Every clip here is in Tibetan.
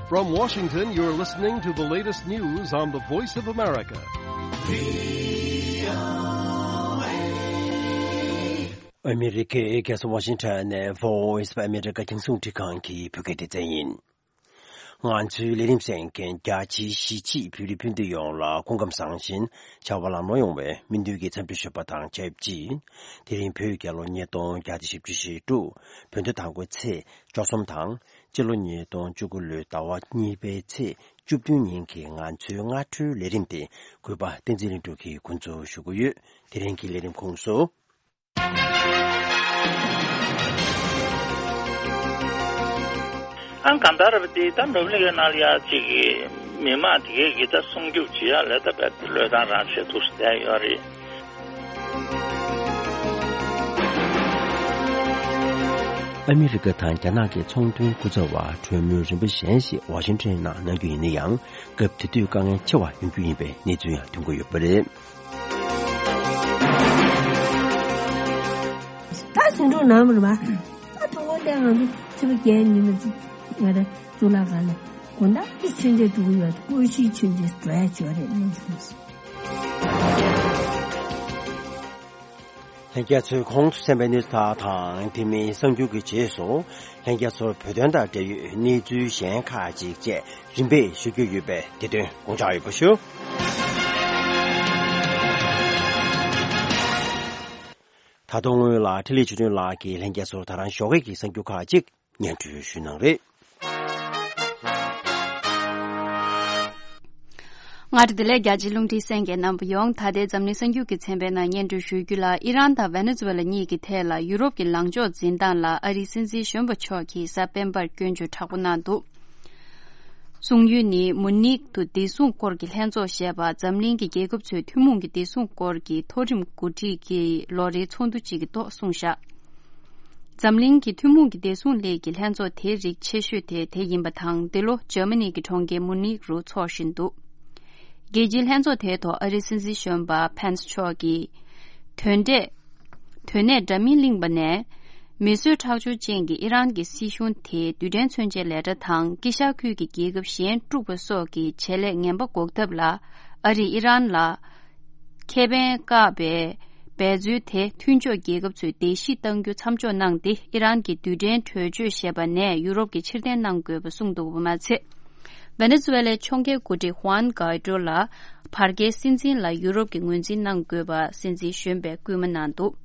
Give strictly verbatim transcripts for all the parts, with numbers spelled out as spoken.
From Washington, you're listening to the latest news on the Voice of America. ཨ་མི་རི་ཀའི་རྒྱལ་ས་ཝ་ཤིང་ཊོན་ནས་Voice of America རྒྱང་སྲིང་རླུང་འཕྲིན་ཁང་གི་བོད་སྐད་སྡེ་ཚན་ཡིན། ང་ཚོའི་ལས་རིམ་གསན་མཁན་རྒྱ་ཆེའི་གཞིས་བྱེས་བོད་རིགས་སྤུན་ཟླ་ཡོངས་ལ་སྐུ་ཁམས་བཟང་ཞིང་བྱ་བ་ལམ་ལྷོང་ཡོང་བའི་སྨོན་འདུན་གྱི་འཚམས་འདྲི་ཞུ་བ་དང་ཆབས་ཅིག་དེ་རིང་བོད་རྒྱལ་ལོ་ཉིས་སྟོང་བརྒྱ་དང་བཞི་བཅུ་ཞེ་དྲུག་བོད་ཟླ་དང་པོའི་ཚེས་བཅུ་གསུམ་དང་། སྤྱི་ལོ་ཉིས་སྟོང་བཅུ་དགུ་ལོའི་ཟླ་བ་གཉིས་པའི་ཚེས་བཅུ་བདུན་ཉིན་གྱི་ང་ཚོའི་སྔ་དྲོའི་ལས་རིམ་དེ་གུས་པ་བསྟན་འཛིན་ལྷུན་གྲུབ་ཀྱིས་འགོ་འཛུགས་ཞུ་གི་ཡོད། དེ་རིང་གི་ལས་རིམ་ཁོངས་སུ། ཨང་གང་ལྟར་རེད་པ་དེ་ད་འགྲོ་ལུགས་ཀྱི་ནང་ལ་ཡ་གཅིག་གི་མི་མང་དེ་གས་ཀྱི་ད་སྲུང་སྐྱོབ་བྱེད་ཡ་ལས་ད་བལ་བློས་བཏང་རང་བྱེད་ཐུབ་སུ་བསྡད་ཡོད་རེད། ཨ་མི་རི་ཀ་དང་རྒྱ་ནག་གི་ཚོང་དོན་སྐུ་ཚབ་པ་གྲོས་མོལ་རིམ་པ་གཞན་ཞིག་ཝ་ཤིང་ཊོན་ནང་གནང་རྒྱུ་ཡིན་ན་ཡང་སྐབས་དེ་དུས་དཀའ་ངལ་ཆེ་བ་ཡོང་རྒྱུ་ཡིན་པའི་གནས་ཚུལ་ཡང་ཐོན་གྱི་ཡོད་པ་རེད། ད་ཟིན་འགྲོ་ནམ་རེད་བ། ད་ཐོག་པ་ལས་ང་ཚོ་ཕྱི་པ་རྒྱལ་ཉི་མ་ཚེ་ང་རང་གཙུག་ལག་ཁང་ལ་དགོང་དག་གི་མཆོད་མཇལ་འགྲོ་གི་ཡོད། སྐུ་ཞིག་མཆོད་མཇལ་འགྲོ་ཡ་ཅོ་རེད་གནང་སོང་། ལྷན་རྒྱས་ཚོས་གོང་དུ་གསན་པའི་གནས་ཚུལ་དག་དང་དེ་མིན་གསར་འགྱུར་གྱི་རྗེས་སུ་ལྷན་རྒྱས་ཚོར་བོད་དོན་དང་འབྲེལ་ཡོད་གནས་ཚུལ་གཞན་ཁག་ཅིག་བཅས་རིམ་པས་ཞུ་རྒྱུ་ཡོད་པས་དེ་དོན་དགོངས་འཇགས་ཡོད་པ་ཞུ། ད་དུང་སྔོན་ལ་འཕྲིན་ལས་ཆོས་སྒྲོན་ལགས་ཀྱིས་ལྷན་རྒྱས་ཚོར་ད་རང་ཞོགས་ཀས་ཀྱི་གསར་འགྱུར་ཁག་ཅིག་སྙན་སྒྲོན་ཞུ་གནང་རེད། མངའ་སྡེ་བདེ་ལེགས། རྒྱ་ཆེའི་རླུང་འཕྲིན་གསན་མཁན་རྣམ་པ་ཡོངས། ད་ལྟའི་འཛམ་གླིང་གསར་འགྱུར་གྱི་ཚན་པའི་ནང་སྙན་སྒྲོན་ཞུ་རྒྱུ་ལ། ཨི་རན་དང་ཝེ་ནེ་ཛུ་ཝེ་ལ་གཉིས་ཀྱི་ཐད་ལ་ཡུ་རོབ་ཀྱི་ལངས་ཕྱོགས་འཛིན་སྟངས་ལ་ཨ་རིའི་སྲིད་འཛིན་གཞོན་པ་མཆོག་གིས་གཟའ་སྤེན་པར་སྐྱོན་བརྗོད་དྲག་པོ་གནང་འདུག་གསུང་ཡུལ་ནི་མུ་ནིག་ཏུ་བདེ་སྲུང་སྐོར་གྱི་ལྷན་ཚོགས་ཞེས་པ་འཛམ་གླིང་གི་རྒྱལ་ཁབ་ཚོའི་ཐུན་མོང་གི་བདེ་སྲུང་སྐོར་གྱི་མཐོ་རིམ་འགོ་ཁྲིད་ཀྱི་ལོ་རེའི་ཚོགས་འདུ་གཅིག་གི་ཐོག་གསུངས་བཞག་འཛམ་གླིང་གི་ཐུན་མོང་གི་བདེ་སྲུང་སླད་ཀྱི་ལྷན་ཚོགས་དེའི་རིགས་ཆེ་ཤོས་དེ་དེ་ཡིན་པ་དང་། འདི་ལོ་འཇར་མ་ནི་གི་གྲོང་ཁྱེར་མུ་ནིག་རུ་འཚོགས་བཞིན་འདུག་རྒྱལ་སྤྱིའི་ལྷན་ཚོགས་དེའི་ཐོག་ཨ་རིའི་སྲིད་འཛིན་གཞོན་པ་ཕན་སི་མཆོག་གིས། དོན་འབྲས། དོན་གནད་འདྲ་མིན་གླེང་བ་ནས། མི་གསོད་ཁྲག་སྦྱོར་ཅན་གྱི་ཨི་རན་གྱི་སྲིད་གཞུང་དེས་རྡུལ་ཕྲན་མཚོན་ཆའི་ལས་གྲྭ་དང་དཀྱིལ་ཤར་ཁུལ་གྱི་རྒྱལ་ཁབ་གཞན་དཀྲུགས་པ་སོགས་ཀྱི་བྱེད་ལས་ངན་པ་འགོག་ཐབས་ལ་ཨ་རིས་ཨི་རན་ལ་ཁེ་ཕན་བཀག་པའི་འབད་རྩོལ་དེ་མཐུན་ཕྱོགས་རྒྱལ་ཁབ་ཚོས་བརྡལ་བཤིག་གཏང་རྒྱུ་མཚམས་འཇོག་གནང་སྟེ། ཨི་རན་གྱི་རྡུལ་ཕྲན་གྲོས་ཆོད་ཞེས་པ་ནས་ཡུ་རོབ་ཀྱིས་ཕྱིར་འཐེན་གནང་དགོས་པ་གསུངས་འདུག་པ་མ་ཚད། ཝེ་ནེ་ཛུ་ཝེ་ལའི་ཕྱོགས་འགལ་འགོ་ཁྲིད་ཧུའན་གའི་ཏྲོ་ལ་བར་བརྒལ་སྲིད་འཛིན་ལ་ཡུ་རོབ་ཀྱིས་ངོས་འཛིན་གནང་དགོས་པ་སྲིད་འཛིན་གཞོན་པས་སྐུལ་མ་གནང་འདུག་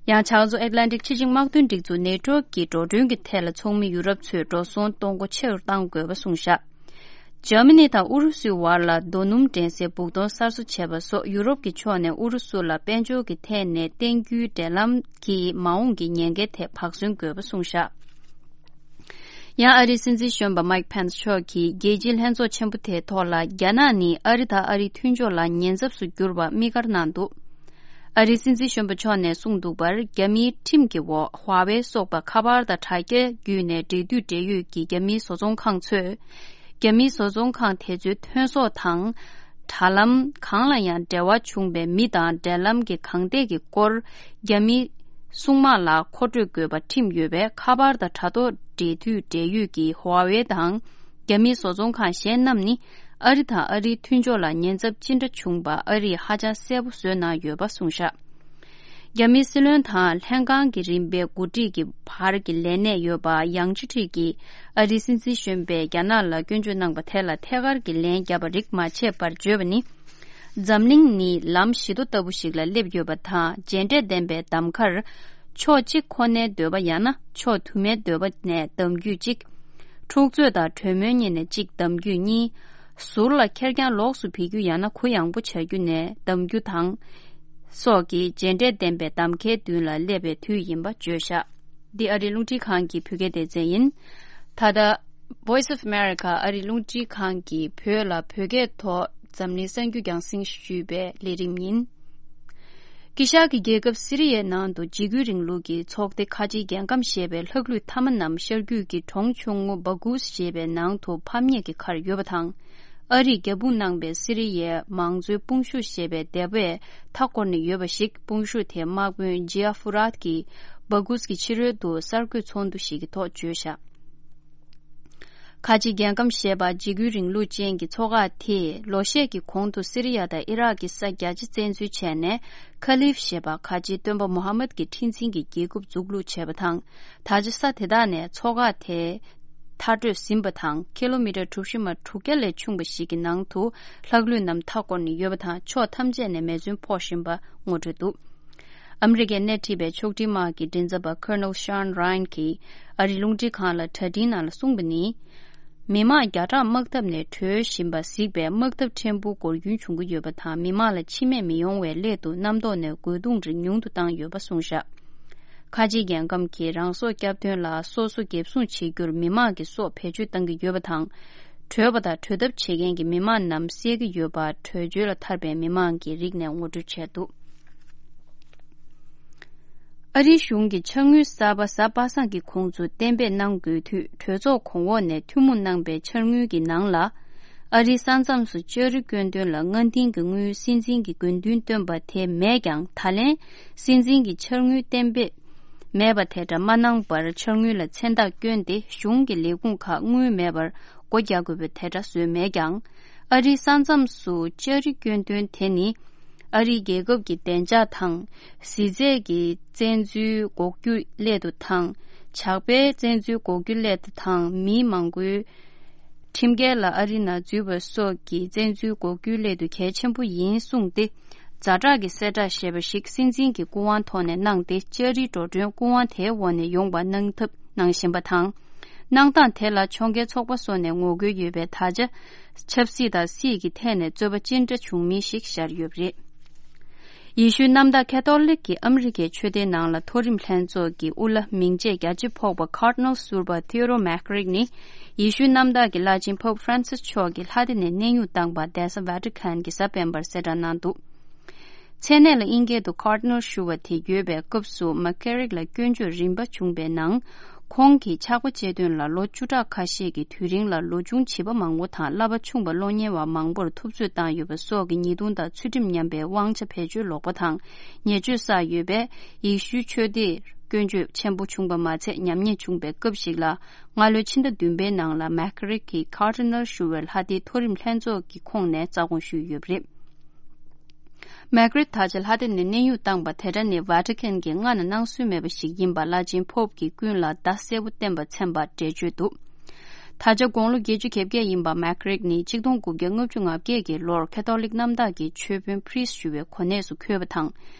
ཡང་ཕྱག་མཛོད་ཨེཊ་ལན་ཊིག་ཕྱི་བྱིངས་དམག་དོན་སྒྲིག་འཛུགས་ནེ་ཊོ་ཀྱི་འགྲོ་གྲོན་གྱི་ཐད་ལ་ཚོགས་མི་ཡུ་རོབ་ཚོས་འགྲོ་སོང་གཏོང་སྒོ་ཆེ་རུ་གཏང་དགོས་པ་གསུངས་བཞག་འཇར་མ་ནི་དང་ཨུ་རུ་སུའི་བར་ལ་རྡོ་སྣུམ་འདྲེན་སའི་སྦུག་དོང་གསར་བཟོ་བྱས་པ་སོགས་ཡུ་རོབ་ཀྱི་ཕྱོགས་ནས་ཨུ་རུ་སུ་ལ་དཔལ་འབྱོར་གྱི་ཐད་ནས་བརྟེན་རྒྱུའི་འབྲེལ་ལམ་གྱི་མ་འོངས་ཀྱི་ཉེན་ཁའི་ཐད་བག་ཟོན་དགོས་པ་གསུངས་བཞག་ཡང་ཨ་རིའི་སྲིད་འཛིན་གཞོན་པ་མའིག་ཕན་སི་མཆོག་གིས་རྒྱལ་སྤྱིའི་ལྷན་ཚོགས་ཆེན་པོ་དེའི་ཐོག་ལ། རྒྱ་ནག་ནི་ཨ་རི་དང་ཨ་རིའི་མཐུན་ཕྱོགས་ལ་ཉེན་ཚབས་སུ་གྱུར་པ་དམིགས་བཀར་གནང་འདུག་ཨ་རིའི་སྲིད་འཛིན་གཞོན་པ་མཆོག་ནས་གསུངས་འདུག་པར། རྒྱ་མིའི་ཁྲིམས་ཀྱི་འོག་ཧྭ་ཝེ་སོགས་པ་ཁ་པར་དང་དྲ་རྒྱ་བརྒྱུད་ནས་འབྲེལ་མཐུད་འབྲེལ་ཡོད་ཀྱི་རྒྱ་མིའི་བཟོ་ཚོང་ཁང་ཚོས། རྒྱ་མིའི་བཟོ་ཚོང་ཁང་དེ་ཚོའི་ཐོན་ཟོག་དང་། དྲ་ལམ་གང་ལ་ཡང་འབྲེལ་བ་བྱུང་བའི་མི་དང་འབྲེལ་ལམ་གྱི་གང་ཐད་ཀྱི་སྐོར། རྒྱ་མིའི་སྲུང་དམག་ལ་མཁོ་སྤྲོད་དགོས་པ་ཁྲིམས་ཡོད་པས། ཁ་པར་དང་དྲ་ཐོག་འབྲེལ་མཐུད་འབྲེལ་ཡོད་ཀྱི་ཧྭ་ཝེ་དང་། རྒྱ་མིའི་བཟོ་ཚོང་ཁང་གཞན་རྣམས་ནི་ཨ་རི་དང་ཨ་རིའི་མཐུན་ཕྱོགས་ལ་ཉེན་ཚབས་ཅི་འདྲ་བྱུང་པ་ཨ་རིས་ཧ་ཅང་གསལ་པོ་བཟོས་གནང་ཡོད་པ་གསུངས་བཞག་རྒྱ་མིའི་སྲིད་བློན་དང་ལྷན་ཁང་གི་རིམ་པའི་འགོ་ཁྲིད་ཀྱི་བར་གྱི་ལས་གནས་ཡོད་པ་ཡང་ཅི་ཁྲི་གིས་ཨ་རིའི་སྲིད་འཛིན་གཞོན་པས་རྒྱ་ནག་ལ་སྐྱོན་བརྗོད་གནང་པ་དེ་ལ་ཐད་ཀར་གྱི་ལན་བརྒྱབ་པ་རིགས་མ་ཆད་པར་བརྗོད་པ་ནི། འཛམ་གླིང་ནི་ལམ་བཞི་མདོ་ལྟ་བུ་ཞིག་ལ་སླེབས་ཡོད་པ་དང་། རྗེས་འབྲས་ལྡན་པའི་གདམ་ཁར་ཕྱོགས་གཅིག་ཁོ་ནའི་འདོད་པ་ཡང་ན་ཕྱོགས་དུ་མའི་འདོད་པ་ནས་གདམ་རྒྱུད་གཅིག་འཁྲུག་རྩོད་དང་གྲོས་མོལ་གཉིས་ནས་གཅིག་གདམ་རྒྱུད་གཉིས། ཟུར་ལ་ཁེར་རྐྱང་ལོགས་སུ་ཕེབས་རྒྱུ་ཡང་ན་གུ་ཡངས་པོ་བྱ་རྒྱུ་ནས་གདམ་རྒྱུ་དང་། སོགས་ཀྱི་རྗེས་འབྲས་ལྡན་པའི་གདམ་ཁའི་མདུན་ལ་སླེབས་པའི་དུས་ཡིན་པ་བརྗོད་བཞག་འདི་ཨ་རིའི་རླུང་འཕྲིན་ཁང་གི་བོད་སྐད་སྡེ་ཚན་ཡིན། ད་ལྟ་Voice of America ཨ་རིའི་རླུང་འཕྲིན་ཁང་གིས་བོད་ལ་བོད་སྐད་ཐོག་འཛམ་གླིང་གསར་འགྱུར་རྒྱང་སྲིང་ཞུས་པའི་ལས་རིམ་ཡིན། དཀྱིལ་ཤར་གྱི་རྒྱལ་ཁབ་སི་རི་ཡའི་ནང་དུ་འཇིགས་སྐུལ་རིང་ལུགས་ཀྱི་ཚོགས་སྡེ་ཁ་ཆེའི་རྒྱལ་ཁམས་ཞེས་པའི་ལྷག་ལུས་མཐའ་མ་རྣམས་ཤར་རྒྱུད་ཀྱི་གྲོང་ཆུང་ངུ་སྦ་གུས་ཞེས་པའི་ནང་དུ་ཕམ་ཉེས་ཀྱི་ཁར་ཡོད་པ་དང་། ཨ་རིས་རྒྱབ་དཔུང་གནང་པའི་སི་རི་ཡའི་མང་གཙོའི་དཔུང་ཤུགས་ཞེས་པའི་སྡེ་པས་མཐའ་བསྐོར་ནས་ཡོད་པ་ཞིག་དཔུང་ཤུགས་དེའི་དམག་དཔོན་ཇི་ཨ་ཧྥུ་རཱད་ཀྱིས་སྦ་གུས་ཀྱི་ཕྱི་རོལ་དུ་གསར་འགོད་ཚོགས་འདུ་ཞིག་གི་ཐོག་བརྗོད་བཞག་ཁ་ཆེ་རྒྱལ་ཁམས་ཞེས་པ་འཇིགས་སྐུལ་རིང་ལུགས་ཅན་གྱི་ཚོགས་ཁག་དེས་ལོ་ཤས་ཀྱི་གོང་དུ་སི་རི་ཡ་དང་ཨི་རག་གི་ས་རྒྱ་ཆེ་བཙན་འཛུལ་བྱས་ནས། ཁ་ལིབ་ཞེས་པ་ཁ་ཆེའི་སྟོན་པ་མུ་ཧམ་མད་ཀྱི་ཁྲི་འཛིན་གྱི་རྒྱལ་ཁབ་འཛུགས་ལུགས་བྱས་པ་དང་། ད་ཆ་ས་དེ་དག་ནས་ཚོགས་ཁག་དེ་མཐར་སྐྲོད་ཟིན་པ་དང་། ཁི་ལོ་མི་ཊར་གྲུ་བཞི་མ་དྲུག་བརྒྱ་ལས་ཆུང་བ་ཞིག་གི་ནང་དུ་ལྷག་ལུས་རྣམས་མཐའ་བསྐོར་ནས་ཡོད་པ་དང་། ཕྱོགས་ཐམས་ཅད་ནས་མེ་མཚོན་ཕོག་བཞིན་པ་ངོ་སྤྲོད་འདུག་ཨ་མི་རི་ཀས་སྣེ་ཁྲིད་པའི་ཕྱོགས་སྒྲིག་དམག་གི་མགྲིན་ཚབ་པ་Colonel Sean Ryan གྱིས་ཨ་རིའི་རླུང་འཕྲིན་ཁང་ལ་དྲ་འཕྲིན་ནང་ལ་གསུངས་པ་ནི། མི་མང་བརྒྱ་ཕྲག་དམག་འཐབ་ནས་བྲོས་བཞིན་པ་གཟིགས་པས། དམག་འཐབ་ཕྲན་བུ་འགོར་འགྱུར་བྱུང་གི་ཡོད་པ་དང་། མི་མང་ལ་འཆི་རྨས་མི་ཡོང་བའི་སླད་དུ་གནམ་ཐོག་ནས་རྒོལ་རྡུང་རིགས་ཉུང་དུ་བཏང་ཡོད་པ་གསུངས་བཞག་ཁ་ཆེའི་རྒྱལ་ཁམས་ཀྱིས་རང་སྲོག་སྐྱབས་དོན་ལ་སོ་སོ་འགེབས་སྲུང་བྱེད་རྒྱུར་མི་མང་གི་སྲོག་བེད་སྤྱོད་གཏང་གི་ཡོད་པ་དང་། བྲོས་པ་དང་བྲོས་ཐབས་བྱེད་མཁན་གྱི་མི་མང་རྣམས་བསད་ཀྱི་ཡོད་པ། བྲོས་བྱོལ་ལ་ཐར་པའི་མི་མང་གི་རིགས་ནས་ངོ་སྤྲོད་བྱས་འདུག་ཨ་རིའི་གཞུང་གིས་ཕྱག་དངུལ་གསར་པ་གཟའ་པ་སངས་ཀྱི་ཁོངས་སུ་གཏན་འབེབས་གནང་དགོས་དུས། གྲོས་ཚོགས་གོང་འོག་ནས་ཐུན་མོང་གནང་པའི་འཆར་དངུལ་གྱི་ནང་ལ། ཨ་རིའི་ས་མཚམས་སུ་ལྕགས་རི་སྐྱོན་དོན་ལ་སྔ་རྟིང་གི་དངུལ་སྲིད་འཛིན་གྱི་དགོས་འདུན་བཏོན་པ་དེ་མེད་ཀྱང་། ད་ལན་སྲིད་འཛིན་གྱི་འཆར་དངུལ་གཏན་འབེབས་མེད་པ་དེ་འདྲ་མ་གནང་བར། འཆར་དངུལ་ལ་མཚན་རྟགས་བསྐྱོན་ཏེ། གཞུང་གི་ལས་ཁུངས་ཁག་དངུལ་མེད་པར་སྒོ་རྒྱག་དགོས་པའི་དེ་འདྲ་བཟོས་མེད་ཀྱང་། ཨ་རིའི་ས་མཚམས་སུ་ལྕགས་རི་སྐྱོན་དོན་དེ་ནི། ཨ་རིའི་རྒྱལ་ཁབ་ཀྱི་བདེ་འཇགས་དང་། གཟི་རྫས་ཀྱི་བཙན་འཛུལ་འགོག་རྒྱུ་སླད་དུ་དང་། ཇག་པའི་བཙན་འཛུལ་འགོག་རྒྱུ་སླད་དུ་དང་། མི་མང་པོའི་ཁྲིམས་འགལ་ལ་ཨ་རི་ནང་འཛུལ་བ་སོགས་ཀྱི་བཙན་འཛུལ་འགོག་རྒྱུའི་སླད་དུ་གལ་ཆེན་པོ་ཡིན་གསུངས་ཏེ། ཛ་དྲག་གི་གསལ་བསྒྲགས་ཞེས་པ་ཞིག་སྲིད་འཛིན་གྱི་སྐུ་དབང་ཐོག་ནས་གནང་སྟེ། ལྕགས་རིའི་འགྲོ་གྲོན་སྐུ་དབང་དེའི་འོག་ནས་ཡོང་བ་གནང་ཐབས་གནང་བཞིན་པ་དང་། གནང་སྟངས་དེ་ལ་ཕྱོགས་འགལ་ཚོགས་པ་སོགས་ནས་ངོ་རྒོལ་ཡོད་པས། ད་ཆ་ཆབ་སྲིད་དང་སྲིད་ཀྱི་ཐད་ནས་རྩོད་པ་ཅི་འདྲ་བྱུང་མིན་ཞིག་ཤར་ཡོད་པ་རེད། ཡེ་ཤུའི་གནམ་བདག་ཁེ་ཐོ་ལིག་གི་ཨ་མི་རི་ཀའི་ཆོས་སྡེའི་ནང་ལ་མཐོ་རིམ་ལྷན་ཚོགས་ཀྱི་དབུ་བླ་མིང་ཆད་རྒྱ་ཆེ་ཕོག་པ་Cardinal ཟུར་པ་Theodore McCarrick ནི། ཡེ་ཤུའི་གནམ་བདག་གི་བླ་ཆེན་Pope Francis མཆོག་གིས་ལྷ་སྡེ་ནས་གནས་དབྱུང་བཏང་པ་གདན་ས་Vatican གྱི་གཟའ་སྤེན་པར་གསལ་བསྒྲགས་གནང་འདུག་མཚན་གནས་ལ་དབྱིན་སྐད་དུ་Cardinal ཞུ་བ་དེ་ཡོད་པའི་སྐབས་སུ། McCarrick ལ་སྐྱོན་བརྗོད་རིམ་པ་བྱུང་བའི་ནང་། ཁོང་གིས་ཕྱག་དཔེ་བཅས་དོན་ལ་ལོ་བཅུ་ཕྲག་ཁ་ཤས་ཀྱི་དུས་རིང་ལ་ལོ་ཆུང་བྱིས་པ་མང་པོ་དང་། བསླབ་པ་ཆུང་བ་སློབ་གཉེར་བ་མང་པོར་ཐུབ་ཚོད་བཏང་ཡོད་པ་སོགས་ཀྱི་ཉེས་རྡུང་དང་ཚུལ་ཁྲིམས་ཉམས་པའི་དབང་ཆ་བེད་སྤྱོད་ལོག་པ་དང་ཉེས་སྤྱོད་བསགས་ཡོད་པས། ཡེ་ཤུའི་ཆོས་སྡེར་སྐྱོན་བརྗོད་ཆེན་པོ་བྱུང་པ་མ་ཚད། ཉམས་ཉེས་བྱུང་པའི་སྐབས་ཤིག་ལ། སྔ་ལོའི་ཕྱི་ཟླ་བདུན་པའི་ནང་ལ་McCarrick གིས་Cardinal ཞུ་བའི་ལྷ་སྡེའི་མཐོ་རིམ་ལྷན་ཚོགས་ཀྱི་ཁོངས་ནས་རྩ་དགོངས་ཞུས་ཡོད་པ་རེད། McCarrick ད་ཆ་ལྷ་སྡེ་ནས་གནས་དབྱུང་བཏང་པ་དེ་འདྲ་ནི་Vatican གིས་སྔ་ན་གནང་སྲོལ་མེད་པ་ཞིག་ཡིན་པ། བླ་ཆེན་Pope གིས་ཀུན་ལ་བརྡ་གསལ་པོ་བསྟན་པ་མཚོན་པར་འགྲེལ་བརྗོད་འདུག་ད་ཆ་དགུང་ལོ་བརྒྱད་ཅུ་གྱ་བརྒྱད་ཡིན་པ་McCarrick ནི་ཆིག་སྟོང་དགུ་བརྒྱ་ལྔ་བཅུ་ང་བརྒྱད་ཀྱི་ལོར་ཁེ་ཐོ་ལིག་གནམ་བདག་གི་ཆོས་དཔོན་priest ཞུ་བའི་གོ་གནས་སུ་འཁོད་པ་དང་།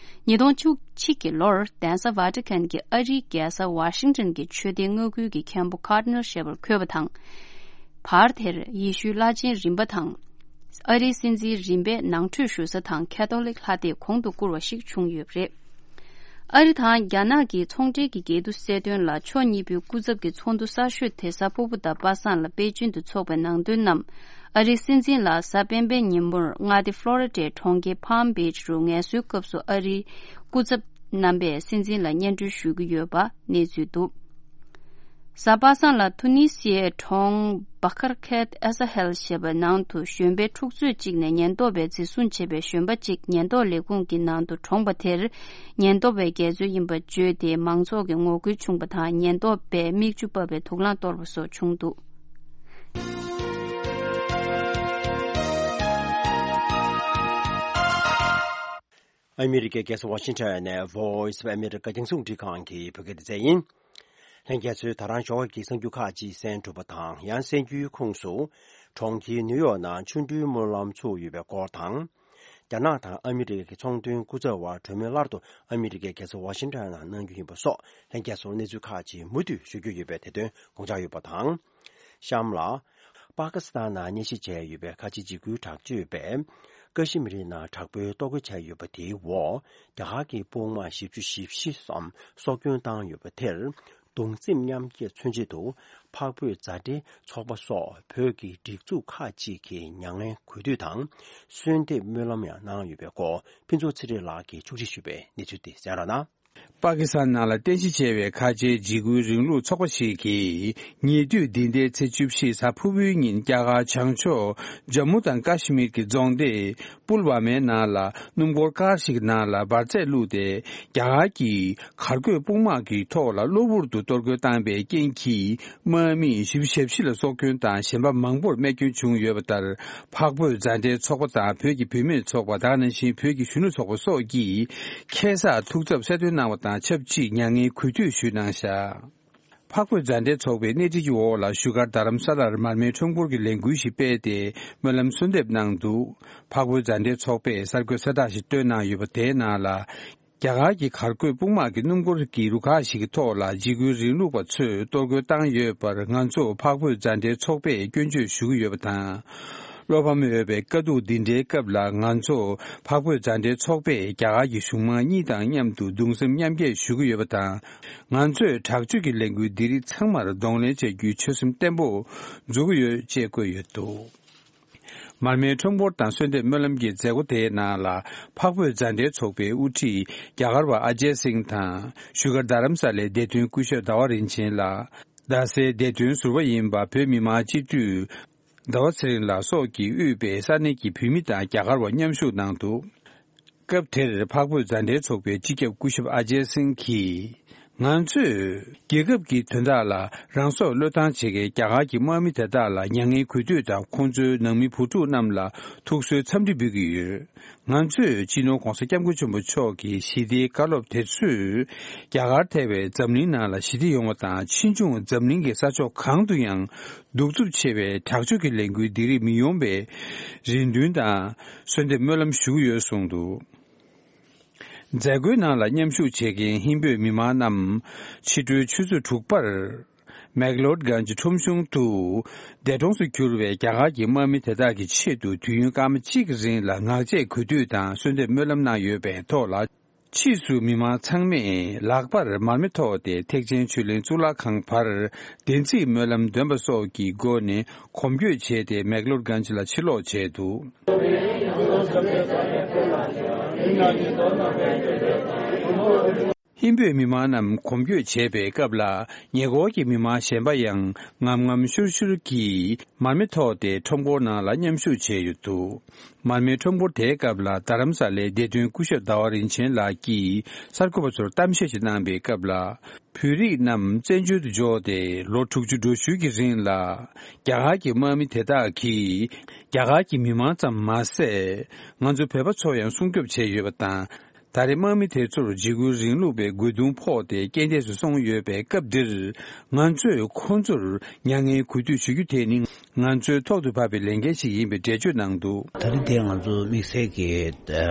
ཉིས་སྟོང་བཅུ་གཅིག་གི་ལོར་གདན་ས་Vatican གྱི་ཨ་རིའི་རྒྱལ་ས་Washington གྱི་ཆོས་སྡེའི་མངའ་ཁུལ་གྱི་མཁན་པོ་Cardinal ཞེས་པར་འཁོད་པ་དང་། བར་དེར་ཡེ་ཤུའི་བླ་ཆེན་རིམ་པ་དང་། ཨ་རིའི་སྲིད་འཛིན་རིམ་པས་ནང་ཁྲོད་ཞུ་ས་དང་ཁེ་ཐོ་ལིག་ལྷ་སྡེ་གོང་དུ་བཀུར་བ་ཞིག་བྱུང་ཡོད་པ་རེད། ཨ་རི་དང་རྒྱ་ནག་གི་ཚོང་འབྲེལ་གྱི་འགལ་འདུ་སེལ་དོན་ལ་ཕྱོགས་གཉིས་པོའི་སྐུ་ཚབ་ཀྱི་ཚོགས་འདུ་གསར་ཤོས་དེ་གཟའ་ཕུར་བུ་དང་པ་སངས་ལ་པེ་ཅིན་དུ་འཚོགས་པའི་ནང་དོན་རྣམས། ཨ་རིའི་སྲིད་འཛིན་ལ་གཟའ་སྤེན་པའི་ཉིན་མོར་མངའ་སྡེ་Florida གྲོང་ཁྱེར་Palm Beach རུ་ངལ་གསོའི་སྐབས་སུ་ཨ་རིའི་སྐུ་ཚབ་རྣམ་པས་སྲིད་འཛིན་ལ་སྙན་སྒྲོན་ཞུ་གི་ཡོད་པ་གནས་ཚུལ་འདུག་གཟའ་པ་སངས་ལ་ཐུ་ནི་སི་ཡའི་གྲོང་Bakarkent Azahel ཞེས་པའི་ནང་དུ་གཞོན་པའི་འཁྲུག་རྩོད་ཅིག་ནས་ཉེན་རྟོག་པས་འཛིན་བཟུང་བྱས་པའི་གཞོན་པ་ཅིག་ཉེན་རྟོག་ལས་ཁུངས་ཀྱི་ནང་དུ་གྲོངས་པ་དེར། ཉེན་རྟོག་པས་འགལ་འཛོལ་ཡིན་པ་བརྗོད་དེ་མང་ཚོགས་ཀྱི་ངོ་རྒོལ་བྱུང་པ་དང་། ཉེན་རྟོག་པས་མིག་ཆུ་ཕབ་པའི་དུག་རླངས་གཏོར་བ་སོགས་བྱུང་འདུག་ཨ་མི་རི་ཀའི་རྒྱལ་ས་ཝ་ཤིང་ཊོན་ནས་Voice of America རྒྱང་སྲིང་རླུང་འཕྲིན་ཁང་གི་བོད་སྐད་སྡེ་ཚན་ཡིན། ལྷན་རྒྱས་ཚོས་ད་རང་ཞོགས་ཀྱི་གསར་འགྱུར་ཁག་ཅིག་གསན་གྲུབ་པ་དང་། ཡང་གསར་འགྱུར་ཁོངས་སུ། གྲོང་ཁྱེར་ནིའུ་ཡོག་ནང་ཆོ་འཕྲུལ་སྨོན་ལམ་ཚུགས་ཡོད་པའི་སྐོར་དང་། རྒྱ་ནག་དང་ཨ་མི་རི་ཀའི་ཚོང་དོན་སྐུ་ཚབ་བར་གྲོས་མོལ་སླར་དུ་ཨ་མི་རི་ཀའི་རྒྱལ་ས་ཝ་ཤིང་ཊོན་ནང་གནང་རྒྱུ་ཡིན་པ་སོགས། ལྷན་རྒྱས་ཚོར་གནས་ཚུལ་ཁག་ཅིག་མུ་མཐུད་ཞུ་རྒྱུ་ཡོད་པའི་དེ་དོན་དགོངས་འཇགས་ཡོད་པ་དང་། གཤམ་ལ། པ་ཀི་སི་ཐན་ནང་གནས་གཞི་བྱས་ཡོད་པའི་ཁ་ཆེ་འཇིགས་སྐུལ་དྲག་སྤྱོད་པས། ཀ་ཤི་མི་རི་ནང་དྲག་པོའི་གཏོར་རྒོལ་བྱས་ཡོད་པ་དེའི་འོག་རྒྱ་གར་གྱི་དཔུང་དམག་བཞི་བཅུ་ཞེ་བཞི་ཙམ་སྲོག་སྐྱོན་བཏང་ཡོད་པ་དེར། གདུང་སེམས་མཉམ་སྐྱེད་མཚོན་ཆེད་དུ། འཕགས་བོད་མཛའ་འབྲེལ་ཚོགས་པ་སོགས་བོད་ཀྱི་སྒྲིག་འཛུགས་ཁག་ཅིག་གིས་མྱ་ངན་གུས་འདུད་དང་། གསོལ་འདེབས་སྨོན་ལམ་ཡང་གནང་ཡོད་པའི་སྐོར། ཕུན་ཚོགས་ཚེ་རིང་ལགས་ཀྱིས་ཕྱོགས་སྒྲིག་ཞུས་པའི་གནས་ཚུལ་དེ་གསན་རོགས་གནང་། པ་ཀི་སི་ཐན་ནང་ལ་རྟེན་གཞི་བྱས་པའི་ཁ་ཆེའི་འཇིགས་སྐུལ་རིང་ལུགས་ཚོགས་པ་ཞིག་གིས། ཉེ་དུས་འདི་ཟླའི་ཚེས་བཅུ་བཞི་གཟའ་ཕུར་བུའི་ཉིན། རྒྱ་གར་བྱང་ཕྱོགས་ཇམ་མུ་དང་ཀ་ཤི་མིར་གྱི་རྫོང་སྡེ་པུལ་ཝ་མའི་ནང་ལ། སྣུམ་འཁོར་ཀར་ཞིག་ནང་ལ་འབར་རྫས་བླུགས་ཏེ། རྒྱ་གར་གྱི་གར་འགོད་དཔུང་དམག་གི་ཐོག་ལ་གློ་བུར་དུ་གཏོར་རྒོལ་བཏང་པའི་རྐྱེན་གྱིས། དམག་མི་བཞི་བཅུ་ཞེ་བཞི་ལ་སྲོག་སྐྱོན་དང་། གཞན་པ་མང་པོར་རྨས་སྐྱོན་བྱུང་ཡོད་པ་ལྟར། འཕགས་བོད་མཛའ་འབྲེལ་ཚོགས་པ་དང་། བོད་ཀྱི་བུད་མེད་ཚོགས་པ། དེ་ནང་བཞིན་བོད་ཀྱི་གཞོན་ནུ་ཚོགས་པ་སོགས་ཀྱིས་ཁ་སང་ཐུགས་འཚབ་གསལ་སྟོན་གནང་བ་དང་ཆབས་ཅིག་མྱ་ངན་གུས་འདུད་ཞུས་གནང་བཞག་འཕགས་བོད་མཛའ་འབྲེལ་ཚོགས་པའི་སྣེ་ཁྲིད་ཀྱི་འོག་ལ། བཞུགས་སྒར་རྡ་རམ་ས་ལར་མར་མེའི་ཁྲོམ་སྐོར་གྱི་ལས་འགུལ་ཞིག་སྤེལ་ཏེ། སྨོན་ལམ་གསོལ་འདེབས་གནང་འདུག་འཕགས་བོད་མཛའ་འབྲེལ་ཚོགས་པས་གསར་འགོད་གསལ་བསྒྲགས་ཤིག་བཏོན་གནང་ཡོད་པ། དེའི་ནང་ལ། རྒྱ་གར་གྱི་གར་འགོད་དཔུང་དམག་གིས་སྣུམ་འཁོར་གྱི་རུ་ཁག་ཞིག་གི་ཐོག་ལ། འཇིགས་སྐུལ་རིང་ལུགས་པ་ཚོས་གཏོར་རྒོལ་བཏང་ཡོད་པར། ང་ཚོ་འཕགས་བོད་མཛའ་འབྲེལ་ཚོགས་པས་སྐྱོན་བརྗོད་ཞུ་གི་ཡོད་པ་དང་། བློ་ཕམ་ཡོད་པའི་དཀའ་སྡུག་འདི་འདྲའི་སྐབས་ལ། ང་ཚོ་འཕགས་བོད་མཛའ་འབྲེལ་ཚོགས་པས་རྒྱ་གར་གྱི་གཞུང་མང་གཉིས་དང་མཉམ་དུ་གདུང་སེམས་མཉམ་སྐྱེད་ཞུ་གི་ཡོད་པ་དང་། ང་ཚོས་དྲག་སྤྱོད་ཀྱི་ལས་འགུལ་འདི་རིགས་ཚང་མར་གདོང་ལེན་བྱ་རྒྱུའི་ཆོད་སེམས་བརྟན་པོ་འཛུགས་ཀྱི་ཡོད་ཅེས་བཀོད་ཡོད་འདུག་མར་མེའི་ཁྲོམ་སྐོར་དང་གསོལ་འདེབས་སྨོན་ལམ་གྱི་མཛད་སྒོ་དེའི་ནང་ལ། འཕགས་བོད་མཛའ་འབྲེལ་ཚོགས་པའི་དབུ་ཁྲིད་རྒྱ་གར་བ་ཨ་ཇེ་སིང་དང་། བཞུགས་སྒར་རྡ་རམ་ས་ལའི་བདེ་དོན་སྐུ་ཞབས་ཟླ་བ་རིན་ཆེན་ལགས། རྡ་སའི་བདེ་དོན་ཟུར་པ་ཡིན་པ། བོད་མི་མང་སྤྱི་འཐུས་ཟླ་བ་ཚེ་རིང་ལགས་སོགས་ཀྱིས་དབུས་པའི་ས་གནས་ཀྱི་བོད་མི་དང་རྒྱ་གར་བ་མཉམ་ཞུགས་གནང་འདུག་སྐབས་དེར་འཕགས་བོད་མཛའ་འབྲེལ་ཚོགས་པའི་སྤྱི་ཁྱབ་སྐུ་ཞབས་ཨ་ཇེ་སིང་གིས། ང་ཚོས་རྒྱལ་ཁབ་ཀྱི་དོན་དག་ལ་རང་སྲོག་བློས་བཏང་བྱེད་མཁན་རྒྱ་གར་གྱི་དམག་མི་དེ་དག་ལ་མྱ་ངན་གུས་འདུད་དང་། ཁོང་ཚོའི་ནང་མི་བུ་ཕྲུག་རྣམས་ལ་ཐུགས་གསོའི་འཚམས་འདྲི་འབུལ་གྱི་ཡོད། ང་ཚོས་སྤྱི་ནོར་༸གོང་ས་༸སྐྱབས་མགོན་ཆེན་པོ་མཆོག་གི་ཞི་བདེའི་བཀའ་སློབ་དེ་ཚོས་རྒྱ་གར་ཐེ་བའི་འཛམ་གླིང་ནང་ལ་ཞི་བདེ་ཡོང་བ་དང་། ཕྱིས་འབྱུང་འཛམ་གླིང་གི་ས་ཕྱོགས་གང་དུ་ཡང་གདུག་རྩུབ་ཆེ་བའི་དྲག་སྤྱོད་ཀྱི་ལས་འགུལ་འདི་རིགས་མི་ཡོང་བའི་རེ་འདུན་དང་གསོལ་འདེབས་སྨོན་ལམ་ཞུ་གི་ཡོད་གསུངས་འདུག་མཛད་སྒོའི་ནང་ལ་མཉམ་ཞུགས་བྱེད་མཁན་ཧིན་བོད་མི་མང་རྣམས་ཕྱི་དྲོའི་ཆུ་ཚོད་དྲུག་པར་མེག་ལོར་གྷན་ཇི་ཁྲོམ་གཞུང་དུ་འདས་གྲོངས་སུ་གྱུར་བའི་རྒྱ་གར་གྱི་དམག་མི་དེ་དག་གི་ཆེད་དུ་དུས་ཡུན་སྐར་མ་གཅིག་གི་རིང་ལ་ངག་བཅད་གུས་འདུད་དང་གསོལ་འདེབས་སྨོན་ལམ་གནང་ཡོད་པའི་ཐོག་ལ། ཕྱིས་སུ་མི་མང་ཚང་མས་ལག་པར་མར་མེ་ཐོགས་ཏེ་ཐེག་ཆེན་ཆོས་གླིང་གཙུག་ལག་ཁང་བར་བདེན་ཚིག་སྨོན་ལམ་འདོན་པ་སོགས་ཀྱི་སྒོ་ནས་གོམ་བགྲོད་བྱས་ཏེ་མེག་ལོར་གྷན་ཇི་ལ་ཕྱིར་ལོག་བྱས་འདུག་ཧིན་བོད་མི་མང་རྣམས་གོམ་བགྲོད་བྱས་པའི་སྐབས་ལ། ཉེ་འཁོར་གྱི་མི་མང་གཞན་པ་ཡང་ངམ་ངམ་ཤུར་ཤུར་གྱིས་མར་མེ་ཐོགས་ཏེ་ཁྲོམ་སྐོར་ནང་ལ་མཉམ་ཞུགས་བྱས་ཡོད་འདུག་མར་མེའི་ཁྲོམ་སྐོར་དེའི་སྐབས་ལ། རྡ་རམ་ས་ལའི་བདེ་དོན་སྐུ་ཞབས་ཟླ་བ་རིན་ཆེན་ལགས་ཀྱིས་གསར་འགོད་པ་ཚོར་གཏམ་བཤད་ཞིག་གནང་པའི་སྐབས་ལ། བོད་རིགས་རྣམས་བཙན་བྱོལ་དུ་འབྱོར་ཏེ་ལོ་དྲུག་ཅུ་འགྲོ་ཞུགས་ཀྱི་རིང་ལ། རྒྱ་གར་གྱི་དམག་མི་དེ་དག་གིས་རྒྱ་གར་གྱི་མི་མང་ཙམ་མ་ཟད། ང་ཚོ་བོད་པ་ཚོ་ཡང་སྲུང་སྐྱོབ་བྱས་ཡོད་པ་དང་། ད་རེས་དམག་མི་དེ་ཚོར་འཇིགས་སྐུལ་རིང་ལུགས་པའི་རྒོལ་རྡུང་ཕོག་སྟེ་རྐྱེན་འདས་སུ་སོང་ཡོད་པའི་སྐབས་འདིར། ང་ཚོས་ཁོང་ཚོར་མྱ་ངན་གུས་འདུད་ཞུ་རྒྱུ་དེ་ནི་ང་ཚོའི་ཐོག་ཏུ་བབས་པའི་ལས་འགན་ཞིག་ཡིན་པའི་འགྲེལ་བརྗོད་གནང་འདུག་ད་རེས་འདིར་ང་ཚོ་དམིགས་བསལ་གྱི་ཨ་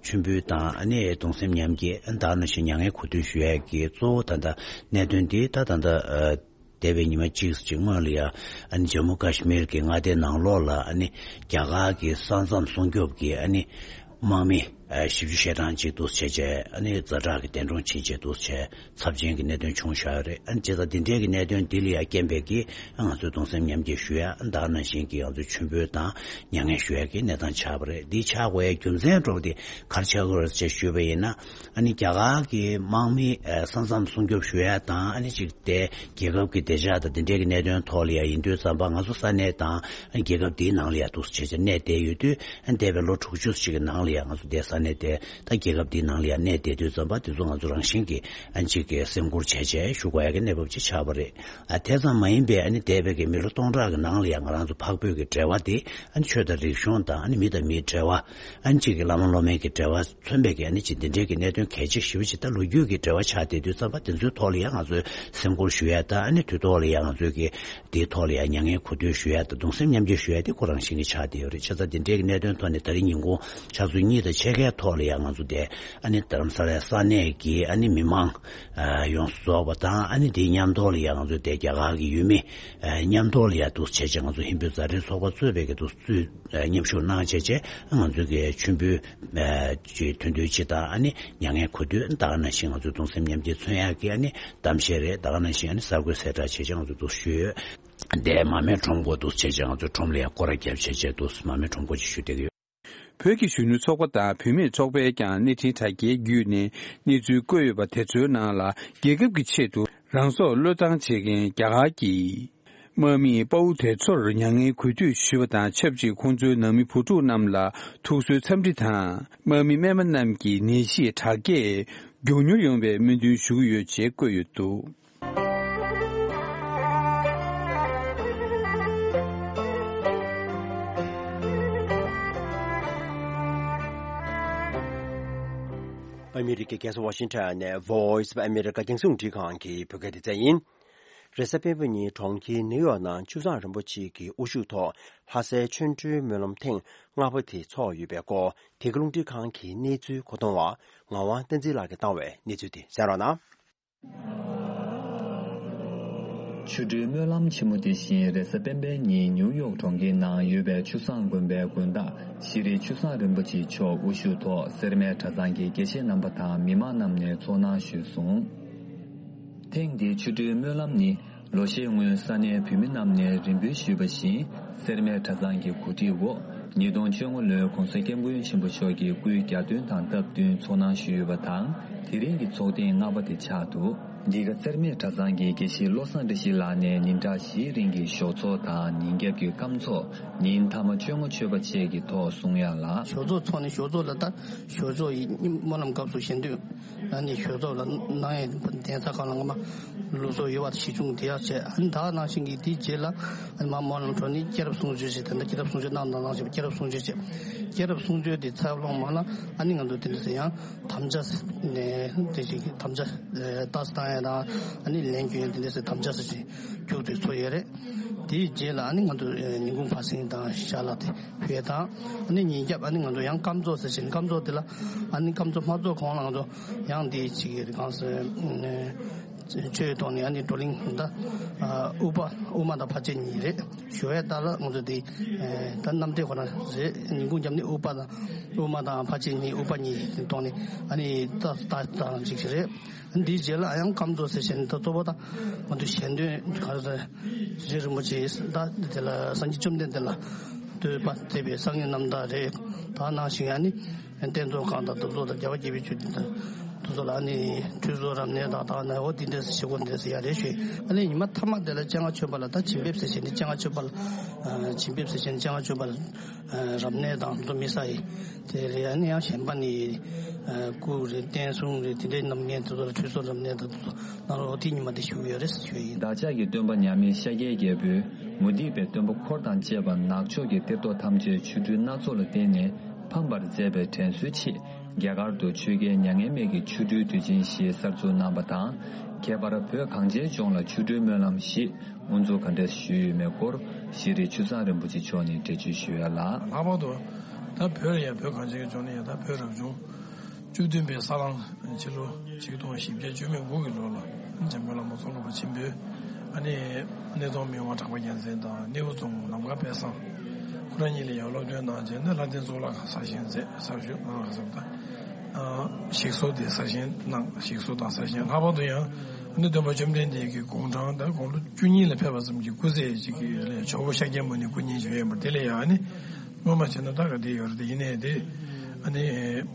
མཆོད་འབུལ་དང་། ཨ་ནི་གདུང་སེམས་མཉམ་སྐྱེད། ད་ག་ནང་བཞིན་མྱ་ངན་གུས་འདུད་ཞུ་ཡས་ཀྱི་གཙོ་བོ་ད་ལྟ་གནད་དོན་འདི། ད་ད་ལྟ་ཨ་འདས་པའི་ཉི་མ་གཅིག་ཅིག་སྔོན་ལ་ཡ། ཨ་ནི་ཇམ་མུ་ཀ་ཤི་མིར་གྱི་མངའ་སྡེ་ནང་ལོགས་ལ། ཨ་ནི་རྒྱ་གར་གྱི་ས་མཚམས་སྲུང་སྐྱོབ་ཀྱི་ཨ་ནི་དམག་མི་ཨ་བཞི་བཅུ་ཞེ་གྲངས་ཅིག་འདུག་བྱས་བྱས། ཨ་ནི་ཛ་དྲག་གི་འདས་གྲོངས་ཕྱིན་བྱས་འདུག་བྱས། ཚབས་ཆེན་གྱི་གནད་དོན་བྱུང་བཞག་ཡོད་རེད། ཨ་ནི་བྱས་ཙང་འདི་འདྲའི་གི་གནད་དོན་འདི་ལ་ཡ་རྐྱེན་པས་ཀྱི་ང་ཚོས་གདུང་སེམས་མཉམ་སྐྱེད་ཞུ་ཡ། ཨ་ནི་ད་ག་ནང་བཞིན་གྱི་ང་ཚོས་མཆོད་འབུལ་དང་མྱ་ངན་ཞུ་ཡ་གི་གནས་སྟངས་ཆགས་པ་རེད། འདི་ཆགས་དགོས་ཡ་རྒྱུ་མཚན་འདྲ་བོ་དེ་ག་རེ་ཆགས་ཀྱི་ཡོད་རེད་ཅེས་ཞུས་པ་ཡིན་ན། ཨ་ནི་རྒྱ་གར་གྱི་དམག་མི་ཨ་ས་མཚམས་སྲུང་སྐྱོབ་ཞུ་ཡ་དང་། ཨ་ནི་གཅིག་དེ་རྒྱལ་ཁབ་ཀྱི་བདེ་འཇགས་དང་དེ་འབྲེལ་གྱི་གནད་དོན་ཐོག་ལ་ཡ་ཡིན་དུས་ཙམ་པ། ང་ཚོ་ས་གནས་དང་ཨ་ནི་རྒྱལ་ཁབ་འདིའི་ནང་ལ་ཡ་འདུག་སེ་བྱས་བྱས་གནས་བསྡད་ཡོད་དུས། ཨ་ནི་འདས་པའི་ལོ་དྲུག་ཅུ་ཞིག་གི་ནང་ལ་ཡ་ང་ཚོ་འདིའི་ས་གནས་དེ་ད་རྒྱལ་ཁབ་འདིའི་ནང་ལ་ཡ་གནས་བསྡད་དུས་ཙམ་པ། དེ་ཚོ་ང་ཚོ་རང་བཞིན་གྱིས་ཨ་ནི་གཅིག་གི་སེམས་ཁུར་བྱས་བྱས་ཞུ་དགོས་ཡ་གི་གནས་བབ་ཅིག་ཆགས་པ་རེད། ཨ་དེ་ཙམ་མ་ཡིན་པའི་ཨ་ནི་འདས་པའི་གི་མི་ལོ་སྟོང་ཕྲག་གི་ནང་ལ་ཡ་ང་རང་ཚོ་འཕགས་བོད་ཀྱི་འབྲེལ་བ་དེ། ཨ་ནི་ཆོས་དང་རིག་གཞུང་དང་། ཨ་ནི་མི་དང་མིའི་འབྲེལ་བ། ཨ་ནི་གཅིག་གི་བླ་མ་སློབ་མའི་གི་འབྲེལ་བ། མཚོན་པའི་གི་ཨ་ནི་ཅིག་འདི་འདྲའི་གི་གནད་དོན་གལ་ཆེ་ཞེ་པོ་ཅིག་ད་ལོ་རྒྱུས་ཀྱི་འབྲེལ་བ་ཆགས་བསྡད་དུས་ཙམ་པ། དེ་ཚོའི་ཐོག་ལ་ཡང་ང་ཚོས་སེམས་ཁུར་ཞུ་ཡ་དང་། ཨ་ནི་དུས་ཐོག་ལ་ཡང་ང་ཚོས་ཀྱི་དེའི་ཐོག་ལ་ཡང་མྱ་ངན་གུས་འདུད་ཞུ་ཡ་དང་གདུང་སེམས་མཉམ་སྐྱེད་ཞུ་ཡ་དེ་ཁོ་རང་བཞིན་གྱིས་ཆགས་བསྡད་ཡོད་རེད། བྱས་ཙང་འདི་འདྲའི་གི་གནད་དོན་ཐོག་ནས་ད་རེས་ཉིན་གུང་ཆུ་ཚོད་གཉིས་དང་ཕྱེད་ཀའི་ཐོག་ལ་ཡང་ང་ཚོ་དེ་ཨ་ནི་རྡ་རམ་ས་ལའི་ས་གནས་ཀྱི་ཨ་ནི་མི་མང་ཡོངས་སུ་རྫོགས་པ་དང་། ཨ་ནི་དེའི་མཉམ་དུ་ལ་ཡང་ང་ཚོ་དེ་རྒྱ་གར་གྱི་ཡུལ་མི་མཉམ་དུ་ལ་ཡང་འདུག་བྱས་བྱས་ང་ཚོ་ཧིན་བོད་མཛའ་འབྲེལ་ཚོགས་པ་གཙོས་པའི་གི་འདུག་ཚུད། མཉམ་ཞུགས་གནང་བྱས་བྱས་ང་ཚོ་གི་མཆོད་འབུལ་ཨ་ཅིག་མཐུན་འདོད་ཅིག་དང་། ཨ་ནི་མྱ་ངན་གུས་འདུད། ད་ག་ནང་བཞིན་ང་ཚོའི་གདུང་སེམས་མཉམ་སྐྱེད་མཚོན་ཡག་གི་ཨ་ནི་གཏམ་བཤད་རེད། ད་ག་ནང་བཞིན་ཨ་ནི་གསར་འགོད་གསལ་བསྒྲགས་བྱས་བྱས་ང་ཚོ་འདུག་ཞུས་ཡོད། འདས་མར་མེ་ཁྲོམ་སྐོར་འདུག་བྱས་བྱས་ང་ཚོའི་ཁྲོམ་ལ་ཡང་སྐོར་ར་བརྒྱབ་བྱས་བྱས་འདུག་མར་མེ་ཁྲོམ་སྐོར་ཅིག་ཞུ་བསྡད་ཀྱི་ཡོད། བོད་ཀྱི་གཞོན་ནུ་ཚོགས་པ་དང་བུད་མེད་ཚོགས་པས་ཀྱང་གནས་འཕྲིན་དྲ་རྒྱའི་བརྒྱུད་ནས་གནས་ཚུལ་བཀོད་ཡོད་པ་དེ་ཚོའི་ནང་ལ། རྒྱལ་ཁབ་ཀྱི་ཆེད་དུ་རང་སྲོག་བློས་བཏང་བྱེད་མཁན་རྒྱ་གར་གྱི་དམག་མིའི་དཔའ་བོ་དེ་ཚོར་མྱ་ངན་གུས་འདུད་ཞུས་པ་དང་ཆབས་ཅིག་ཁོང་ཚོའི་ནང་མི་བུ་ཕྲུག་རྣམས་ལ་ཐུགས་གསོའི་འཚམས་འདྲི་དང་། དམག་མི་རྨས་པ་རྣམས་ཀྱི་ནད་གཞི་དྲག་སྐྱེད་མགྱོགས་མྱུར་ཡོང་བའི་སྨོན་འདུན་ཞུ་གི་ཡོད་ཅེས་བཀོད་ཡོད་འདུག། ཨ་མི་རི་ཀའི་རྒྱལ་ས་ཝ་ཤིང་ཊོན་ནས་Voice of America རྒྱང་སྲིང་རླུང་འཕྲིན་ཁང་གི་བོད་སྐད་སྡེ་ཚན་ཡིན། རེས་གཟའ་སྤེན་པ་ཉིན་གྲོང་ཁྱེར་ནིའུ་ཡོག་ནང་ཆུ་བཟང་རིན་པོ་ཆེ་གི་དབུ་བཞུགས་ཐོག་ལྷ་སའི་ཆོ་འཕྲུལ་སྨོན་ལམ་ཐེངས་ལྔ་པ་དེ་ཚོགས་ཡོད་པའི་སྐོར། དེ་ག་རླུང་འཕྲིན་ཁང་གི་གནས་ཚུལ་མཁོ་གཏོང་བ་ངག་དབང་བསྟན་འཛིན་ལགས་ཀྱིས་བཏང་བའི་གནས་ཚུལ་དེ་གསན་རོགས་གནང་། ཆོ་འཕྲུལ་སྨོན་ལམ་ཆེན་མོ་དེ་བཞིན་རེས་གཟའ་སྤེན་པའི་ཉིན་ནིའུ་ཡོག་གྲོང་ཁྱེར་ནང་ཡོད་པའི་ཆུ་བཟང་དགོན་པའི་དགོན་བདག་ཤེས་རིག་ཆུ་བཟང་རིན་པོ་ཆེ་མཆོག་དབུ་བཞུགས་ཐོག་སེར་སྨད་གྲྭ་ཚང་གི་དགེ་བཤེས་རྣམ་པ་དང་མི་མང་རྣམས་ནས་ཚོགས་གནང་ཞུས་སོང་། ཐེངས་འདིའི་ཆོ་འཕྲུལ་སྨོན་ལམ་ནི་ལོ་ཤས་སྔོན་ས་གནས་བོད་མི་རྣམས་ནས་རེ་འབོད་ཞུས་པ་བཞིན། སེར་སྨད་གྲྭ་ཚང་གི་གོ་སྒྲིག་འོག་ཉིས་སྟོང་བཅོ་ལྔ་ལོའི་༧གོང་ས་༧སྐྱབས་མགོན་ཆེན་པོ་མཆོག་གི་སྐུའི་གྱ་སྟོན་དང་སྟབས་བསྟུན་ཚོགས་གནང་ཞུས་ཡོད་པ་དང་། དེ་རིང་གི་ཚོགས་ཐེངས་ལྔ་པ་དེ་ཆགས་འདུག། འདི་ག་སེར་སྨད་གྲྭ་ཚང་གི་དགེ་བཤེས་བློ་བཟང་བཀྲ་ཤིས་ལགས་ནས་ཉིན་གྲངས་བཞིའི་རིང་གི་ཞོགས་ཚོགས་དང་ཉིན་རྒྱབ་ཀྱི་སྐམ་ཚོགས། ཉིན་མཐའ་མ་བཅོ་ལྔ་མཆོད་པ་བཅས་ཀྱི་ཐོག་གསུང་ཡ་ལ། ཞོགས་ཚོགས་ཚོགས་ནས་ཞོགས་ཚོགས་ལ་ད་ཞོགས་ཚོགས་ཡི་སྨོན་ལམ་སྐབས་སུ་ཞལ་འདོན། ཨ་ནི་ཞོགས་ཚོགས་ལ་གནང་ཡས་གདན་ས་ཁག་ལ་སྔ་མ་ལུགས་སྲོལ་ཡོད་པ་གཞི་བྱུང་དེ་ཡག་བྱས། ཨ་ནི་ད་ག་ནང་བཞིན་གྱི་དེའི་རྗེས་ལ་ཨ་ནི་མ་སྨོན་ལམ་གྲོལ་ནས་སྐྱེས་རབས་གསུང་ཆོས་བྱས། དེ་འདྲ་སྐྱེས་རབས་གསུང་ཆོས་གནང་དང་གནང་བཞིན་པ། སྐྱེས་རབས་གསུང་ཆོས་བྱས། སྐྱེས་རབས་གསུང་ཆོས་དེ་ཚར་ལོང་མ་ལ་ཨ་ནི་ང་ཚོ་དེ་འདྲ་ཟེར་ཡང་དམ་བཅའ་ནས་དེ་ཞིག་དམ་བཅའ་ལྟ་སྟངས་ཡ་དང་ཨ་ནི་ལན་སྐྱོན་ཡ་དེ་འདྲ་ཟེར་དམ་བཅའ་ཟེར་ཞིག་རྒྱུགས་དེ་ཚོ་ཡོད་རེད། དེའི་རྗེས་ལ་ཨ་ནི་ང་ཚོ་ཉིན་གུང་ཕར་ཕྱིན་དང་ཞལ་ལག་དེ་ཕུལ་དང་། ཨ་ནི་ཉིན་རྒྱབ་ཨ་ནི་ང་ཚོ་ཡང་སྐམ་ཚོགས་ཟེར་བཞིན་སྐམ་ཚོགས་དེ་ལ་ཨ་ནི་སྐམ་ཚོགས་མ་ཚོགས་གོང་ལ་ང་ཚོ་ཡང་དེ་ཅིག་གི་གང་ཟེར་ཆོས་ཐོག་ནས་ཨ་ནི་བགྲོ་གླེང་ད་དབུ་པ་དབུ་མ་དང་ཕར་ཕྱིན་གཉིས་རེད། ཞུ་བའི་རྟགས་ལ་ང་ཚོ་དེ་ད་གནམ་བདེ་ཁོ་ན་རེད། ཉིན་གུང་རྒྱབ་ནི་དབུ་པ་དང་དབུ་མ་དང་ཕར་ཕྱིན་གཉིས་དབུ་པ་གཉིས་ཐོག་ནས་ཨ་ནི་ད་ད་དང་ཅིག་རེད། འདིའི་རྗེས་ལ་ཡང་སྐམ་ཚོགས་ཟེར་བཞིན་ད་གཙོ་བོ་ད་ང་ཚོ་ཞལ་འདོན་ག་རེ་ཟེར་རྗེ་རིན་པོ་ཆེ་ད་དེ་ལ་སངས་རྒྱས་བཅོམ་ལྡན་འདས་ལ་བསྟོད་པ་མཛད་པའི་བསང་གི་རྣམ་ཐར་རེད། ད་ནང་བཞིན་ཨ་ནི་བསྟན་རྫོགས་སྐོར་དང་གདུགས་ཚོགས་དང་རྒྱལ་བ་དགྱེས་པའི་ཆོས་སྡེ་དང་དེ་ཚོ་ལ་ཨ་ནི་ཁྲུས་གསོལ་རབ་གནས་དང་ད་ནི་འོ་དེ་འདྲ་ཞིག་གོ་འདྲ་ཡ་རེ་ཞུས། ཨ་ནི་ཉི་མ་མཐའ་མ་དེ་ལ་སྤྱན་སྔ་མཆོད་པ་ལ་ད་བྱིན་འབེབས་ཟེར་བཞིན་ནི་སྤྱན་སྔ་མཆོད་པ་ལ་བྱིན་འབེབས་ཟེར་བཞིན་སྤྱན་སྔ་མཆོད་པ་ལ། རབ་གནས་དང་དེ་ཚོ་མི་ཟ་ཡི། དེ་རེད། ཨ་ནི་ཡང་གཞན་པ་ནི་སྐུ་རེད། བསྟན་སྲུང་རེད། དེ་འདྲའི་རྣམ་ངན་དེ་ཚོ་ལ་ཁྲུས་གསོལ་རབ་གནས་དང་དེ་ཚོ་གནང་རོགས། དེ་ཉི་མ་དེ་ཞུ་གི་ཡོད་རེད་ཟེར་ཞུ་ཡི་ཡིན། བདག་ཅག་གི་སྟོན་པ་མཉམ་མེད་ཤཱཀྱའི་རྒྱལ་པོས་མུ་སྟེགས་པའི་སྟོན་པ་འཁོར་དང་བཅས་པ་ནག་ཕྱོགས་ཀྱི་གཏེར་སྟོན་ཐམས་ཅད་ཆོ་འཕྲུལ་སྣ་ཚོགས་ལ་བརྟེན་ནས་ཕམ་པར་མཛད་པའི་དྲན་གསོའི་ཆེད། རྒྱ་གར་དུ་ཆོས་རྒྱལ་མྱ་ངན་མེད་ཀྱི་ཆོ་འཕྲུལ་དུས་ཆེན་ཞེས་གསར་འཛུགས་གནང་བ་དང་། ཁྱད་པར་བོད་གངས་ཅན་ལྗོངས་ལ་ཆོ་འཕྲུལ་སྨོན་ལམ་ཞེས། དབུ་འཛུགས་ག་འདྲས་ཞུས་ཡོད་མེད་སྐོར་ཤེས་རིག་ཆུ་བཟང་རིན་པོ་ཆེ་མཆོག་ནས་འགྲེལ་བརྗོད་ཞུ་ཡ་ལ། ལྷག་པར་དུ་ད་བོད་ལ་ཡང་བོད་གངས་ཅན་གྱི་ལྗོངས་ལ་ཡང་ད་བོད་རབ་བྱུང་བཅུ་བདུན་པའི་ས་གླང་ཕྱི་ལོ་ཆིག་སྟོང་བཞི་བརྒྱ་བཅུ་མེད་དགུ་གི་ལོ་ལ་འཇམ་མགོན་བླ་མ་ཙོང་ཁ་པ་ཆེན་པོས་ཨ་ནི་སྣེ་གདོང་མི་དབང་གྲགས་པ་རྒྱལ་མཚན་དང་སྣེའུ་རྫོང་ནམ་མཁའ་དཔལ་བཟང་ཁོ་རང་གཉིས་ལ་ཡང་སློབ་སྟོན་གནང་རྗེས་ནས་ལྷ་ལྡན་གཙུག་ལག་ཁང་གསར་བཞེངས་མཛད། གསར་ཞུ་གནང་ག་ས་པ་དང་ཞིག་གསོ་དེ་གསར་བཞེངས་གནང་། ཞིག་གསོ་དང་གསར་བཞེངས། ལྷག་པར་དུ་ཡང་ཨ་ནི་སྟོན་པ་བཅོམ་ལྡན་འདས་ཀྱི་དགུང་གྲངས་ད་དགུང་ལོ་བཅུ་གཉིས་ལ་ཕེབས་པ་ཙམ་གྱི་སྐུ་ཚེ་ཅིག་གི་ལས་ཇོ་བོ་ཤཱཀྱ་མུ་ནེ་སྐུ་བརྙན་ཅིག་ཡོད་པ་དེ་ལས་ཡང་ཨ་ནི་སྔོན་མ་བྱས་ན་ད་ག་དེ་ཡོད་རེད། དེ་ཡིན་ནའི་དེ་ཨ་ནི་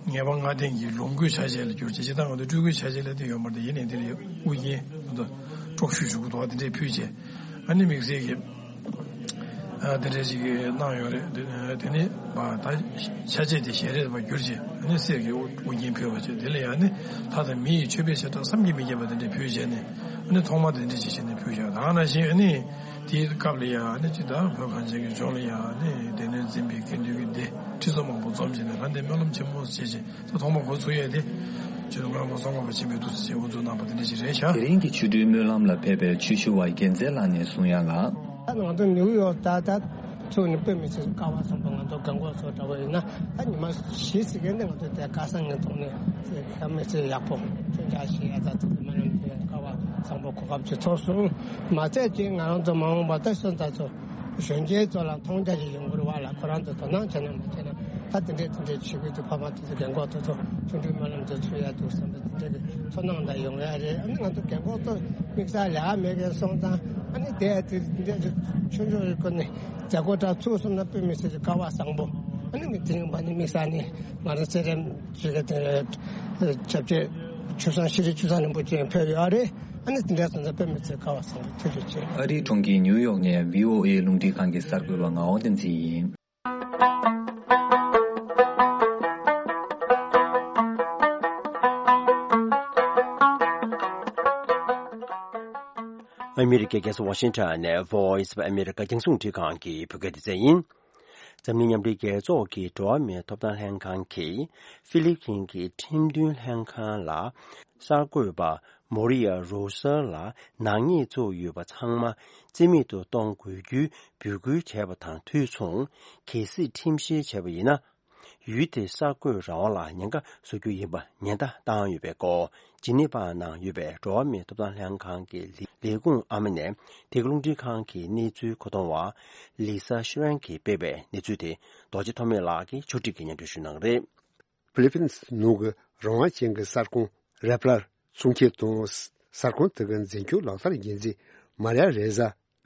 ངེས་པ་ལྔ་ལྡན་གྱི་ལོངས་སྐུའི་ཆ་བྱད་ལ་གྱུར་ཅིག་ཅིག་ད་ང་ཚོ་སྤྲུལ་སྐུའི་ཆ་བྱད་ལ་དེ་ཡོད་མ་རེད། དེ་ཡིན་ནའི་དེ་ལ་དབུ་རྒྱན་ད་དཀྲོག་ཤུལ་ཞུ་གི་འདུག་བ། དེ་འདྲས་ཕུལ་བྱས་ཨ་ནི་དམིགས་བསལ་གྱི་ཨ་དེ་འདྲས་ཅིག་གནང་ཡོད་རེད། དེ་དེ་ནི་ད་ཆ་བྱད་དེ་ཞལ་རས་པ་གྱུར་ཅིག་ཨ་ནི་གསེར་གྱི་དབུ་རྒྱན་ཕུལ་བ་བྱས། དེ་ལ་ཡང་ནི་ལྷ་དང་མི་ཡི་མཆོད་པའི་བྱེ་བྲག་བསམ་གྱིས་མི་ཁྱབ་པ་དེ་འདྲས་ཕུལ་བྱས་ནས་ཨ་ནི་ཐོག་མ་དེ་འདྲས་ཅིག་བྱས་ནས་ཕུལ་བྱས། ད་ག་ནང་བཞིན་ཨ་ནི། དེའི་སྐབས་ལ་ཡང་ནི་ཅི་ད་བོད་གངས་ཅན་གྱི་ལྗོངས་ལ་ཡང་ནི་སྡེ་སྣོད་འཛིན་པའི་དགེ་འདུན་གྱི་སྡེ་ཁྲི་ཚོ་མང་པོ་འཛོམས་བྱས་ནས་ལྷ་ལྡན་སྨོན་ལམ་ཆེན་མོ་ཞེས་བྱས་ད་ཐོག་མ་འགོ་ཚུགས་ཡས་དེ་ཆོས་རྗེ་སྐྱབས་མགོན་ཙོང་ཁ་པ་ཆེན་པོས་འདུག་སེ་བྱས་དབུ་འཛུགས་གནང་བ་དེ་འདྲ་ཞིག་རེད་ཤག། དེ་རིང་གི་ཆོ་འཕྲུལ་སྨོན་ལམ་ལ་ཕེབས་པའི་ཆོས་ཞུ་བ་རྒྱལ་མཚན་ལགས་ནས་གསུང་ཡ་ལ། ད་ང་ཚོ་ནིའུ་ཡོག་ད་ད་ཚུགས་ནས་དཔེ་མི་སྲིད་སྐལ་བ་བཟང་པོ། ང་ཚོ་རྒན་གོག་ཚོ་འདྲ་བོ་ཡིན་ན་ད་ཉི་མ་བཞི་ཙམ་ནས་ང་ཚོ་དེ་ཁ་སང་ངའི་ཐོག་ནས་དཔེ་མི་སྲིད་ཡག་པོ་ཁྱོད་འདྲ་ཞིག་ཡ་ད་ཚུགས་སྨོན་ལམ་དེ་སྐལ་བ་བཟང་པོ་གོ་སྐབས་ཅིག་ཐོབ་སོང་། མ་ཚད་ཅིག་ང་རང་ཚོ་མ་འོངས་པ་ད་སོན་རྩ་ཚོ་གཞོན་སྐྱེས་ཚོ་ལ་མཐོང་རྒྱ་ཞིག་ཡོང་གི་རེད་བ་ལ། ཁོ་རང་ཚོ་དོ་སྣང་བྱས་ན་མ་བྱས་ན་ད་དེ་འདྲས་དེ་འདྲས་བྱེད་ཀྱི་འདུག། ཕ་མ་དེ་ཚོ་རྒན་གོག་དེ་ཚོ་ཆོ་འཕྲུལ་སྨོན་ལམ་དེ་ཚུགས་ཡ་འདུག་བསམ་པའི་དེ་འདྲས་ཀྱི་ཚོར་སྣང་འདྲ་ཡོང་ཡ་རེད། ཨ་ནི་ང་ཚོ་རྒན་གོག་ཚོ་དམིགས་བསལ་ལས་ཀ་མེད་མཁན་སོང་ཙང་ཨ་ནི་དེ་དེ་འདྲས་ཆོས་ཕྱོགས་ཀྱི་སྐོར་ནས་མཛད་སྒོ་འདྲ་ཚུགས་སོང་ན་དཔེ་མི་སྲིད་ཀྱི་སྐལ་བ་བཟང་པོ། ཨ་ནི་མི་དེ་རིང་མ་ནི་དམིགས་བསལ་ནི་ང་རང་ཚེ་རིང་ཅིག་གི་དེ་སྐྱབས་རྗེ་ཆོས་བཟང་ཤེས་རིག་ཆོས་བཟང་རིན་པོ་ཆེ་ཕེབས་ཡོད་རེད། ཨ་ནི་དེ་འདྲ་སོང་ཙང་དཔེ་མི་སྲིད་དགའ་བ་སོང་། ཐུགས་རྗེ་ཆེ། ཨ་རིའི་གྲོང་ཁྱེར་ནིའུ་ཡོག་ནས་བྷི་ཨོ་ཨེ་རླུང་འཕྲིན་ཁང་གི་གསར་འགོད་པ་ངག་དབང་བསྟན་འཛིན་ཡིན། ཨ་མི་རི་ཀའི་རྒྱལ་ས་ཝ་ཤིང་ཊོན་ནས་Voice of America རྒྱང་སྲིང་རླུང་འཕྲིན་ཁང་གི་བོད་སྐད་སྡེ་ཚན་ཡིན། འཛམ་གླིང་མཉམ་འབྲེལ་རྒྱལ་ཚོགས་ཀྱི་འགྲོ་བ་མིའི་ཐོབ་ཐང་ལྷན་ཁང་གིས་ཧྥི་ལི་ཕིན་གྱི་ཁྲིམས་མཐུན་ལྷན་ཁང་ལ་གསར་འགོད་པ་མོ་རི་ཡ་རོ་སར་ལ་ནག་ཉེས་བཙུགས་ཡོད་པ་ཚང་མ་རྩིས་མེད་དུ་གཏོང་དགོས་རྒྱུའི་འབོད་སྐུལ་བྱས་པ་དང་དུས་མཚུངས། གལ་སྲིད་ཁྲིམས་བཤེར་བྱས་པ་ཡིན་ན། ཡུལ་དེའི་གསར་འགོད་རང་དབང་ལ་ཉེན་ཁ་བཟོ་རྒྱུ་ཡིན་པ་ཉེན་བརྡ་བཏང་ཡོད་པའི་སྐོར། ཇི་ནི་ཝ་ནང་ཡོད་པའི་འགྲོ་བ་མིའི་ཐོབ་ཐང་ལྷན་ཁང་གི་ལས་ཁུངས་ཨ་མ་ནས་འདི་ག་རླུང་འཕྲིན་ཁང་གི་གནས་ཚུལ་མཁོ་གཏོང་བ་ལི་ས་ཤི་རན་གྱིས་སྤེལ་བའི་གནས་ཚུལ་དེ་རྡོ་རྗེ་ཐོགས་མེད་ལགས་ཀྱིས་ཕྱོགས་སྒྲིག་གིས་སྙན་སྒྲོན་ཞུ་གནང་གི་རེད། ཧྥི་ལི་ཕིན་ནུབ་ཀྱི་རང་དབང་ཅན་གྱི་གསར་ཁང་རེ་པ་ལར་གསུང་འཁྱེར་དང་། གསར་ཁང་དེ་གི་འཛིན་སྐྱོང་ལག་བསྟར་འགན་འཛིན་མཱ་རི་ཡ་རེ་ཟ་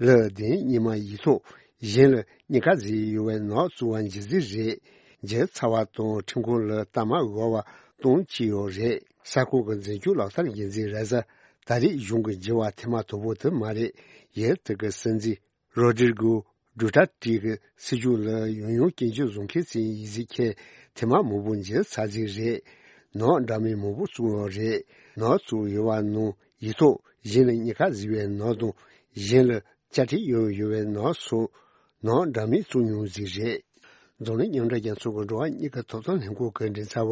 ལ་དེ་ཉི་མ་ཡིག་ཐོག་གཞན་ལ་གཉིས་ཀ་ཟིག་ཡོད་པའི་ནག་བཙུགས་པ་མཇལ་རྩིས་རེད། མཇལ་ཚར་བ་དང་ཁྲིམས་ཁང་ལ་གཏའ་མ་དབུལ་བ་གཏོང་བྱས་ཡོད་རེད། གསར་ཁང་གི་འཛིན་སྐྱོང་ལག་བསྟར་འགན་འཛིན་རེ་ཟ་ད་རེས་གཞུང་གི་འགྱུར་བ་ཐེངས་མ་དང་པོ་དེ་མ་རེད། ཡུལ་དེ་གི་སྲིད་འཛིན་རོ་ཌི་རི་གོ་ཌུ་ཊར་ཏི་གི་སྲིད་ཇུས་ལ་ཡང་ཡང་སྐྱོན་བརྗོད་བཟོ་མཁན་ཚོའི་ཡིག་གཟུགས་ཁྱེར་ཐེངས་མ་མང་པོ་མཇལ་ཚར་རྩིས་རེད། ནག་འདྲ་མིན་མང་པོ་བཙུགས་ཡོད་རེད། ནག་བཙུགས་ཡོད་པ་ནང་ཡིག་ཐོག་གཞན་ལ་གཉིས་ཀ་ཟེར་བའི་ནག་དང་། གཞན་ལ་དཔྱ་ཁྲལ་ཡོད་ཡོད་པའི་ནག་སོགས་ནག་འདྲ་མིན་བཙུགས་མྱོང་རྩིས་རེད། འཛམ་གླིང་མཉམ་འབྲེལ་རྒྱལ་ཚོགས་ཀྱི་འགྲོ་བ་མིའི་ཐོབ་ཐང་ལྷན་ཁང་གི་མགྲིན་ཚབ་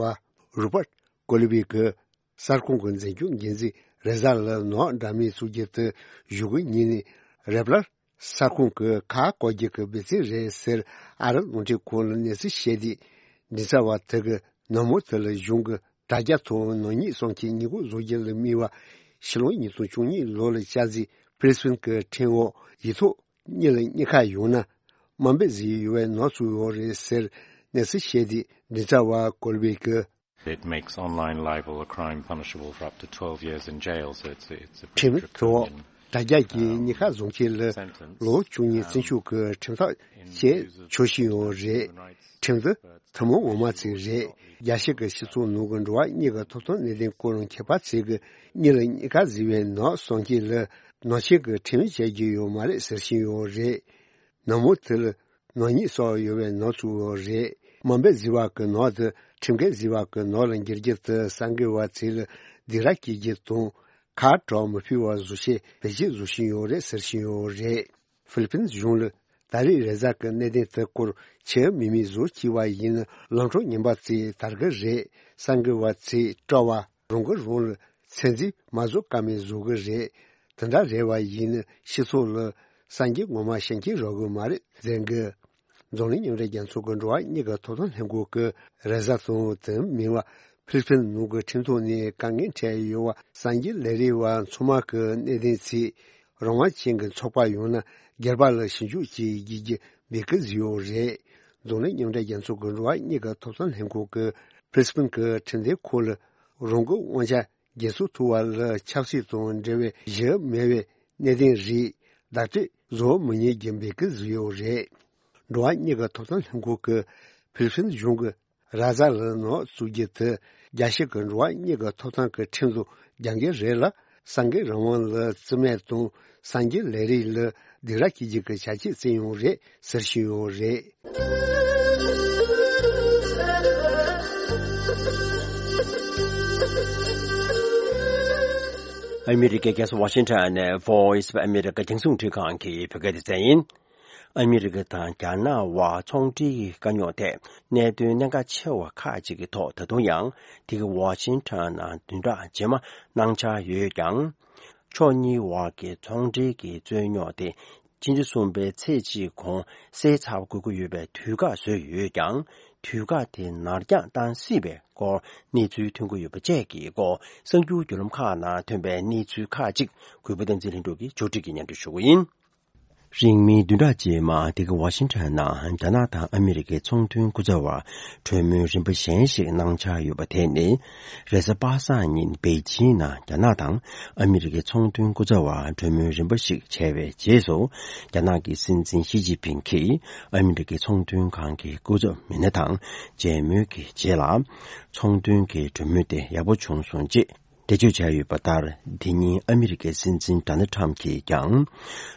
པ་རོ་པར་ཀོ་ལི་བི་གིས། གསར་ཁང་གི་འཛིན་སྐྱོང་འགན་འཛིན་རེ་ཟ་ལ་ནག་འདྲ་མིན་བཙུགས་རྒྱུ་དེ་གཞུག་གི་ཉིན་ནས་རེ་པ་ལར་གསར་ཁང་གི་ཁ་བསྐོར་རྒྱུ་གི་འབད་བརྩོན་རེད་ཟེར་ཨ་རི་རླུང་འཕྲིན་ཁང་ལ་གནས་ཚུལ་བཤད་དུས། མགྲིན་ཚབ་པ་དེ་གིས་ནག་མོ་དེ་ལ་གཞུང་གི་དྲ་རྒྱ་ཐོག་ནག་ཉེས་གསང་མཁན་ཉེས་འགོག་བཟོ་རྒྱུ་ལ་དམིགས་པ་ཕྱི་ལོ་ཉིས་སྟོང་བཅུ་གཉིས་ལོ་ལ་བསྐྱར་འཛུགས་པི་རི་སི་བྷེན་གྱི་ཁྲིམས་འོག་ཡིག་ཐོག་གཉིས་ལ་གཉིས་ཀ་ཡོང་ན་དམའ་འབེབས་བཟོས་ཡོད་པའི་ནག་བཙུགས་ཡོད་རེད་ཟེར་གནས་ཚུལ་བཤད་དུས། མགྲིན་ཚབ་པ་ཀོ་ལི་བི་གིས། It makes online libel a crime punishable for up to twelve years in jail, so it's a, it's a pretty ཁྲིམས་ཐོག་draconian དྲ་རྒྱ་གི་གཉིས་ཀ་བཟོ་མཁན་ལ་ལོ་བཅུ་གཉིས་བཙོན་འཇུག་གི་ཁྲིམས་ཐག་བཅད་ཆོག་བཞིན་ཡོད་རེད། ཁྲིམས་འདི་ཐུན་མོང་ངོ་མ་ཅིག་རེད། རྒྱལ་སྤྱི་གི་སྤྱི་ཚོགས་ནང་གི་འགྲོ་བ་མིའི་ཐོབ་ཐང་གནད་དོན་སྐོར་མཁས་པ་ཚོས་གི་གཉིས་ལ་གཉིས་ཀ་ཟེར་བའི་ནག་གསང་མཁན་ལ་ནག་ཆེན་གྱི་ཁྲིམས་བཅད་རྒྱུ་ཡོད་མ་རེད་ཟེར་བཞིན་ཡོད་རེད། ནག་མོ་དེ་ལ་ནག་ཉེས་བསགས་ཡོད་པའི་ནག་བཙུགས་ཡོད་རེད། དམའ་འབེབས་བཟོས་པ་གི་ནག་དེ་ཁྲིམས་འགལ་བཟོས་པ་གི་ནག་ལ་འགྱུར་རྒྱུ་དེ་གསར་འགོད་པ་ཚོ་ལ་སྡིགས་ར་སྐྱེ་རྒྱུ་དང་། ཁ་གྲགས་མི་ཕོད་པ་བཟོ་ཆེད་བེད་སྤྱོད་བཟོ་བཞིན་ཡོད་རེད་ཟེར་བཞིན་ཡོད་རེད། ཧྥི་ལི་ཕིན་གཞུང་ལ་ད་རེས་རེ་ཟ་གི་གནད་དོན་དེ་སྐོར་ཆེས་མི་མི་བཟོ་སྐྱིད་པ་ཡིན་ན་ལམ་འཕྲང་ངན་པ་ཚོས་དར་གི་རེད། གསར་འགོད་པ་ཚོས་སྤྲོ་བ་རང་གིས་རང་ལ་ཚད་འཛིན་མ་བཟོ་ཀ་མེད་བཟོ་གི་རེད། དེ་འདྲ་རེད་པ་ཡིན་ན་སྤྱི་ཚོགས་ལ་སངས་རྒྱས་ངོ་མ་ཤེས་མཁན་རག་གི་མ་རེད་ཟེར་གི། འཛམ་གླིང་མཉམ་འབྲེལ་རྒྱལ་ཚོགས་ཀྱི་འགྲོ་བ་མིའི་ཐོབ་ཐང་ལྷན་ཁང་གི་རེ་ཟ་དང་དེ་མིན་པ་ཧྥི་ལི་ཕིན་ནང་གི་ཁྲིམས་ཐོག་ནས་དཀའ་ངལ་འཕྲད་ཡོད་པ་གསར་འགྱུར་ལས་རིགས་པ་ཚང་མ་གི་གནད་དོན་ཚིག་རང་དབང་ཅན་གྱི་ཚོགས་པ་ཡོང་ན་སྒེར་པ་ལ་ཞིབ་འཇུག་བྱེད་དགོས་ཀྱི་འབོད་སྐུལ་བཟོས་ཡོད་རེད། འཛམ་གླིང་མཉམ་འབྲེལ་རྒྱལ་ཚོགས་ཀྱི་འགྲོ་བ་མིའི་ཐོབ་ཐང་ལྷན་ཁང་གི་པི་རི་སི་བྷེན་གྱི་ཁྲིམས་དོན་ཁང་ལ་རང་གི་དབང་ཆ་འགན་སྲུང་ཐུབ་པ་ལ་ཆབ་སྲིད་དང་འབྲེལ་བའི་གཞི་མེད་པའི་གནད་དོན་རིགས་བརྡ་སྤྲོད་བཟོ་མི་ཉན་རྒྱུ་འབོད་སྐུལ་བཟོས་ཡོད་རེད། འགྲོ་བ་མིའི་ཐོབ་ཐང་ལྷན་ཁང་གིས་ཧྥི་ལི་ཕིན་གཞུང་གི་རེ་ཟ་ལ་ནག་བཙུགས་རྒྱུ་དེ་རྒྱལ་སྤྱི་གི་འགྲོ་བ་མིའི་ཐོབ་ཐང་གི་ཁྲིམས་དང་རྒྱབ་འགལ་རེད་ལ། གསར་འགོད་རང་དབང་ལ་བརྩི་མེད་དང་གསར་འགྱུར་ལས་རིགས་ལ་སྡིགས་ར་སྐྱེ་རྒྱུ་གི་བྱ་སྤྱོད་བྱས་ཡོད་རེད་ཟེར་བཞིན་ཡོད་རེད། ཨ་མི་རི་ཀའི་རྒྱལ་ས་ཝ་ཤིང་ཊོན་ནས་Voice of America རྒྱང་སྲིང་འཕྲིན་ཁང་གི་བོད་སྐད་སྡེ་ཚན་ཡིན། ཨ་མི་རི་ཀ་དང་རྒྱ་ནག་དབར་ཚོང་འབྲེལ་གྱི་དཀའ་རྙོག་ཐད་གནད་དོན་གནད་འགག་ཆེ་བ་ཁག་ཅིག་གི་ཐོག་ད་དུང་ཡང་དེ་གའི་ཝ་ཤིང་ཊོན་ནང་བདུན་ཕྲག་རྗེས་མ་གནང་འཆར་ཡོད་ཀྱང་། ཕྱོགས་གཉིས་དབར་གྱི་ཚོང་འབྲེལ་གྱི་རྩོད་རྙོག་དེ་ཕྱི་ཟླ་གསུམ་པའི་ཚེས་གཅིག་གོང་སེལ་ཚར་དགོས་ཀྱི་ཡོད་པའི་དུས་བཀག་བཟོས་ཡོད་ཀྱང་། དུས་བཀག་དེ་ནར་འགྱངས་བཏང་སྲིད་པའི་སྐོར་གནས་ཚུལ་ཐོན་གྱི་ཡོད་པ་བཅས་ཀྱི་སྐོར་གསར་འགྱུར་བརྒྱུད་ལམ་ཁག་ནང་ཐོན་པའི་གནས་ཚུལ་ཁག་ཅིག་གུས་པ་བསྟན་འཛིན་ལྷུན་གྲུབ་ཀྱིས་ཕྱོགས་སྒྲིག་གིས་སྙན་སྒྲོན་ཞུ་གི་ཡིན། རིང་མིན་བདུན་ཕྲག་རྗེས་མ་འདི་ག་ཝ་ཤིང་ཊོན་ནང་རྒྱ་ནག་དང་ཨ་མི་རི་ཀའི་ཚོང་དོན་སྐུ་ཚབ་བར་གྲོས་མོལ་རིམ་པ་གཞན་ཞིག་གནང་འཆར་ཡོད་པ་དེ་ནི། རེས་གཟའ་པ་སངས་ཉིན་པེ་ཅིང་ནང་རྒྱ་ནག་དང་ཨ་མི་རི་ཀའི་ཚོང་དོན་སྐུ་ཚབ་བར་གྲོས་མོལ་རིམ་པ་ཞིག་བྱས་པའི་རྗེས་སུ། རྒྱ་ནག་གི་སྲིད་འཛིན་ཞི་ཅིན་ཕིང་གིས་ཨ་མི་རི་ཀའི་ཚོང་དོན་ཁང་གི་སྐུ་ཚབ་མི་སྣ་དང་མཇལ་མོལ་གྱི་རྗེས་ལ། ཚོང་དོན་གྱི་གྲོས་མོལ་དེ་ཡག་པོ་བྱུང་སོང་ཅེས། འགྲེལ་བརྗོད་བྱས་ཡོད་པ་ལྟར། དེ་ཉིན་ཨ་མི་རི་ཀའི་སྲིད་འཛིན་ཌོ་ནལ་ཊམ་གྱིས་ཀྱང་།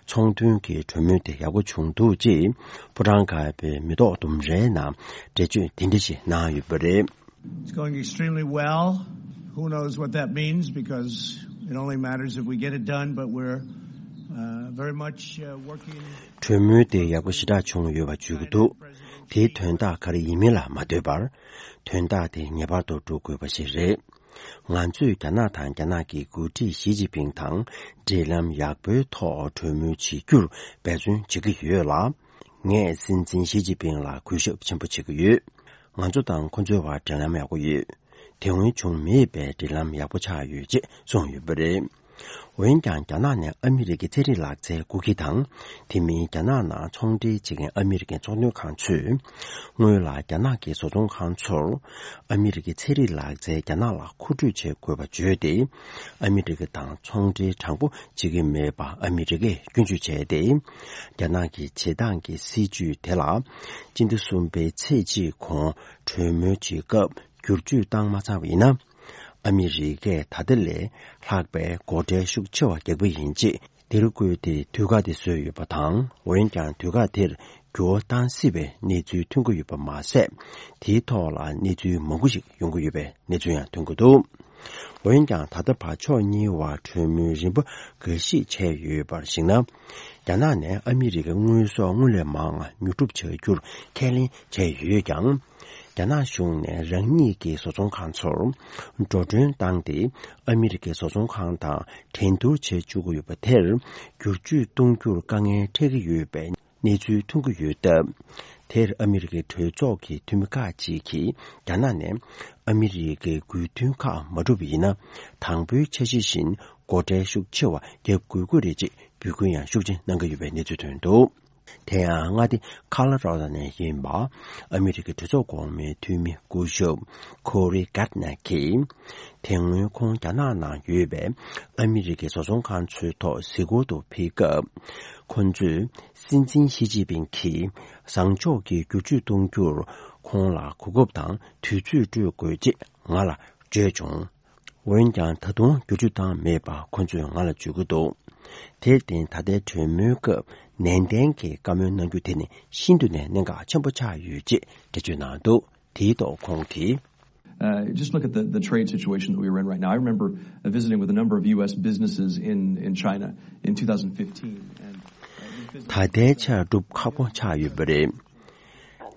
ཚོང་དོན་གྱི་གྲོས་མོལ་དེ་ཡག་པོ་བྱུང་འདུག་ཅེས། ཕོ་བྲང་དཀར་པོའི་མེ་ཏོག་ལྡུམ་རའི་ནང་འགྲེལ་བརྗོད་དེ་འདྲ་ཞིག་གནང་ཡོད་པ་རེད། It's going extremely well. Who knows what that means, because it only matters if we get it done, but we're uh, very much uh, working. གྲོས་མོལ་དེ་ཡག་པོ་ཞེ་དྲག་བྱུང་ཡོད་པ་བརྗོད་ཀྱི་འདུག་དེའི་དོན་དག་ག་རེ་ཡིན་མིན་ལ་མ་ལྟོས་པར། དོན་དག་དེ་ངེས་པར་དུ་འགྲུབ་དགོས་པ་ཞིག་རེད། ང་ཚོས་རྒྱ་ནག་དང་རྒྱ་ནག་གི་འགོ་ཁྲིད་ཞི་ཅིན་ཕིང་དང་འབྲེལ་ལམ་ཡག་པོའི་ཐོག་གྲོས་མོལ་བྱེད་རྒྱུར་འབད་བརྩོན་བྱེད་ཀྱི་ཡོད་ལ། ངས་སྲིད་འཛིན་ཞི་ཅིན་ཕིང་ལ་གུས་ཞབས་ཆེན་པོ་བྱེད་ཀྱི་ཡོད། ང་ཚོ་དང་ཁོ་ཚོའི་བར་འབྲེལ་ལམ་ཡག་པོ་ཡོད། དེ་སྔོན་བྱུང་མེད་པའི་འབྲེལ་ལམ་ཡག་པོ་ཆགས་ཡོད་ཅེས་གསུངས་ཡོད་པ་རེད། འོན་ཀྱང་། རྒྱ་ནག་ནས་ཨ་མི་རི་ཀའི་ཚན་རིག་ལག་རྩལ་རྐུ་མཁན་དང་། དེ་མིན། རྒྱ་ནག་ནང་ཚོང་འབྲེལ་བྱེད་མཁན་ཨ་མི་རི་ཀའི་ཚོང་དོན་ཁང་ཚོས། སྔོན་ལ་རྒྱ་ནག་གི་བཟོ་ཚོང་ཁང་ཚོར། ཨ་མི་རི་ཀའི་ཚན་རིག་ལག་རྩལ་རྒྱ་ནག་ལ་མཁོ་སྤྲོད་བྱེད་དགོས་པ་བརྗོད་དེ། ཨ་མི་རི་ཀ་དང་ཚོང་འབྲེལ་དྲང་པོ་བྱེད་ཀྱི་མེད་པ་ཨ་མི་རི་ཀས་སྐྱོན་བརྗོད་བྱས་ཏེ། རྒྱ་ནག་གི་བྱེད་སྟངས་ཀྱི་སྲིད་ཇུས་དེ་ལ། སྤྱི་ཟླ་གསུམ་པའི་ཚེས་གཅིག་གོང་གྲོས་མོལ་བྱེད་སྐབས། བསྒྱུར་བཅོས་བཏང་མ་ཚར་བ་ཡིན་ན། ཨ་མི་རི་ཀས་ད་ལྟ་ལས་ལྷག་པའི་སྒོ་ཁྲལ་ཤུགས་ཆེ་བ་རྒྱག་པ་ཡིན་ཅེས་འདིར་བཀོད་དེ་དུས་བཀག་དེ་བཟོས་ཡོད་པ་དང་། འོན་ཀྱང་དུས་བཀག་དེར་འགྱུར་བ་གཏང་སྲིད་པའི་གནས་ཚུལ་ཐོན་གྱི་ཡོད་པ་མ་ཟད། དེའི་ཐོག་ལ་གནས་ཚུལ་མང་པོ་ཞིག་ཡོང་གི་ཡོད་པའི་གནས་ཚུལ་ཡང་ཐོན་གྱི་འདུག་འོན་ཀྱང་། ད་ལྟ་བར་ཕྱོགས་གཉིས་བར་གྲོས་མོལ་རིམ་པ་འགའ་ཞིག་བྱས་ཡོད་པར་གཞིགས་ན། རྒྱ་ནག་ནས་ཨ་མི་རི་ཀའི་དངོས་ཟོག་སྔོན་ལས་མང་བ་ཉོ་སྒྲུབ་བྱ་རྒྱུར་ཁས་ལེན་བྱས་ཡོད་ཀྱང་། རྒྱ་ནག་གཞུང་ནས་རང་ཉིད་ཀྱི་བཟོ་ཚོང་ཁང་ཚོར་འགྲོ་གྲོན་བཏང་སྟེ། ཨ་མི་རི་ཀའི་བཟོ་ཚོང་ཁང་དང་འགྲན་བསྡུར་བྱེད་བཅུག་གི་ཡོད་པ་དེར། བསྒྱུར་བཅོས་གཏོང་རྒྱུར་དཀའ་ངལ་འཕྲད་ཀྱི་ཡོད་པའི་གནས་ཚུལ་ཐོན་གྱི་ཡོད་སྟབས། དེར་ཨ་མི་རི་ཀའི་གྲོས་ཚོགས་ཀྱི་འཐུས་མི་ཁག་ཅིག་གིས། རྒྱ་ནག་ནས་ཨ་མི་རི་ཀའི་དགོས་འདུན་ཁག་མ་འགྲུབ་པ་ཡིན་ན། དང་པོའི་འཆར་གཞི་བཞིན་སྒོ་ཁྲལ་ཤུགས་ཆེ་བ་བརྒྱབ་དགོས་ཀྱི་རེད་ཅེས་འབོད་སྐུལ་ཡང་ཤུགས་ཆེ་གནང་གི་ཡོད་པའི་གནས་ཚུལ་ཐོན་འདུག་དེ་ཡང་མངའ་སྡེ་ཁ་ལོ་ར་ཌོ་ནས་ཡིན་པ། ཨ་མི་རི་ཀའི་གྲོས་ཚོགས་གོང་མའི་འཐུས་མི་སྐུ་ཞབས་ཁོ་རི་གྷར་ནེ་གིས། དེ་སྔོན་ཁོང་རྒྱ་ནག་ནང་ཡོད་པའི་ཨ་མི་རི་ཀའི་བཟོ་ཚོང་ཁང་ཚོའི་ཐོག་གཟིགས་སྐོར་དུ་ཕེབས་སྐབས། ཁོང་ཚོས་སྲིད་འཛིན་ཞི་ཅིན་ཕིང་གིས་བཟང་ཕྱོགས་ཀྱི་བསྒྱུར་བཅོས་གཏོང་རྒྱུར་ཁོང་ལ་གོ་སྐབས་དང་དུས་ཚོད་སྤྲོད་དགོས་ཅེས་ང་ལ་བརྗོད་བྱུང་། འོན་ཀྱང་། ད་དུང་བསྒྱུར་བཅོས་བཏང་མེད་པ་ཁོ་ཚོས་ང་ལ་བརྗོད་ཀྱི་འདུག་དེར་བརྟེན། ད་ལྟའི་གྲོས་མོལ་སྐབས་ནན་ཏན་གྱིས་བཀའ་མོལ་གནང་རྒྱུ་དེ་ནི་ཤིན་ཏུ་ནས་གནད་འགག་ཆེན་པོ་ཆགས་ཡོད་ཅེས་འགྲེལ་བརྗོད་གནང་འདུག་དེའི་ཐོག་ཁོང་གིས། Uh, just look at the, the trade situation that we're in right now. I remember uh, visiting with a number of U S businesses in, in China in two thousand fifteen. And, uh, these businesses ད་ལྟའི་ཆར་སྒྲུབ་ཁག་པོ་ཆགས་ཡོད་པ་རེད།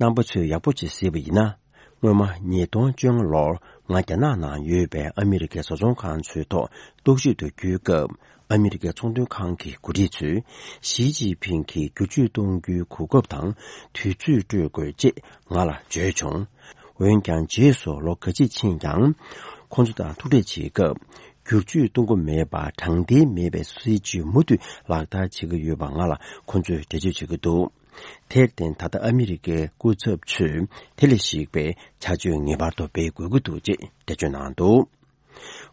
རྣམ་པ་ཚོས་ཡག་པོ་ཅིག་གཟིགས་པ་ཡིན་ན། སྔོན་མ་ཉིས་སྟོང་བཅོ་ལྔ་ལོར་ང་རྒྱ་ནག་ནང་ཡོད་པའི་ཨ་མི་རི་ཀའི་བཟོ་ཚོང་ཁང་ཚོའི་ཐོག་རྟོག་ཞིབ་ཏུ་བརྒྱུད་སྐབས། ཨ་མི་རི་ཀའི་ཚོང་དོན་ཁང་གི་འགོ་ཁྲིད་ཚོས་ཞི་ཅིན་ཕིང་གིས་བསྒྱུར་བཅོས་གཏོང་རྒྱུའི་གོ་སྐབས་དང་དུས་ཚོད་སྤྲོད་དགོས་ཅེས་ང་ལ་བརྗོད་བྱུང་། འོན་ཀྱང་། རྗེས་སུ་ལོ་འགའ་ཅིག་ཕྱིན་ཀྱང་། ཁོང་ཚོ་དང་ཐུག་འཕྲད་བྱེད་སྐབས། བསྒྱུར་བཅོས་གཏོང་གི་མེད་པར་དྲང་བདེན་མེད་པའི་སྲིད་ཇུས་མུ་མཐུད་ལག་བསྟར་བྱེད་ཀྱི་ཡོད་པ་ང་ལ་ཁོང་ཚོས་འགྲེལ་བརྗོད་བྱེད་ཀྱི་འདུག་དེར་བརྟེན། ད་ལྟ་ཨ་མི་རི་ཀའི་སྐུ་ཚབ་ཚོས་དེ་ལས་གཞིགས་པའི་བྱ་སྤྱོད་ངེས་པར་དུ་སྤེལ་དགོས་ཀྱི་འདུག་ཅེས་འགྲེལ་བརྗོད་གནང་འདུག་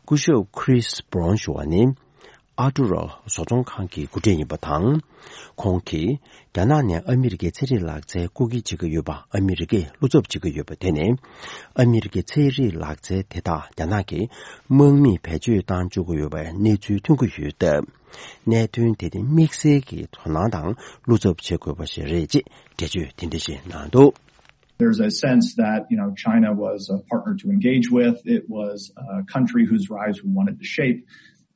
སྐུ་ཞབས་Chris Brown ཞུ་བ་ནི། ཨར་ཊུ་རོ་བཟོ་ཚོང་ཁང་གི་འགོ་ཁྲིད་ཡིན་པ་དང་། ཁོང་གིས་རྒྱ་ནག་ནས་ཨ་མི་རི་ཀའི་ཚན་རིག་ལག་རྩལ་རྐུ་འཁྱེར་བྱེད་ཀྱི་ཡོད་པ་ཨ་མི་རི་ཀས་བློ་འཚབ་བྱེད་ཀྱི་ཡོད་པ་དེ་ནི། ཨ་མི་རི་ཀའི་ཚན་རིག་ལག་རྩལ་དེ་དག་རྒྱ་ནག་གིས་དམག་མིས་བེད་སྤྱོད་བཏང་བཅུག་གི་ཡོད་པའི་གནས་ཚུལ་ཐོན་གྱི་ཡོད་སྟབས། གནད་དོན་དེ་དེ་དམིགས་བསལ་གྱི་དོ་སྣང་དང་བློ་འཚབ་བྱེད་དགོས་པ་ཞིག་རེད་ཅེས་འགྲེལ་བརྗོད་དེ་འདྲ་ཞིག་གནང་འདུག There's a sense that, you know, China was a partner to engage with. It was a country whose rise we wanted to shape.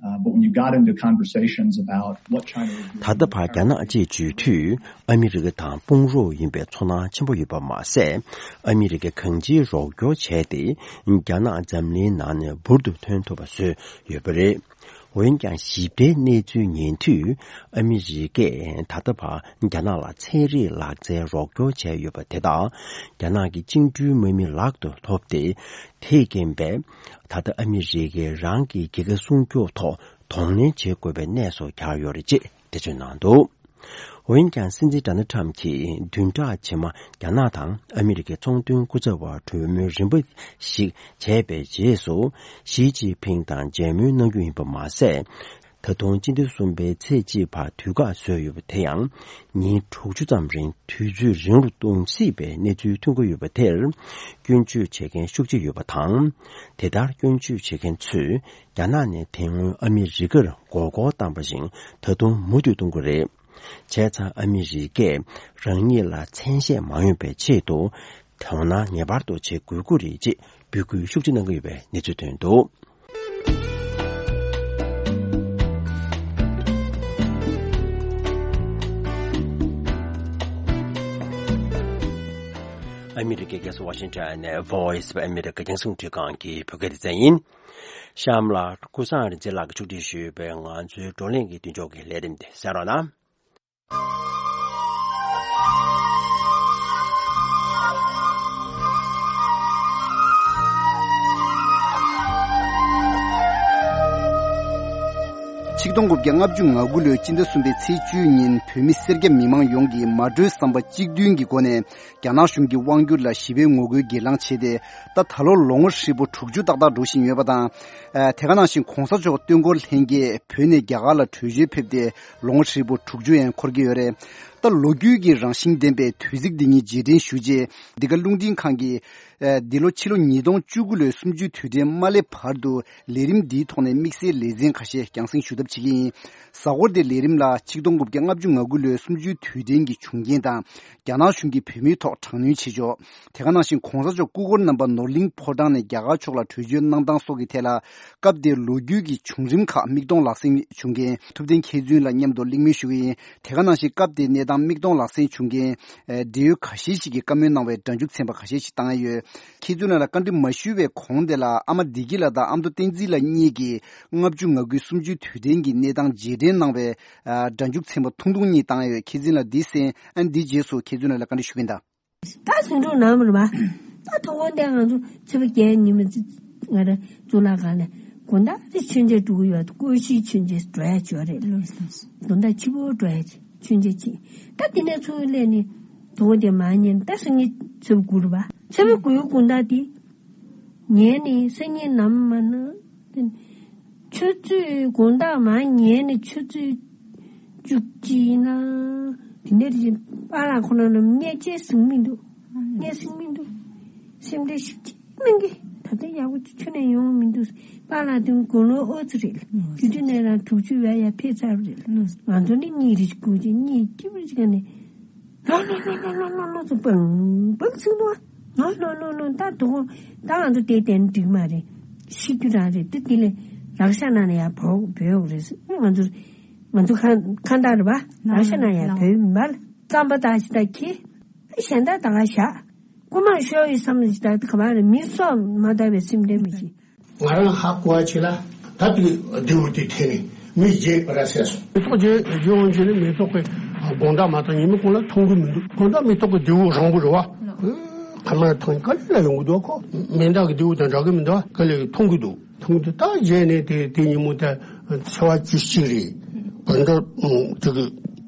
Uh, but when you got into conversations about what China was doing ད་ལྟ་བར་རྒྱ་ནག་ཅེས་བརྗོད་དུས་ཨ་མི་རི་ཀ་དང་དཔུང་རོགས་ཡིན་པའི་ཚོར་སྣང་ཆེན་པོ་ཡོད་པ་མ་ཟད། ཨ་མི་རི་ཀས་གང་ཅིའི་རོགས་སྐྱོར་བྱས་ཏེ་རྒྱ་ནག་འཛམ་གླིང་ནང་ནས་འབུར་དུ་ཐོན་ཐུབ་པ་བཟོས་ཡོད་པ་རེད། འོན་ཀྱང་། ཞིབ་ཕྲའི་གནས་ཚུལ་ཉན་དུས། ཨ་མི་རི་ཀས་ད་ལྟ་བར་རྒྱ་ནག་ལ་ཚན་རིག་ལག་རྩལ་རོགས་སྐྱོར་བྱས་ཡོད་པ་དེ་དག་རྒྱ་ནག་གི་བཅིངས་འགྲོལ་དམག་མི་ལག་ཏུ་ཐོབ་སྟེ། དེས་རྐྱེན་པས། ད་ལྟ་ཨ་མི་རི་ཀས་རང་གི་རྒྱལ་ཁ་སྲུང་སྐྱོབ་ཐོག་གདོང་ལེན་བྱེད་དགོས་པའི་གནས་སུ་གྱར་ཡོད་རེད་ཅེས་འགྲེལ་བརྗོད་གནང་འདུག་འོན་ཀྱང་སྲིད་འཛིན་ཌོ་ནལ་ཊམ་གྱིས་བདུན་ཕྲག་རྗེས་མ་རྒྱ་ནག་དང་ཨ་མི་རི་ཀའི་ཚོང་དོན་སྐུ་ཚབ་པ་གྲོས་མོལ་རིམ་པ་ཞིག་བྱས་པའི་རྗེས་སུ། ཞི་ཅིན་ཕིང་དང་མཇལ་མོལ་གནང་རྒྱུ་ཡིན་པ་མ་ཟད། ད་དུང་སྤྱི་ཟླ་གསུམ་པའི་ཚེས་གཅིག་བར་དུས་བཀག་བཟོས་ཡོད་པ་དེ་ཡང་ཉིན་དྲུག་ཅུ་ཙམ་རིང་དུས་ཚོད་རིང་རུ་གཏོང་སྲིད་པའི་གནས་ཚུལ་ཐོན་གྱི་ཡོད་པ་དེར་སྐྱོན་བརྗོད་བྱེད་མཁན་ཤུགས་ཆེ་ཡོད་པ་དང་། དེ་ལྟར་སྐྱོན་བརྗོད་བྱེད་མཁན་ཚོས་རྒྱ་ནག་ནས་དེ་སྔོན་ཨ་མི་རི་ཀར་མགོ་སྐོར་བཏང་བ་བཞིན་ད་དུང་མུ་མཐུད་གཏོང་གི་རེད། བྱས་ཙང་ཨ་མི་རི་ཀས་རང་ཉིད་ལ་མཚན་ཤས་མ་ཡོང་པའི་ཆེད་དུ་དོ་སྣང་ངེས་པར་དུ་བྱེད་དགོས་ཀྱི་རེད་ཅེས་འབོད་སྐུལ་ཤུགས་ཆེ་གནང་གི་ཡོད་པའི་གནས་ཚུལ་ཐོན་འདུག། ཨ་མི་རི་ཀའི་རྒྱལ་ས་ཝ་ཤིང་ཊོན་ནས་Voice of America རྒྱང་སྲིང་རླུང་འཕྲིན་ཁང་གི་བོད་སྐད་སྡེ་ཚན་ཡིན། གཤམ་ལ་ཀུན་བཟང་རིག་འཛིན་ལགས་ཀྱིས་ཕྱོགས་སྒྲིག་ཞུས་པའི་ང་ཚོའི་བགྲོ་གླེང་གི་མདུན་ལྕོག་གི་ལས་རིམ་དེ་གསན་རོགས་གནང་། ཆིག་སྟོང་དགུ་བརྒྱ་ལྔ་བཅུ་ང་དགུ་ལོའི་སྤྱི་ཟླ་གསུམ་པའི་ཚེས་བཅུའི་ཉིན་བོད་མི་སེར་སྐྱ་མི་མང་ཡོངས་ཀྱིས་མ་གྲོས་བསམ་པ་གཅིག་མཐུན་གྱི་སྒོ་ནས། རྒྱ་ནག་གཞུང་གི་དབང་སྒྱུར་ལ་ཞི་བའི་ངོ་རྒོལ་སྒེར་ལངས་བྱས་ཏེ། ད་ད་ལོ་ལོ་ངོ་ཧྲིལ་པོ་དྲུག་ཅུ་ཏག་ཏག་འགྲོ་བཞིན་ཡོད་པ་དང་། ཨ། དེ་ག་ནང་བཞིན་གོང་ས་མཆོག་སྟོན་འཁོར་ལྷན་རྒྱས་བོད་ནས་རྒྱ་གར་ལ་བྲོས་བྱོལ་ཕེབས་ཏེ་ལོ་ངོ་ཧྲིལ་པོ་དྲུག་ཅུ་ཡང་འཁོར་གྱི་ཡོད་རེད། ད་ལོ་རྒྱུས་ཀྱི་རང་བཞིན་ལྡན་པའི་དུས་ཚིགས་འདི་ཉིད་རྗེས་དྲན་ཞུ་ཆེད། འདི་ག་རླུང་འཕྲིན་ཁང་གིས། ཨ། འདི་ལོ་ཕྱི་ལོ་ཉིས་སྟོང་བཅུ་དགུ་ལོའི་གསུམ་བཅུའི་དུས་དྲན་མ་སླེབས་བར་དུ་ལས་རིམ་འདིའི་ཐོག་ནས་དམིགས་བསལ་ལེ་ཚན་ཁ་ཤས་རྒྱང་སྲིང་ཞུ་ཐབས་བྱེད་ཀྱི་ཡིན། གཟའ་འཁོར་འདིའི་ལས་རིམ་ལ་ཆིག་སྟོང་དགུ་བརྒྱ་ལྔ་བཅུ་ང་དགུ་ལོའི་གསུམ་བཅུའི་དུས་དྲན་གྱི་བྱུང་རྐྱེན་དང་། རྒྱ་ནག་གཞུང་གིས་བོད་མིའི་ཐོག་དྲག་གནོན་བྱེད་ཕྱོགས། དེ་ག་ནང་བཞིན་གོང་ས་མཆོག་སྐུ་འཁོར་རྣམ་པ་ནོར་གླིང་ཕོ་བྲང་ནས་རྒྱ་གར་ཕྱོགས་ལ་བྲོས་བྱོལ་གནང་སྟངས་སོགས་ཀྱི་ཐད་ལ། སྐབས་དེའི་ལོ་རྒྱུས་ཀྱི་བྱུང་རིམ་ཁག་མིག་མཐོང་ལག་ཟིན་བྱུང་མཁན་ཐུབ་བསྟན་མཁས་བཙུན་ལ་མཉམ་དུ་གླེང་མོལ་ཞུ་གི་ཡིན། དེ་ག་ནང་བཞིན་སྐབས་དེའི་གནས་སྟངས་མིག་མཐོང་ལག་ཟིན་བྱུང་མཁན། ཨ། འབྲེལ་ཡོད་ཁ་ཤས་ཤིག་གིས་བཀའ་མོལ་གནང་བའི་སྒྲ་འཇུག་ཚན་པ་ཁ་ཤས་ཤིག་བཏང་ཡ་ཡོད། མཁས་བཙུན་ལགས་ལ་བཀའ་འདྲི་མ་ཞུས་པའི་གོང་དེ་ལ་ཨ་མ་བདེ་སྐྱིད་ལགས་དང་ཨ་མདོ་བསྟན་འཛིན་ལགས་གཉིས་ཀྱིས་ལྔ་བཅུ་ང་དགུའི་གསུམ་བཅུའི་དུས་དྲན་གྱི་གནས་སྟངས་རྗེས་དྲན་གནང་བའི། ཨ། སྒྲ་འཇུག་ཚན་པ་ཐུང་ཐུང་གཉིས་བཏང་ཡོད། མཁས་བཙུན་ལགས་འདི་གསན། ཨ། འདི་རྗེས་སུ་མཁས་བཙུན་ལགས་ལ་བཀའ་འདྲི་ཞུ་གིན་གདའ། ད་ཟིང་འཁྲུག་ནང་མི་རུ་བ། ད་དོ་དགོང་དེ་ང་ཚོ་ཚེས་པ་བརྒྱད་ཉིན་མ་ང་རང་གཙུག་ལག་ཁང་ནས་དགོང་དག་རེ་མཆོད་མཇལ་འགྲོ་གི་ཡོད། སྐུ་ཞིག་མཆོད་མཇལ་འགྲོ་ཡ་ཅིག་ཡོད་རེད། དགོང་དག་ཕྱི་པོ་འགྲོ་ཡ་ཅིག་མཆོད་མཇལ་ཅིག་ད་དེ་ནས་ཚུར་སླེབས་ནས་དོ་དགོང་དེ་མ་ཉལ་ད་སང་ཉིན་ཚེས་པ་དགུ་རུ་བ། ཚེས་པ་དགུའི་དགོང་དག་དེ། ངས་ནི་སང་ཉིན་ནམ་མ་ན། ཆུ་ཚོད་དགོང་དག་མ་ཉལ་ནས་ཆུ་ཚོད་བཅུ་གཅིག་ཡིན་ན། དེ་ནས་དེ་བཞིན་པཱ་ལགས་ཁོ་རང་ལ་བརྙས་བཅོས་ཟིན་མི་འདུག་བརྙས་ཟིན་མི་འདུག་སེམས་ཁྲལ་ཞིག་ཅིག་གནང་གི་ད་ལྟ་ཡག་པོ་ཅིག་ཁྱོན་ནས་ཡོང་མི་འདུག་པཱ་ལགས་དེ་དགུང་ལོ་ཨོ་ཙི་རེད། དུས་དུས་ནས་རང་དྲུག་ཅུ་བས་ཡར་ཕེབས་ཚར་བ་རེད། ང་ཚོ་ནི་གཉིས་རེ་ཞིག་སྒུག་ཅིག་གཉིས་སྐྱིད་པོ་ཅིག་ག་ནས། ལོ་ལོ་ལོ་ལོ་ལོ་ལོ་ལོ་ཚོ་པང་པང་ཚིག་འདུག་ལོ་ལོ་ལོ་ལོ་ད་དོ་དགོང་ད་ང་ཚོ་དེ་བསྟན་འགྲིག་མ་རེད། ཤི་རྒྱུ་རང་རེད་དེ། དེ་ལས་རག་ཤ་ན་ནས་ཡར་བོ་བོས་ཡོང་རེད། ང་ཚོ་ང་ཚོ་ཁ་ཁ་འདར་བ་རག་ཤ་ན་ཡར་བོས་མ་ལ་རྩམ་པ་ད་ཞིག་ད་ཁྱི་གཞན་ད་ད་ག་ཞག་རྐུ་མ་ཤོར་ཡོད་བསམ་ཞིག་ད་ག་མ་རེད། མི་སྲོག་མ་ལྟ་བའི་སེམས་ཁྲལ་མི་བྱེད། ང་རང་ཧ་གོ་བ་ཅིག་ལ་ད་དེ་རྡེའུ་དེ་འཐེན་ནས་མི་བརྗེད་ར་བསད་སོང་། མེ་ཏོག་རྗེ་རྗེ་དབང་ཆེ་ནི་མེ་ཏོག་གི་དགོང་དག་མ་ཐག་ཉི་མ་གུང་ལ་མཐོང་གི་མི་འདུག་དགོང་དག་མེ་ཏོག་གི་རྡེའུ་རིང་པོ་རེད་བ། ཁ་མ་ཐང་ག་ལ་ཡོང་གི་འདུག་ཁོ་མེ་མདའ་གི་རྡེའུ་དང་འདྲ་གི་མི་འདུག་ག་ལ་མཐོང་གི་འདུག་མཐོང་གི་འདུག་ད་རྗེས་ནས་དེ་དེ་ཉིན་མོ་ད་ཚེས་པ་བཅུ་གཅིག་རེད། བོད་ཟླ་དེ་གི་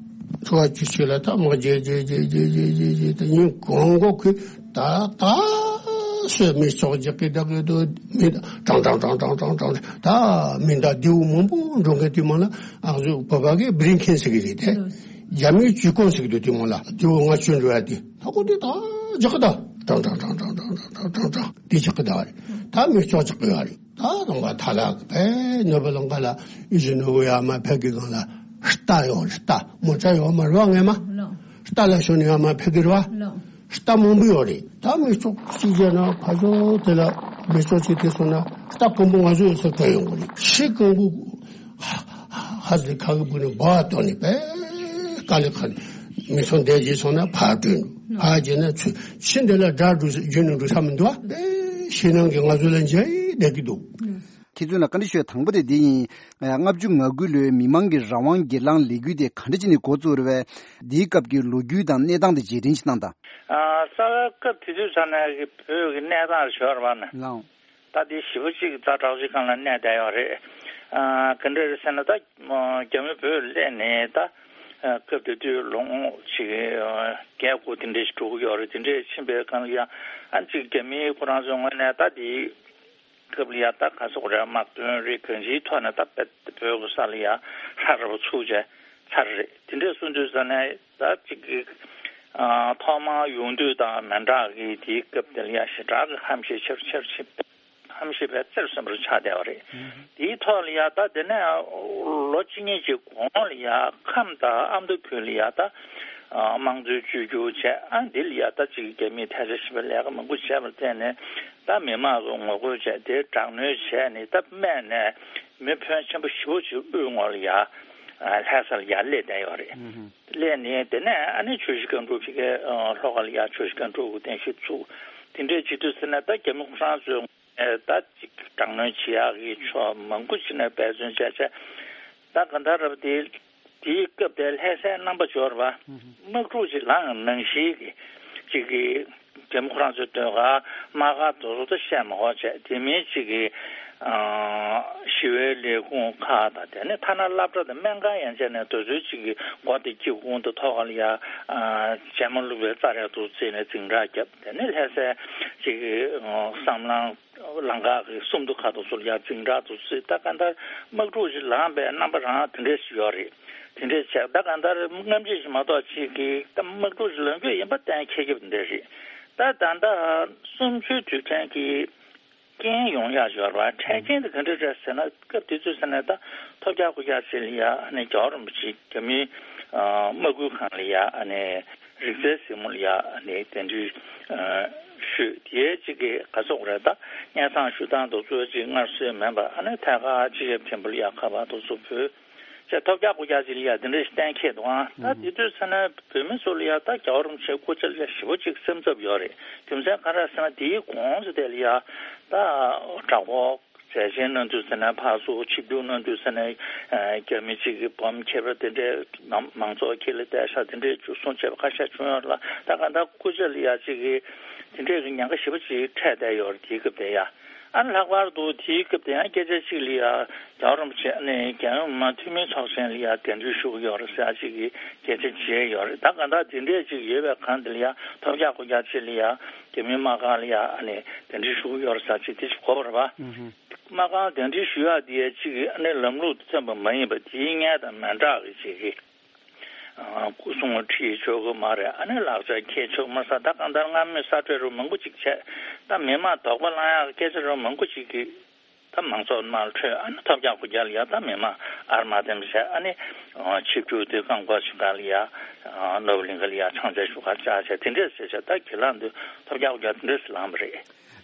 ཚེས་པ་བཅུ་གཅིག་ལ་ད་མ་རྗེས་རྗེས་རྗེས་རྗེས་རྗེས་རྗེས་རྗེས་ད་ཉིན་གང་གོ་གི་ད་ད་སོས་མི་ཚོགས་རྒྱག་གི་བསྡད་གི་འདུག་མི་ཀྲང་ཀྲང་ད་མི་མདའ་རྡེའུ་མང་པོ་འགྲོ་མཁན་དེ་མ་ལ་ཨ་ཟུ་བོད་པ་གི་བྷི་རིང་ཁན་ཟེར་གི་རེད་དེ། རྒྱ་མིའི་ཇུས་ཀོང་ཟེར་གི་འདུག་དེ་མ་ལ་རྡེའུ་ལྔ་བཅུ་འགྲོ་ཡ་དེ་ད་གོ་དེ་ད་རྒྱག་གི་ད་ཀྲང་ཀྲང་དེ་རྒྱག་གི་ད་རེད། ད་མི་ཚོགས་རྒྱག་གི་ཡ་རེད། ད་རང་ག་ཐ་ལ་གི་བས་ནོར་བུ་ལང་ཀ་ལ་ཨི་ཟི་ནོ་བུ་ཡ་མ་ཕེ་གི་གང་ལ་རྟ་ཡོད་རེད། རྟ་མོ་ཊ་ཡོད་མ་རེད་བ། ངས་མ་རྟ་ལ་ཞོན་ནས་ཡ་མ་ཕེ་གི་རེད་བ། རྟ་མང་པོ་ཡོད་རེད། ད་མི་ཚོགས་གཅིག་བྱས་ན་ཕ་ཚོ་དེ་ལ་མི་ཚོགས་གཅིག་དེ་སོང་ན་རྟ་རྐང་པ་ང་ཚོ་ཡོད་ས་བྲོས་ཡོང་གི་རེད། ཤི་རྐང་པ་ཧ་ཧ་ཧ་ཟེར་ཁ་གི་བུ་ནས་འབའ་བཏོན་ནས་པས་དཀའ་ལས་ཁག་ནས་མི་ཚོགས་འདས་རྗེས་སོང་ན་ཕར་བྲོས་འདུག་ཕར་རྗེས་ན་ཚུར་ཕྱི་འདི་ལ་དགྲ་འགྲོ་ས་རྒྱུ་ནས་འགྲོ་ས་མི་འདུག་བ། པས་ཤི་ནང་གི་ང་ཚོ་ལ་འཇའ་ཡི་བསྡད་ཀྱི་འདུག་ཁྱེད་ཚོ་ལ་བཀའ་འདྲི་ཞུ་ཡ་དང་པོ་དེ་འདི་ཡིན། ལྔ་བཅུ་ང་དགུ་ལོའི་མི་མང་གི་རང་དབང་སྒེར་ལངས་ལས་འགུལ་དེ་ག་འདྲ་བྱས་ནས་འགོ་བཙུགས་རེད་པས། འདིའི་སྐབས་ཀྱི་ལོ་རྒྱུས་དང་གནས་སྟངས་དེ་རྗེས་དྲན་ཞིག་གནང་དང་། ཨ། རྩ་བའི་སྐབས་དེ་དུས་ཙམ་ནས་ཀྱི་བོད་ཀྱི་གནས་སྟངས་ཞོར་བ་ནས། ལའོ། ད་འདི་ཞེ་པོ་ཅིག་ད་དྲག་ཅིག་སྒང་ལ་གནས་བསྡད་ཡོད་རེད། ཨ། ག་འདྲ་རེད་ཟེར་ན་ད་རྒྱ་མི་བོད་སླེབས་ནས་ད་ སྐབས་དེ་དུས་ལོ་ངོ་ཅིག་བརྒྱད་དགུ་དེ་འདྲ་ཞིག་འགྲོ་གི་ཡོད་རེད། དེ་འདྲ་ཕྱིན་པའི་སྒང་ལ་ཡང་ཨ་ཅིག་རྒྱ་མི་ཁོ་རང་ཚོའི་ངོས་ནས་ད་དེ་སྐབས་ལ་ཡ་ད་ག་སོག་རེད། དམག་དོན་རེད། གང་ཅིའི་ཐོག་ནས་ད་བོད་བོད་ཀྱི་ས་ལ་ཡ་ཧྲ་ར་བ་ཚུགས་བྱས་ཚར་རེད། དེ་འདྲས་གསུང་དུས་ཙ་ནས་ད་ཅིག་གི་ཨ་ཐོག་མར་ཡོང་དུས་དང་མི་འདྲ་གི་དེའི་སྐབས་དེ་ལ་ཡ་ཞེ་དྲག་གི་ཧམ་ཤེད་ཆེར་ཆེར་ཕྱིན། ཧམ་ཤེད་པའི་རྩེར་སོན་པར་ཆགས་བསྡད་པ་རེད། དེའི་ཐོག་ལ་ཡ་ད་དེ་ནས་ལོ་གཅིག་གཉིས་ཀྱི་གོང་ལ་ཡ་ཁམས་དང་ཨ་མདོ་ཁུལ་ལ་ཡ་ད་དམངས་གཙོའི་བཅོས་བསྒྱུར་བྱས། ཨ་འདི་ལ་ཡ་ད་ཅིག་རྒྱ་མིས་ཐལ་ཆ་བྱེད་པའི་ལས་ཀ་མང་པོ་བྱས་པར་བརྟེན་ནས། ད་མི་མང་གི་ངོ་རྒོལ་བྱས་ཏེ་དྲག་གནོན་བྱས་ནས་ད་སྨད་ནས་མི་ཕོན་ཆེན་པོ་ཞེ་པོ་ཅིག་དབུས་ངོས་ལ་ཡ་ལྷ་ས་ལ་ཡ་སླེབས་བསྡད་ཡོད་རེད། སླེབས་ནས་དེ་ནས་ཨ་ནི་ཆུ་བཞི་སྒང་དྲུག་ཕ་གིའི་ལྷོ་ཁ་ལ་ཡ་ཆུ་བཞི་སྒང་དྲུག་གི་རྟེན་གཞི་བཙུགས། དེ་འདྲས་བྱེད་དུས་ཟེར་ན་ད་རྒྱ་མི་ཁོ་རང་ཚོས་ད་ཅིག་དྲག་གནོན་བྱེད་ཡག་གི་ཕྱོགས་མང་པོ་ཅིག་ནས་འབད་བརྩོན་བྱས་བྱས། ད་ག་འདྲ་རབ་དེ། དེའི་སྐབས་དེར་ལྷ་སའི་རྣམ་པ་འབྱོར་བ་དམག་འཁྲུག་ཅིག་ལངས་ནང་བཞིན་གྱི་ཅིག་གི་རྒྱ་མི་ཁོ་རང་ཚོའི་ཟློས་གར་དམག་སྒར་དེ་ཚོ་ད་བཤད་མ་དགོས་བྱས། དེ་མིན་ཅིག་གི་ཞི་བའི་ལས་ཁུངས་ཁག་དང་། དེ་ནས་ཐ་ན་སློབ་གྲྭ་དང་སྨན་ཁང་ཡན་ཆད་ནས་དེ་ཚོའི་ཅིག་གི་སྒོ་དེ་དཀྱིལ་ཁུང་དང་ཐོག་ཁ་ལ་ཡ་བྱེ་མ་བླུགས་པའི་རྩྭ་ར་དེ་ཚོ་བརྩིས་ནས་འཛིང་རགས་བརྒྱབ། དེ་ནས་ལྷ་སའི་ཅིག་གི་བསམ་གླིང་། ལམ་ཁ་གི་སུམ་མདོ་ཁ་དང་ཚུར་ཡར་འཛིང་རགས་དེ་ཚོ་བརྩིས། ད་གང་ལྟར་དམག་འཁྲུག་ཅིག་ལངས་པའི་རྣམ་པ་རང་དེ་འདྲས་ཞིག་ཡོད་རེད། དེ་འདྲས་བྱས། ད་གང་ལྟར་སྔ་ཕྱི་ཞིག་མ་གཏོགས་ཅིག་གིས་ད་དམག་འཁྲུག་ཅིག་ལངས་རྒྱུ་ཡིན་པ་གཏན་འཁེལ་གྱི་དེ་འདྲས་རེད། ད་ད་ལྟ་གསུམ་བཅུའི་དུས་དྲན་གྱི་རྐྱེན་ཡོང་ཡག་ཡོད་རེད་བ། འཕྲལ་རྐྱེན་དེ་ག་འདྲས་རེད་ཟེར་ན། སྐབས་དེ་དུས་ཟེར་ན་ད་ཐོབ་རྒྱག་རྐུབ་བཀྱག་ཅིག་ལ་ཡ་ཨ་ནི་རྒྱལ་བ་རིན་པོ་ཆེ་རྒྱ་མིའི་དམག་ཁུལ་ཁང་ལ་ཡ་ཨ་ནི། རིག་རྩལ་གཟིགས་མོ་ལ་ཡ་ཨ་ནི་གདན་འདྲེན་ཞུས། དེའི་གཅིག་གི་ག་ཚོད་རེད། ད་སྙན་སེང་ཞུ་སྟངས་དེ་ཚོ་གཅིག་སྔར་སྲོལ་མིན་པ། ཨ་ནི་ཐད་ཀར་སྤྱི་ཁྱབ་མཆོག་ལ་ཡ་ཁ་པར་དེ་ཚོ་ཕུལ་བྱས། ཐོབ་རྒྱག་རྐུབ་བཀྱག་ཅིག་ལ་ཡ་དེ་འདྲ་ཞིག་གཏན་འཁེལ་འདུག་ཨང་། ད་དེ་དུས་ཚེ་ན་བོད་མི་ཚོ་ལ་ཡ་ད་རྒྱལ་བ་རིན་པོ་ཆེའི་སྐུ་ཕྱྭ་ལ་ཡ་ཞེ་པོ་ཅིག་སེམས་འཚབ་ཡོད་རེད། རྒྱུ་མཚན་ག་རེ་ཟེར་ན། དེའི་གོང་ཚོ་དེ་ལ་ཡ་ད་དྲག་པོ། མཛད་ཆེན་གནང་དུས་ཟེར་ན། ཕར་ཚུར་ཆིབས་བསྒྱུར་གནང་དུས་ཟེར་ན། རྒྱ་མི་གཅིག་གི་བོམ་འཁྱེར་བ་དེ་འདྲའི་མང་ཚོགས་ཁྲོད་ལ་བསྡད་ཤག་དེ་འདྲའི་བཅུག་སོང་བྱས་པ་ཁ་ཤས་བྱུང་ཡོད་ལ། ད་ག་ད་སྐུ་ཕྱྭ་ལ་ཡ་གཅིག་གི་དེ་འདྲའི་གི་ཉེན་ཁ་ཞེ་པོ་ཅིག་འཕྲད་བསྡད་ཡོད་རེད། དེའི་སྐབས་དེ་ཡ། ཨ་ནི་ལྷག་པར་དུ་དེའི་སྐབས་དེ་ཡང་སྐད་ཆ་གཅིག་ལ་ཡ་རྒྱལ་བ་རིན་པོ་ཆེ་ནས་རྒྱལ་ཡོངས་མི་མང་འཐུས་མི་ཚོགས་ཆེན་ལ་ཡ་གདན་འདྲེན་ཞུ་གི་ཡོད་རེད་ཟེར་ཡ་གཅིག་གི་སྐད་ཆ་བརྗེས་ཡོད་རེད། ད་ག་ད་དེ་འདྲའི་གཅིག་ཡོད་པའི་སྒང་དེ་ལ་ཡ་ཐོབ་རྒྱག་རྐུབ་བཀྱག་ཅིག་ལ་ཡ། རྒྱ་མིའི་དམག་ཁང་ལ་ཡ་ཨ་ནི་གདན་འདྲེན་ཞུ་གི་ཡོད་རེད་ཟེར་ཅིག་དེ་ཅིག་གོ་བ་རེད་པ། དམག་ཁང་གདན་འདྲེན་ཞུ་ཡག་དེ་ཡ་གཅིག་གི་ཨ་ནི་ལམ་ལུགས་དང་མཐུན་པ་མ་ཡིན་པ། དེའི་སྔོན་དང་མི་འདྲ་གི་ཅིག་གི་སྐུ་སྲུང་ཁྲིད་ཆོག་གི་མ་རེད། ཨ་ནི་ལག་ཆ་འཁྱེར་ཆོག་མ་ཟད། ད་གང་ལྟར་སྔ་མོའི་ས་ཁྲ་རུ་མང་པོ་ཅིག་བྱས། ད་མི་མང་དོགས་པ་ལངས་ཡག་གི་སྐད་ཆ་རུ་མང་པོ་ཅིག་གི་ད་མང་ཚོགས་དམངས་ཁྲོད་ཨ་ནི་ཐོབ་རྒྱག་རྐུབ་བཀྱག་ལ་ཡ་ད་མི་མང་ཨར་མ་དེ་འདྲ་བྱས། ཨ་ནི་ཆིབས་བསྒྱུར་དེ་རྐང་པ་ཆུ་ཁ་ལ་ཡ་ནོར་བུ་གླིང་ག་ལ་ཡ་ཕྱག་མཇལ་ཞུ་གར་བཅར་བྱས། དེ་འདྲས་བྱས་བྱས་ད་སྒེར་ལངས་དུས་ཐོབ་རྒྱག་རྐུབ་བཀྱག་དེ་འདྲས་ལངས་པ་རེད།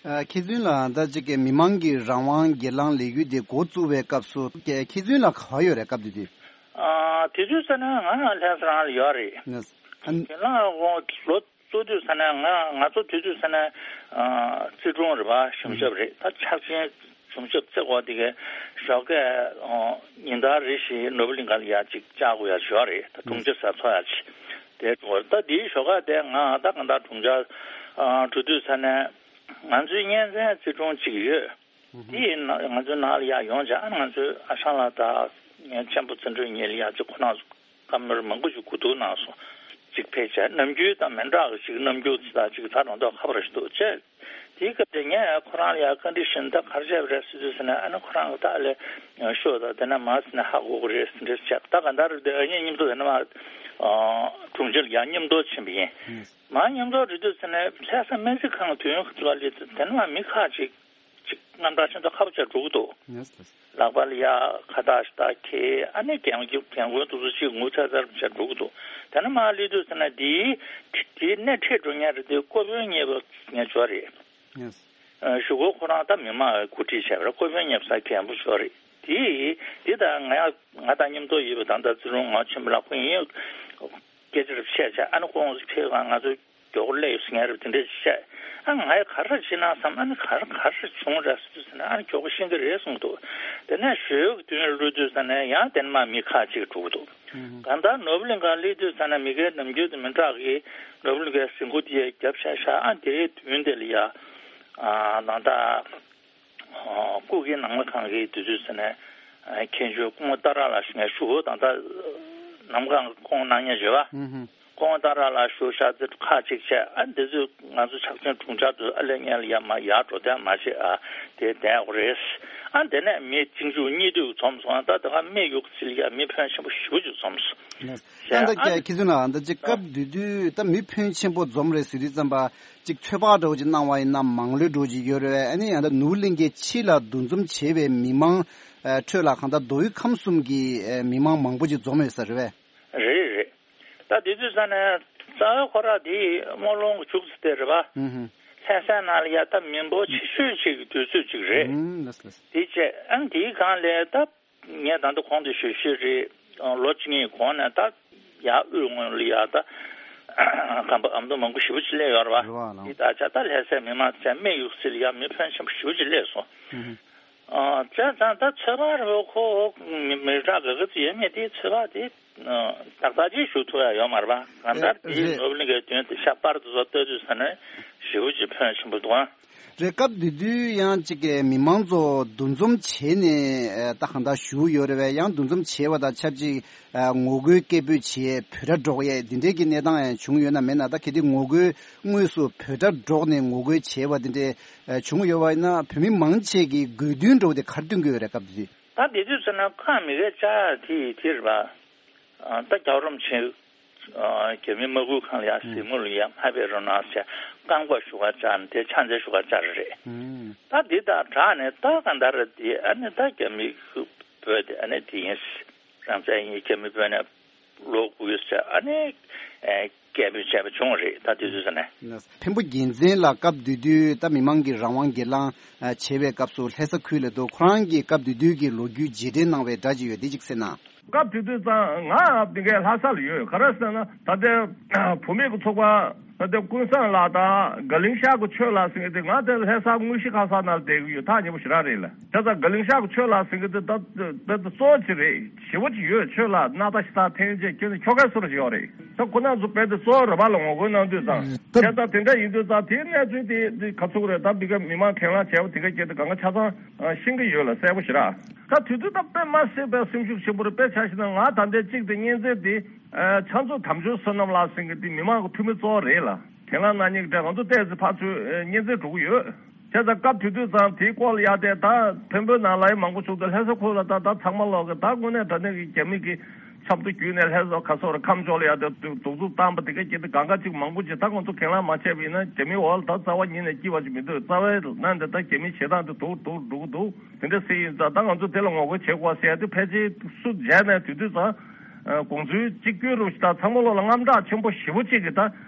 ཨ། མཁས་བཙུན་ལགས། ད་ཅིག་གི་མི་མང་གི་རང་དབང་སྒེར་ལངས་ལས་འགུལ་དེ་འགོ་བཙུགས་པའི་སྐབས་སུ་མཁས་མཁས་བཙུན་ལགས་ག་པར་ཡོད་རེད། སྐབས་དེ་དུས། ཨ། དེ་དུས་ཙ་ན་ང་ལྷ་ས་རང་ལ་ཡོད་རེད། ཨ། སྒེར་ལངས་དབང་ལོ་གཙོ་དུས་ཙ་ན་ང་ང་ཚོ་དུས་དུས་ཙ་ན་ཨ་བརྩི་སྲུང་རེད་པ། གཞུང་ཞབས་རེད། ད་ཆགས་ཆེན་གཞུང་ཞབས་བརྩི་དགོས་དེ་གའི་ཞོགས་ཀས་ཨ་ཉིན་ལྟར་རེ་བཞིན་ནོར་བུ་གླིང་ག་ལ་ཡ་ཅིག་བཅར་དགོས་ཡ་ཞོག་རེད། ད་དྲུང་ཆེ་ས་ཚོགས་ཡ་ཅིག་དེ་འགྲོ་བར། ད་དེའི་ཞོགས་ཀ་དེ་ང་ད་གང་ལྟར་དྲུང་ཆེ་ཨ་འགྲོ་དུས་ཙ་ན་ང་ཚོའི་གཉེན་ཚན་བརྩི་སྲུང་ཅིག་ཡོད། དེ་ཡིན་ན་ང་ཚོའི་ནང་ལ་ཡར་ཡོང་བྱས། ཨ་ནི་ང་ཚོའི་ཨ་ཞང་ལགས་དང་ངའི་མཆན་བུ་བརྩོན་འགྲུས་གཉིས་ལ་ཡ་ཅིག་ཁོ་རང་ཚོ་བཀའ་མོལ་མང་པོ་ཞིག་གོ་བསྡུར་གནང་སོང་། ཅིག་ཕལ་ཆེར་ནམ་རྒྱུན་དང་མི་འདྲ་བ་ཞིག་ནམ་རྒྱུན་ཅིག་དང་ཅིག་ད་རང་ཐོག་ཁ་པར་ཞིག་འདུག་བྱས། དེའི་སྐབས་དེ་ངས་ཁོ་རང་ལ་ཡ་བཀའ་འདྲི་ཞུས་ནས། ད་ག་རེ་བྱས་པ་རེད་ཟེར་དུས་ཟེར་ནས། ཨ་ནི་ཁོ་རང་གིས་ད་ལས་ཤོག་ད་དེ་ན་མ་ཟེར་ནས་ཧ་གོ་གི་རེད་ཟེར་འདྲ་བྱས། ད་ག་འདྲ་རེད། དེ་ཨ་ནི་མཉམ་དུ་དེ་ན་མ་དྲུང་ཆེ་ལ་ཡ་མཉམ་དུ་ཕྱིན་པ་ཡིན། མ་མཉམ་དུ་འགྲོ་དུས་ཙ་ན་ལྷ་ས་སྨན་རྩིས་ཁང་དུས་ཡུན་ག་ཚོད་ལ་སླེབས་དུས་དེ་ནས་མ་མི་ཁག་ཅིག་ཅིག་རྣམ་གྲངས་ཆེན་པོ་ཁ་པོ་ཅིག་འགྲོ་གི་འདུག་ལག་པ་ལ་ཡ་ཁ་བཏགས་ཤ་སྟག་འཁྱེར། ཨ་ནི་རྒན་རྒན་རྒོན་དེ་ཚོ་ཅིག་ངུ་ཚ་ཚ་ཅིག་འགྲོ་གི་འདུག་དེ་ནས་མ་སླེབས་དུས་ཙ་ན་དེའི་དེའི་སྣེ་ཁྲིད་འགྲོ་མཁན་རེད་དེ། སྐུ་དཔོན་གཉེར་པ་ངེད་ཅག་རེད། གཞུག་གུ་ཁོ་རང་ད་མི་མང་གིས་གོ་སྒྲིག་བྱས་པ་རེད། སྐུ་དཔོན་གཉེར་པ་ས་མཁན་པོ་ཅིག་རེད། དེ་དེ་ད་ང་ཡ་ང་དང་མཉམ་དུ་ཡོད་པའི་ད་ལྟ་བརྩི་སྲུང་ངག་ཆེན་པོ་ལགས་ཁོ་ཡིན། སྐད་ཆ་རེ་བཤད་བྱས། ཨ་ནི་ཁོང་ཚོ་ཕེབས་གང་ང་ཚོའི་མགྱོགས་པོ་སླེབས་ཡོད་ཟེར་མཁན་རེད། དེ་འདྲས་བཤད། ཨ་ང་ཡ་ག་རེ་བྱེད་ན་བསམ། ཨ་ནི་ག་རེ་ག་རེ་བྱུང་རེད་ཟེར་དུས་ཟེར་ན། ཨ་ནི་མགྱོགས་པོ་ཤེས་ཀྱི་རེད་གསུངས་འདུག་དེ་ནས་ཞོགས་ཀྱི་དུས་ལ་སླེབས་དུས་ཟེར་ན་ཡང་དེ་ནས་མ་མི་ཁག་ཅིག་འགྲོ་གི་འདུག་གང་ལྟར་ནོར་བུ་གླིང་ག་སླེབས་དུས་ཟེར་ན་མི་སྒེར་ནམ་རྒྱུན་དང་མི་འདྲ་གི་ནོར་བུ་གླིང་གའི་གཟིགས་སྐོར་དེ་རྒྱབ་བཞག་ཤག་ཨ་དེའི་མདུན་དེ་ལ་ཡ་ཨ་ད་ལྟ་སྐུ་སྒེར་ནང་མི་ཁང་གི་དུས་ཚོད་ཟེར་ན་མཁན་ཆེན་སྐུ་ངོ་ཏཱ་ར་ལགས་ཞུ་མཁན་ཞུ་བོ་ད་ལྟ། ནམ་གང་སྐུ་ངོ་གནང་མཁན་ཡོད་པ། ཧུམ་ཧུམ། སྐུ་ངོ་ཏཱ་ར་ལགས་བཞུགས་ཤག་ཚེ་ཁག་ཅིག་བྱས། ཨ་འདི་ཚོས་ང་ཚོ་ཕྱག་ཆེན་དྲུང་འཆར་དུ་ཨ་ལས་ངན་ལ་ཡར་མར་ཡར་འགྲོ་དོན་མ་བྱེད། ཨ་དེ་བསྡད་དགོས་རེད། ཨ་དེ་ནས་མི་གཅིག་མཇུག་གཉིས་མཐུད་འཛོམས་སོང་། ད་ད་ག་མི་ཡོད་ཚིལ་ཡ་མི་ཕོན་ཆེན་པོ་ཞེ་པོ་ཅིག་འཛོམས་སོང་། ཡང་ད་ཨ་ཀྱ་ཁྱི་ཚོ་ན་ད་ཅིག་སྐབས་དེ་དུས་ད་མི་ཕོན་ཆེན་པོ་འཛོམས་རེད་ཟེར་དུས་ཙམ་པ་ཅིག་ཚོད་དཔག་འདྲ་བོ་ཅིག་གནང་བ་ཡིན་ན་མང་ལོས་འདྲ་བོ་ཅིག་ཡོད་རེད་བས། ཨ་ནི་ཡང་ད་ནོར་བུ་གླིང་གའི་ཕྱི་ལ་འདུ་འཛོམས་བྱས་པའི་མི་མང་ཨ་ཁྲོད་ལ་གང་ལྟར་མདོ་དབུས་ཁམས་གསུམ་གྱི་ཨ་མི་མང་མང་པོ་ཅིག་འཛོམས་ཡོད་ས་རེད་བས། རེད་རེད། ད་དེ་དུས་ས་ནས་རྩ་བའི་ཁོ་ར་དེ་སྨོན་ལུང་མཇུག་ཙམ་དེ་རེད་པ། ཧུམ་ཧུམ། ལྷ་སའི་ནང་ལ་ཡ་ད་མི་འབོར་ཆེ་ཤོས་ཅིག་གི་དུས་ཚོད་ཅིག་རེད། ཧུམ། ལགས་སོ་ལགས་སོ། དེ་བྱས་ཨང་དེའི་སྒང་ལས་ད་ངས་ད་ལྟ་གོང་དུ་ཞུས་ཞུས་རེད། ལོ་གཅིག་གཉིས་གོང་ནས་ད་ཡ་དབུས་ངོས་ལ་ཡ་ད་ཁམས་པ་ཨ་མདོ་མང་པོ་ཞེ་པོ་ཅིག་སླེབས་ཡོད་རེད་པ། རེད་པ་ལགས། དེ་ད་ཆ་ད་ལྷ་སའི་མི་མང་ཚོས་སྨད་ཡུག་སིལ་ཡ་མི་ཕོན་ཆེན་པོ་ཞེ་པོ་ཅིག་སླེབས་སོང་། ཧུམ་ཧུམ། ཨ་བྱས་ཙང་ད་ཚོད་དཔག་རེད་པ། ཁོ་མི་མི་རག་ག་ག་ཚོད་ཡོད་མེད་དེ་ཚོད་དཔག་དེ་ཏག་ཏག་ཅིག་ཞུ་ཐུབ་ཡ་ཡོད་མ་རེད་པ། གང་ལྟར་དེའི་རེད། ནོར་བུ་གླིང་གའི་དོན་དེ་ཤག་པར་དུ་བཟོ་ལྟ་དུས་ས་ནས་ཞེ་པོ་ཅིག་ཕོན་ཆེན་པོ་འདུག་ཨ། རེད། སྐབས་དེ་དུས་ཡང་གཅིག་གི་མི་མང་ཚོ་འདུ་འཛོམས་བྱས་ནས་ཨ་ད་གང་ལྟར་བཞུགས་ཡོད་རེད་པས། ཡང་འདུ་འཛོམས་བྱས་པ་དང་ཆབས་ཅིག་ཨ་ངོ་རྒོལ་སྐད་འབོད་བྱས་འབོད་སྒྲ་སྒྲོག་ཡས་འདི་འདྲའི་གི་གནས་སྟངས་ཡང་བྱུང་ཡོད་ན་མེད་ན། ད་གལ་ཏེ་ངོ་རྒོལ་དངོས་སུ་འབོད་སྒྲ་སྒྲོག་ནས་ངོ་རྒོལ་བྱས་པ་འདི་འདྲའི་ཨ་བྱུང་ཡོད་པ་ཡིན་ན། བོད་མི་མང་ཆེ་གི་དགོས་འདུན་འདྲ་བོ་དེ་ག་རེ་བཏོན་གྱི་ཡོད་རེད་སྐབས་དེ་དུས། ད་དེ་དུས་ཟེར་ན་ཁ་མི་གས་བཅག་དེ་དེ་རེད་པ། ཨ་ད་རྒྱལ་བ་རིན་པོ་ཆེ་ཨ་རྒྱ་མིའི་དམག་ཁུལ་ཁང་ལ་ཡ་གཟིགས་མོ་ལ་ཡ་མ་ཕེབས་རོགས་གནང་ཟེར་བཀའ་འགོག་ཞུ་ག་བཅར་ནས་དེ་ཕྱག་འཚལ་ཞུ་ག་བཅར་རེད། ཨུམ། ད་འདི་དང་སྦྲགས་ནས་ད་གང་ལྟར་དེ་ཨ་ནི་ད་རྒྱ་མི་བོད་དེ་ཨ་ནི་དེ་ཡིན། རང་བཙན་ཡིན། རྒྱ་མི་བོད་ནས་ལོག་དགོས་ཟེར་ཨ་ནི་ཨ་སྐད་འབོད་བྱས་པ་བྱུང་རེད། ད་དེ་དུས་ཟེར་ན། འཕན་པོ་རྒྱལ་མཚན་ལགས་སྐབས་དེ་དུས་ད་མི་མང་གི་རང་དབང་སྒེར་ལངས་ཨ་བྱེད་པའི་སྐབས་སུ་ལྷ་ས་ཁུལ་ལ་འདུག་ཁོ་རང་གི་སྐབས་དེ་དུས་ཀྱི་ལོ་རྒྱུས་རྗེས་དྲན་གནང་བའི་སྒྲ་ཅིག་ཡོད། དེ་ཅིག་གསན་ན། སྐབས་དེ་དུས་ཙང་ང་དེ་གའི་ལྷ་ས་ལ་ཡོད། ག་རེ་ཟེར་ན་ད་ལྟའི་བུད་མེད་ཀྱི་ཚོགས་པ་ད་ལྟའི་ཀུན་བཟང་ལགས་དང་དགའ་གླིང་ཤག་གི་ཆོས་ལགས་ཟེར་མཁན་དེ་ང་དེ་ལྷ་ས་དངོས་གཞི་ཁ་སང་ནང་ལ་བསྡད་ཀྱི་ཡོད། ཐག་ཉེ་པོ་ཞེ་དྲག་རེད་ལ། བྱས་ཙང་དགའ་གླིང་ཤག་གི་ཆོས་ལགས་ཟེར་མཁན་དེ་ད་ད་ད་གཙོ་བོ་ཅིག་རེད། ཞེ་པོ་ཅིག་ཡོད། ཆོས་ལ་སྣ་ཐག་ཞེ་དྲག་འཐེན་བྱས་ཁྱོད་ནི་ཁྱོ་གའི་སོ་ར་ཞིག་ཡོད་རེད། ད་ཁོ་རང་ཚོ་དཔེ་དེ་གཙོ་བོ་རེད་པ་ལ་ངོ་རྒོལ་གནང་དུས་ཙང་། ད་བྱས་ཙང་དེ་འདྲ་ཡིན་དུས་ཙང་དེའི་གནས་ཚུལ་དེ་དེ་ག་ཚོད་རེད། ད་འདི་ག་མི་མང་གྱེན་ལངས་བྱས་པ་དེ་ག་སྐད་དེ་གང་ག་ཆ་ཚང་ཤེས་ཀྱི་ཡོད་ལ། གསལ་པོ་ཞེ་དྲག་ད་དུས་ཚོད་ད་དཔེ་མ་སྲིད་པའི་སེམས་ཤུགས་ཆེན་པོ་རེད། དཔེ་ཆ་བཞག་ན་ང་ད་ལྟའི་གཅིག་དེ་གཉན་ཚན་དེ་ཕྱག་མཛོད་དམ་ཆོས་བསོད་ནམས་ལགས་ཟེར་མཁན་དེ་མི་མང་གི་འཐུས་མི་གཙོ་བོ་རེད་ལ། གྱེན་ལངས་གནང་མཁན་གྱི་གྲས་ང་ཚོ་ཏོག་ཙམ་ཕར་ཚུར་གཉན་ཚན་འགྲོ་གི་ཡོད། བྱས་ཙང་སྐབས་དེ་དུས་ཙང་དེའི་སྐོར་ལ་ཡ་དེ་ད་འཕན་པོའི་ནང་ལ་ཡ་མང་པོ་བྱུང་སྟེ་ལྷ་ས་ཁུལ་ལ་ད་ད་ཚང་མ་ལོག་གི་ད་དངོས་གནས་དྲང་གནས་ཀྱི་རྒྱ་མི་གི་ཆབ་མདོ་བརྒྱུད་ནས་ལྷ་ས་ཁ་སོ་ར་ཁམས་ཕྱོགས་ལ་ཡ་དེ་གདུག་རྩུབ་བཏང་པ་དེ་ག་སྐད་དེ་གང་ག་ཅིག་མང་པོ་ཅིག་ད་ང་ཚོ་གྱེན་ལངས་མ་བྱས་པ་ཡིན་ན་རྒྱ་མིའི་འོག་ལ་ད་རྩ་བ་ཉིད་ནས་སྐྱིད་པ་ཅིག་མི་འདུག་རྩ་བའི་ནང་དེ་ད་རྒྱ་མིའི་བྱེད་སྟངས་དེ་སྡུག་སྡུག་འགྲོ་གི་འདུག་དེ་འདྲ་ཟེར་ཡིན་ཙང་ད་ང་ཚོ་དེ་ལ་ངོ་རྒོལ་བྱེད་དགོས་ཟེར་ཡ་དེ་ཕལ་ཆེར་སུ་མཇལ་ནས་དུས་དུས་ཙང་། དགོངས་ཚུལ་གཅིག་གྱུར་རུ་ཞིག་དང་ཚང་མ་ལོག་ལ་དངངས་སྐྲག་ཆེན་པོ་ཞེ་པོ་གཅིག་གིས་ད་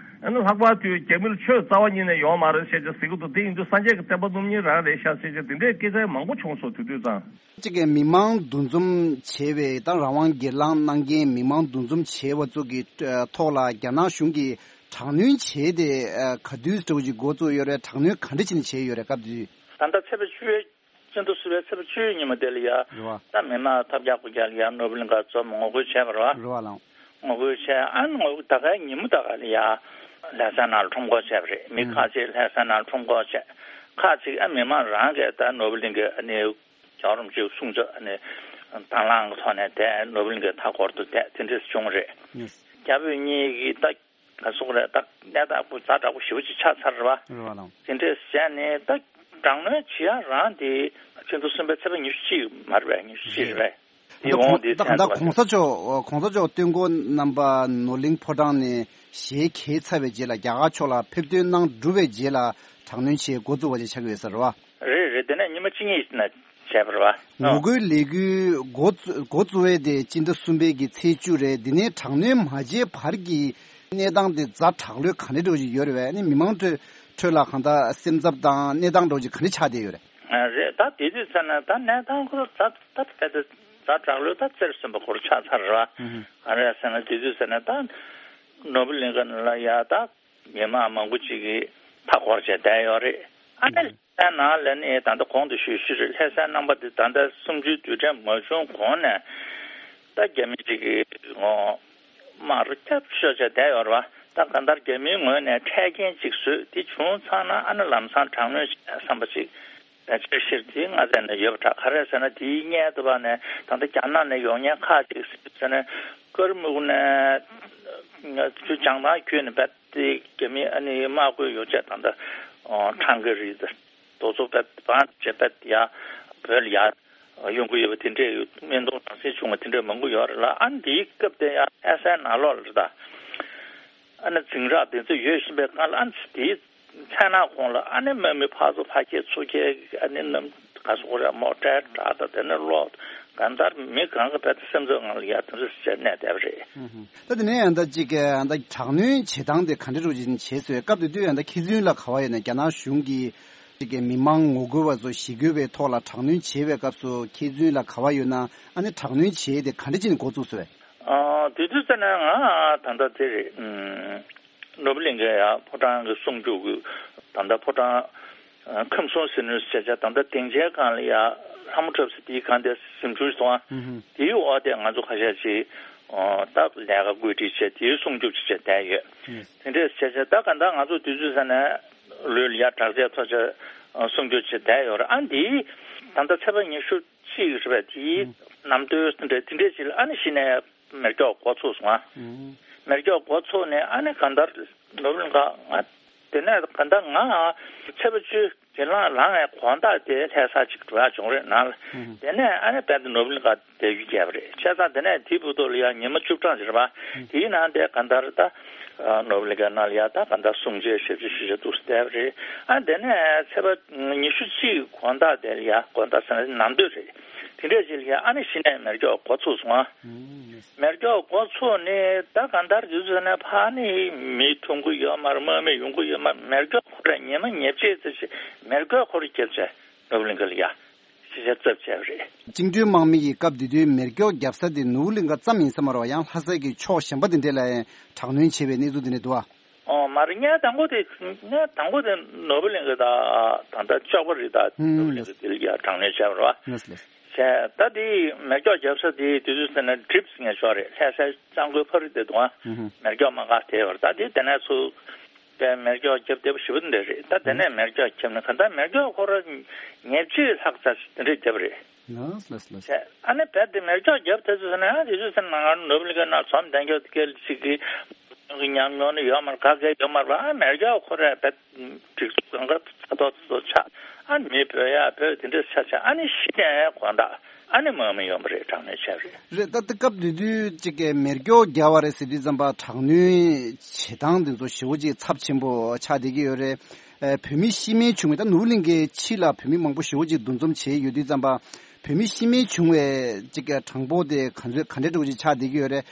ཨ་ནི་ལྷག་པར་དུ་རྒྱ་མི་ལ་ཆོས་རྩ་བ་ཉིད་ནས་ཡོད་མ་རེད་ཟེར་ཅིག་ཟེར་གྱི་འདུག་དེ་ཡིན་དུས་སངས་རྒྱས་ཀྱི་བསྟན་པ་སྣུམ་སྙིང་རང་རེད་ཤག་ཟེར་ཅིག་དེ་འདྲའི་སྐད་ཆ་མང་པོ་བྱུང་སོང་དུས་དུས་ཙང་། གཅིག་གི་མི་མང་འདུ་འཛོམས་བྱས་པའི་ད་རང་དབང་སྒེར་ལངས་གནང་མཁན་མི་མང་འདུ་འཛོམས་བྱས་པ་ཚོ་གི་ཐོག་ལ་རྒྱ་ནག་གཞུང་གིས་དྲག་གནོན་བྱས་ཏེ་ག་དུས་འདྲ་བོ་ཅིག་འགོ་བཙུགས་ཡོད་རེད། དྲག་གནོན་ག་འདྲ་བྱས་ནས་བྱས་ཡོད་རེད་སྐབས་དེ་དུས། ད་ལྟ་ཚེས་པ་བཅུ་པའི་སྤྱི་ཟླ་གསུམ་པའི་ཚེས་པ་བཅུའི་ཉིན་མོ་དེ་ལ་ཡ། རེད་བ། ད་མི་མང་ཐབས་བརྒྱ་དགུ་བརྒྱ་ལ་ཡ་ནོར་བུ་གླིང་ག་འཛོམས་ངོ་རྒོལ་བྱས་པ་རེད་བ། རེད་བ་ལགས། ངོ་རྒོལ་བྱས་ཨ་ནི་ངོ་རྒོལ་ད་གའི་ཉིན་མོ་ད་ག་ལ་ཡ་ལྷ་ས་ནང་ལ་ཁྲོམ་སྐོར་བྱས་པ་རེད། མི་ཁག་ཅིག་ལྷ་ས་ནང་ལ་ཁྲོམ་སྐོར་བྱས། ཁག་ཅིག་ཨ་མི་མང་རང་གིས་ད་ནོར་བུ་གླིང་གི་ཨ་ནི་རྒྱལ་བ་རིན་པོ་ཆེའི་གསུང་ཆོས་ཨ་ནི་དང་བླངས་ཀྱི་ཐོག་ནས་དེ་ནོར་བུ་གླིང་གའི་མཐའ་འཁོར་དུ་དེ་དེ་འདྲས་བྱུང་རེད། རྒྱ་བོད་གཉིས་ཀྱིས་ད། ག་སོག་རེད། ད་གནས་སྟངས་ཁོ་ཛ་དྲག་པོ་ཞེ་པོ་ཅིག་ཆགས་ཚར་རེད་བ། རེད་བ་ལགས། དེ་འདྲས་བྱས་ནས་ད་དྲག་གནོན་བྱེད་ཡ་རང་དེ་ཕྱི་ཟླ་གསུམ་པའི་ཚེས་པ་ཉི་ཤུ་གཅིག་མ་རེད་པས། ཉི་ཤུ་གཅིག་རེད་པས། དེ་འོང་དེ་ད་ག་ད་གོང་ས་མཆོག་གོང་ས་མཆོག་སྟོན་འཁོར་རྣམ་པ་ནོར་གླིང་ཕོ་བྲང་ནས་ཞལ་གྱེས་ཚར་བའི་རྗེས་ལ་རྒྱ་གར་ཕྱོགས་ལ་ཕེབས་ཐོན་གནང་གྲུབ་པའི་རྗེས་ལ་དྲག་གནོན་བྱེད་འགོ་བཙུགས་པ་ཅིག་ཆགས་ཀྱི་ཡོད་ས་རེད་བ། རེད་རེད། དེ་ནས་ཉི་མ་གཅིག་གཉིས་ན་བྱས་པ་རེད་བ། ངོ་རྒོལ་ལས་འགུལ་འགོ་བཙུ་འགོ་བཙུགས་པའི་དེ་སྤྱི་ཟླ་གསུམ་པའི་གི་ཚེས་བཅུ་རེད། དེ་ནས་དྲག་གནོན་མ་བྱས་བར་གྱི་གནས་སྟངས་དེ་ཛ་དྲག་ལོས་ག་འདྲ་འདྲ་བོ་ཞིག་ཡོད་རེད་བས། ཨ་ནི་མི་མང་ཁྲོད་ཁྲོད་ལ་གང་ལྟར་སེམས་འཚབ་དང་གནས་སྟངས་འདྲ་བོ་ཞིག་ག་འདྲ་ཆགས་བསྡད་ཡོད་རེད། ཨ་རེད། ད་དེ་དུས་ཚོད་ན་ད་གནས་སྟངས་ཁོ་ཛ་ད་ད་ད་ཛ་དྲག་ལོས་ད་རྩེར་སོན་པ་ཁོ་རང་ཆགས་ཚར་རེད་བ། ཧུམ་ཧུམ། ག་རེ་ཟེར་ན་དེ་དུས་ཚོད་ན་ད་ནོར་བུ་གླིང་ག་ལ་ཡ་ད། མི་མང་མང་པོ་ཅིག་གིས་མཐའ་བསྐོར་བྱས་བསྡད་ཡོད་རེད། ཨ་ནི་ལྷ་སའི་ནང་ལ་ནི་ད་ལྟ་གོང་དུ་ཞུས་ཞུས་རེད། ལྷ་སའི་རྣམ་པ་འདི་ད་ལྟ་གསུམ་བཅུའི་དུས་དྲན་མ་བྱུང་གོང་ནས་ད་རྒྱ་མི་ཅིག་གིས་ངོ་དམར་སྐྱབས་ཤོར་བྱས་བསྡད་ཡོད་རེད་བ། ད་གང་ལྟར་རྒྱ་མིའི་ངོས་ནས་འཕྲལ་རྐྱེན་ཅིག་བཟོས་དེ་བྱུང་ཚར་ན་ཨ་ནི་ལམ་སང་དྲག་གནོན་བྱས་བསམ་པ་ཅིག་ད་ཆེ་ཤེལ་དེ་ང་ཚོ་ནས་ཡོད་པ་འདྲ། ག་རེ་ཟེར་ན་དེའི་སྔོན་དུ་བ་ནས་ད་ལྟ་རྒྱ་ནག་ནས་ཡོང་མཁན་ཁག་ཅིག་ཟེར་ན་ཀརྨུག་ནས་ང་ཚོ་བྱང་ཐང་ཁུལ་ནས་བད་དེ་རྒྱ་མི་ཨ་ནི་དམག་སྐོར་ཡོང་ཆེད་ད་ལྟ་ཁྲང་ཀེ་རི་དང་དོ་ཚོ་བད་བང་བྱེད་བད་ཡ་བོད་ལ་ཡ་ཡོང་གི་ཡོད་པ་དེ་འདྲས་ཡོད། སྨན་དོང་གྲང་སེལ་བྱུང་བ་དེ་འདྲས་མང་པོ་ཡོད་རེད་ལ། ཨ་ནི་དེའི་སྐབས་དེ་ཡ་ཨེ་ས་ནང་ལོགས་ལ་རེད་ད། ཨ་ནི་འཛིང་རགས་དེ་ཚོ་ཡོད་བཞིན་པའི་སྒང་ལ་ཨ་ནི་དེའི་མཚན་ནག་གོང་ལ་ཨ་ནི་དམག་མི་ཕར་ཚུར་ཕར་ཁྱེར་ཚུར་ཁྱེར་ཨ་ནི་གནམ་ག་སོགས་རེད་མོ་ཊའི་སྒྲ་དང་དེ་ནས་གློག་གང་ལྟར་མི་གང་གི་བད་སེམས་ཚོར་ངང་ལ་ཡ་དེ་ཚོ་ཟེར་གནས་བསྡད་པ་རེད། ད་དེ་ནས་ཡང་ད་ཅིག་ད་དྲག་གནོན་བྱེད་སྟངས་དེ་ག་འདྲ་རུ་ཅིག་བྱས་ཚོད་སྐབས་དེ་དུས་ཡང་ད་མཁས་བཙུན་ལ་ག་བ་ཡོད་ན་རྒྱ་ནག་གཞུང་གིས་ཅིག་མི་མང་ངོ་རྒོལ་བ་ཚོ་ཞི་རྒོལ་བའི་ཐོག་ལ་དྲག་གནོན་བྱེད་པའི་སྐབས་སུ་མཁས་བཙུན་ལ་ག་བ་ཡོད་ན་ཨ་ནི་དྲག་གནོན་བྱེད་དེ་ག་འདྲ་ཅིག་ནས་འགོ་བཙུགས་སོང་བས། ཨ་དེ་དུས་ཙམ་ནས་ང་ད་ལྟ་དེ་རེད། ནོར་བུ་གླིང་གའི་ཡ་ཕོ་བྲང་གི་སྲུང་སྐྱོབ་ཀྱི་ད་ལྟ་ཕོ་བྲང་ཁམས་གསུམ་ཟིལ་གནོན་ཟེར་བྱ་ད་ལྟ་སྡིངས་ཆའི་སྒང་ལ་ཡ་ལྷ་མོ་གྲབས་ཟེར་དེའི་སྒང་དེ་གཟིམ་ཆུང་ཞིག་འདུག་ཨ། དེའི་འོག་དེ་ང་ཚོ་ཁ་ཤས་ཅིག་ད་ལས་ཀ་བཀོད་སྒྲིག་བྱས་དེའི་སྲུང་སྐྱོབ་ཅིག་བྱས་བསྡད་ཡོད། དེ་འདྲས་བྱས་བྱས་ད་ག་ད་ང་ཚོ་དུས་ཚོད་ས་ནས་ལུས་ལ་ཡ་དྲག་ཆས་ཐོགས་ཆས་སྲུང་སྐྱོབ་བྱས་བསྡད་ཡོད་རེད། ཨ་འདིའི་ད་ལྟ་ཚེས་པ་ཉི་ཤུ་གཅིག་རེད་པས། དེའི་ནམ་དུས་དེ་འདྲས་དེ་འདྲས་ཅིག་ལ་ཨ་ནི་གཞི་ནས་མེ་སྒྱོགས་འགོ་ཚུགས་སོང་ཨ། མེ་སྒྱོགས་འགོ་ཚུགས་ནས་ཨ་ནི་གང་ལྟར་ནོར་བུ་གླིང་ག་ང་དེ་ནས་གང་ལྟར་ང་ཚེས་པ་བཅུ་དེ་ལང་ལངས་ཡས་དགོང་དག་དེ་ལྷ་ས་ཅིག་འགྲོ་ཡག་བྱུང་རེད་ནང་ལ། དེ་ནས་ཨ་ནི་བད་དེ་ནོར་བུ་གླིང་ག་དེ་ཡུལ་བརྒྱབ་པ་རེད། བྱས་ཙང་དེ་ནས་དེའི་བར་དུ་ལ་ཡང་ཉི་མ་བཅུ་གྲངས་ཅིག་རེད་པ། དེའི་ནང་དེ་གང་ལྟར་ད་ནོར་བུ་གླིང་ག་ནང་ལ་ཡ་ད་གང་ལྟར་སྲུང་བྱའི་ཞབས་ཕྱི་ཞུ་བྱ་འདུག་སེ་བསྡད་པ་རེད། ཨ་དེ་ནས་ཚེས་པ་ཉི་ཤུ་གཅིག་དགོང་དག་དེ་ལ་ཡ་དགོང་དག་ཟེར་ན་ནམ་དུས་རེད། དེ་འདྲས་ཅིག་ལ་ཡ་ཨ་ནི་གཞི་ནས་མེ་སྒྱོགས་འགོ་ཚུགས་སོང་ཨ། མེ་སྒྱོགས་འགོ་ཚུགས་ནས་ད་གང་ལྟར་དུས་ཚོད་ནས་ཕར་ནི་མི་ཐོན་གི་ཡོད་མ་རེད། དམག་མི་ཡོང་གི་ཡོད་མ་རེད། མེ་སྒྱོགས་ཁོ་ར་ཉི་མ་ཉེར་གཅིག་ཙམ་ཞིག་མེ་སྒྱོགས་ཁོ་ར་བརྒྱབ་བྱས་ནོར་བུ་གླིང་ག་ལ་ཡ་ཤི་ཤ་རྩབ་བྱས་པ་རེད། བཅིངས་འགྲོལ་དམག་མི་ཡིས་སྐབས་དེ་དུས་མེ་སྒྱོགས་བརྒྱབ་ས་དེ་ནོར་བུ་གླིང་ག་ཙམ་ཡིན་ས་མ་རེད་པ། ཡང་ལྷ་སའི་གི་ཕྱོགས་གཞན་པ་དེ་འདྲས་ལ་ཡང་དྲག་གནོན་བྱས་པའི་གནས་ཚུལ་དེ་འདྲས་འདུག་ཨ། ཨོ་མ་རེད། ངས་དང་པོ་དེ་ངས་དང་པོ་དེ་ནོར་བུ་གླིང་ག་ད་ད་ལྟ་ལྕགས་པ་རི་ད་ནོར་བུ་གླིང་ག་དེ་ལ་ཡ་དྲག་གནོན་བྱས་པ་རེད་པ། བྱས་ད་དེ་མེ་སྒྱོགས་བརྒྱབ་ས་དེ་དུས་ཚོད་ཟེར་ན་གྲིབ་ཟེར་ངས་ཤོག་རེད། ལྷ་སའི་གཙང་པོའི་ཕ་རི་དེ་དུང་ཨ་མེ་སྒྱོགས་མ་འགག་དེ་བར་ད་དེ་དེ་ནས་ཚུར་པའི་མེ་སྒྱོགས་བརྒྱབ་བསྡད་པ་ཞེ་པོ་འདི་རེད། ད་དེ་ནས་མེ་སྒྱོགས་བརྒྱབ་ནས་ག་ད་མེ་སྒྱོགས་ཁོ་ར་ཉེར་གཅིག་ལྷག་ཙམ་དེ་འདྲས་བརྒྱབ་རེད། ལགས་ལགས་ལགས། བྱས་ཨ་ནི་བད་དེ་མེ་སྒྱོགས་བརྒྱབ་དུས་ཚོད་ཟེར་ན་ཨ་དེ་ཚོ་ཟེར་ན་ང་ནོར་བུ་གླིང་ག་ནང་འཛོམས་གདན་རྒྱབ་དེ་ག་ལ་ཅིག་གི་ཉམས་མྱོང་ནི་ཡོད་མ་རེད། ག་གེ་ཡོད་མ་རེད་པ། ཨ་མེ་སྒྱོགས་ཁོ་ར་བད་སྒྲིག་འཛུགས་གང་ག་ཚ་ཐོག་ཚ་ཐོག་ཆགས། ཨ་མི་བོད་ཡ་བོད་དེ་འདྲས་ཆགས་ཆགས་ཨ་ནི་ཤི་ནས་དགོང་དག་ཨ་ནི་དམག་མི་ཡོང་པ་རེད། དྲག་གནོན་བྱས་རེད། རེད། ད་ལྟ་སྐབས་དེ་དུས་ཅིག་གི་མེ་སྒྱོགས་བརྒྱབ་པ་རེད་ཟེར་དུས་ཙམ་པ་དྲག་གནོན་བྱེད་སྟངས་དེ་ཚོ་ཞེ་པོ་ཅིག་ཚབས་ཆེན་པོ་ཆགས་བསྡད་ཀྱི་ཡོད་རེད། ཨ་བོད་མི་ཤི་རྨས་བྱུང་བའི་ད་ནོར་བུ་གླིང་གའི་ཕྱི་ལ་བོད་མི་མང་པོ་ཞེ་པོ་ཅིག་འདུ་འཛོམས་བྱས་ཡོད་དུས་ཙམ་པ་བོད་མི་ཤི་རྨས་བྱུང་བའི་ཅིག་གི་གྲངས་འབོར་དེ་ག་ཚོད་ག་འདྲས་འདྲ་པོ་ཅིག་ཆགས་བསྡད་ཀྱི་ཡོད་རེད།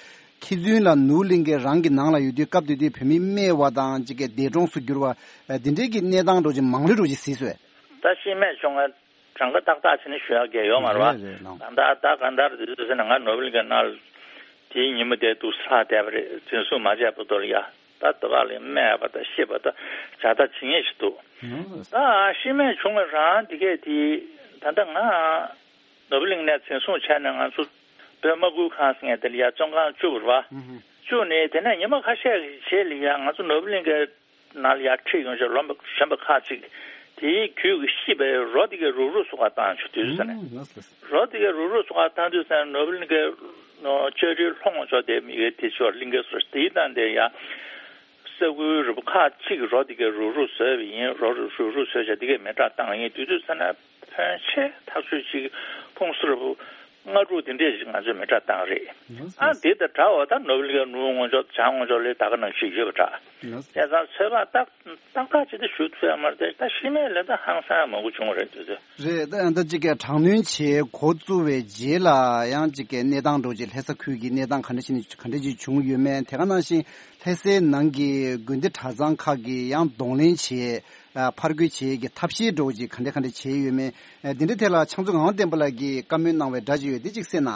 མཁས་བཙུན་ལ་ནོར་བུ་གླིང་གའི་རང་གི་ནང་ལ་ཡོད་དུས་སྐབས་དེ་དུས་བོད་མི་རྨས་པ་དང་ཅིག་གི་འདས་གྲོངས་སུ་གྱུར་བ་འདི་འདྲས་ཀྱི་གནས་སྟངས་འདྲ་པོ་ཅིག་མང་ལོས་འདྲ་པོ་ཅིག་གཟིགས་སོང་། ད་ཤི་རྨས་བྱུང་བའི་གྲངས་ཀ་ཏག་ཏག་བྱས་ནས་ཞུ་ཡག་གི་ཡོད་མ་རེད་པ། རེད་རེད་ལགས། གང་ལྟར་ད་གང་ལྟར་དུས་ཚོད་ཟེར་ན་ང་ནོར་བུ་གླིང་གའི་ནང་དེའི་ཉིན་མོ་དེ་འདུག་སེ་ལྷག་བསྡད་པ་རེད། འཛིན་བཟུང་མ་བྱས་བར་དུ་ལ་ཡ་ད་དེ་ག་ལ་རྨས་པ་དང་ཤི་བ་དང་བྱ་ཐབས་ཇི་སྙེད་ཞིག་འདུག་ད་ཤི་རྨས་བྱུང་བ་རང་དེ་གས་དེ་ད་ལྟ་ང་ནོར་བུ་གླིང་ནས་འཛིན་བཟུང་བྱས་ནས་ང་ཚོ་བོད་དམག་ཁུལ་ཁང་ཟེར་མཁན་དེ་ལ་ཡ་བཙོན་ཁང་བཅུག་པ་རེད་པ། བཅུག་ནས་དེ་ནས་ཉི་མ་ཁ་ཤས་ཀྱི་རྗེས་ལ་ཡ་ང་ཚོ་ནོར་བུ་གླིང་གའི་ནང་ལ་ཡར་ཁྲིད་ཡོང་ཆེད་ལོ་གཞོན་པ་ཁག་ཅིག་དེའི་རྒྱུད་ཀྱི་ཤི་བའི་རོ་དེ་གའི་རུག་རུག་བཟོ་ག་བཏང་བྱུང་དུས་ཟེར་ནས། རོ་དེ་གའི་རུག་རུག་བཟོ་ག་བཏང་དུས་ཟེར་ནས་ནོར་བུ་གླིང་གའི་ལྕགས་རིའི་ལྷོ་ངོས་ཕྱོགས་དེ་མི་གའི་དེ་ཕྱོགས་གླིང་གའི་སོ་དེའི་སྟེང་དེ་ཡ་ས་ཁུལ་རིལ་པོ་ཁག་ཅིག་རོ་དེ་གའི་རུག་རུག་བཟོས་པ་ཡིན། རོ་རུག་རུག་བཟོས་བྱས་དེ་གའི་མེ་སྲེག་བཏང་ཡིན་དུས་དུས་ཟེར་ནས། ཕོན་ཆེ་ཐག་ཆོད་ཅིག་ཕུང་གསུམ་རེ་ལྔ་དྲུག་དེ་འདྲས་ཞིག་ང་ཚོས་མེ་སྲེག་བཏང་རེད། ཨ་འདི་དང་འདྲ་བ་ད་ནོར་བུ་གླིང་གའི་ནུབ་ངོས་ཕྱོགས་བྱང་ངོས་ཕྱོགས་ལ་ད་ག་ནང་བཞིན་ཡོད་པ་འདྲ། བྱས་ཙང་ཚོད་དཔག་ཏག་ཏག་ཏག་ཅིག་ད་ཞུ་ཐུབ་ཡ་མ་རེད་དེ། ད་ཤི་རྨས་ལ་ད་ཧང་སང་མང་པོ་བྱུང་བ་རེད་དུས་ཚོད། རེད། ད་ད་ཅིག་གི་དྲག་གནོན་བྱེད་འགོ་བཙུགས་པའི་རྗེས་ལ་ཡང་ཅིག་གི་གནས་སྟངས་འདྲ་ཅིག་ལྷ་ས་ཁུལ་གྱི་གནས་སྟངས་ག་འདྲ་ཞིག་ནས་ག་འདྲ་ཅིག་བྱུང་ཡོད་མེད། དེ་ག་ནང་བཞིན་ལྷ་སའི་ནང་གི་དགོན་སྡེ་གྲྭ་ཚང་ཁག་གིས་ཡང་གདོང་ལེན་བྱེད། ཨ་ཕར་རྒོལ་བྱེད་ཀྱི་ཐབས་ཤེས་འདྲ་བོ་ཅིག་ག་འདྲ་ག་འདྲ་བྱས་ཡོད་མེད། ཨ་འདི་འདྲའི་ཐད་ལ་ཕྱག་མཛོད་ངག་དབང་བསྟན་པ་ལགས་ཀྱིས་བཀའ་མོལ་གནང་བའི་སྒྲ་ཅིག་ཡོད་དེ་ཅིག་གསན་ན།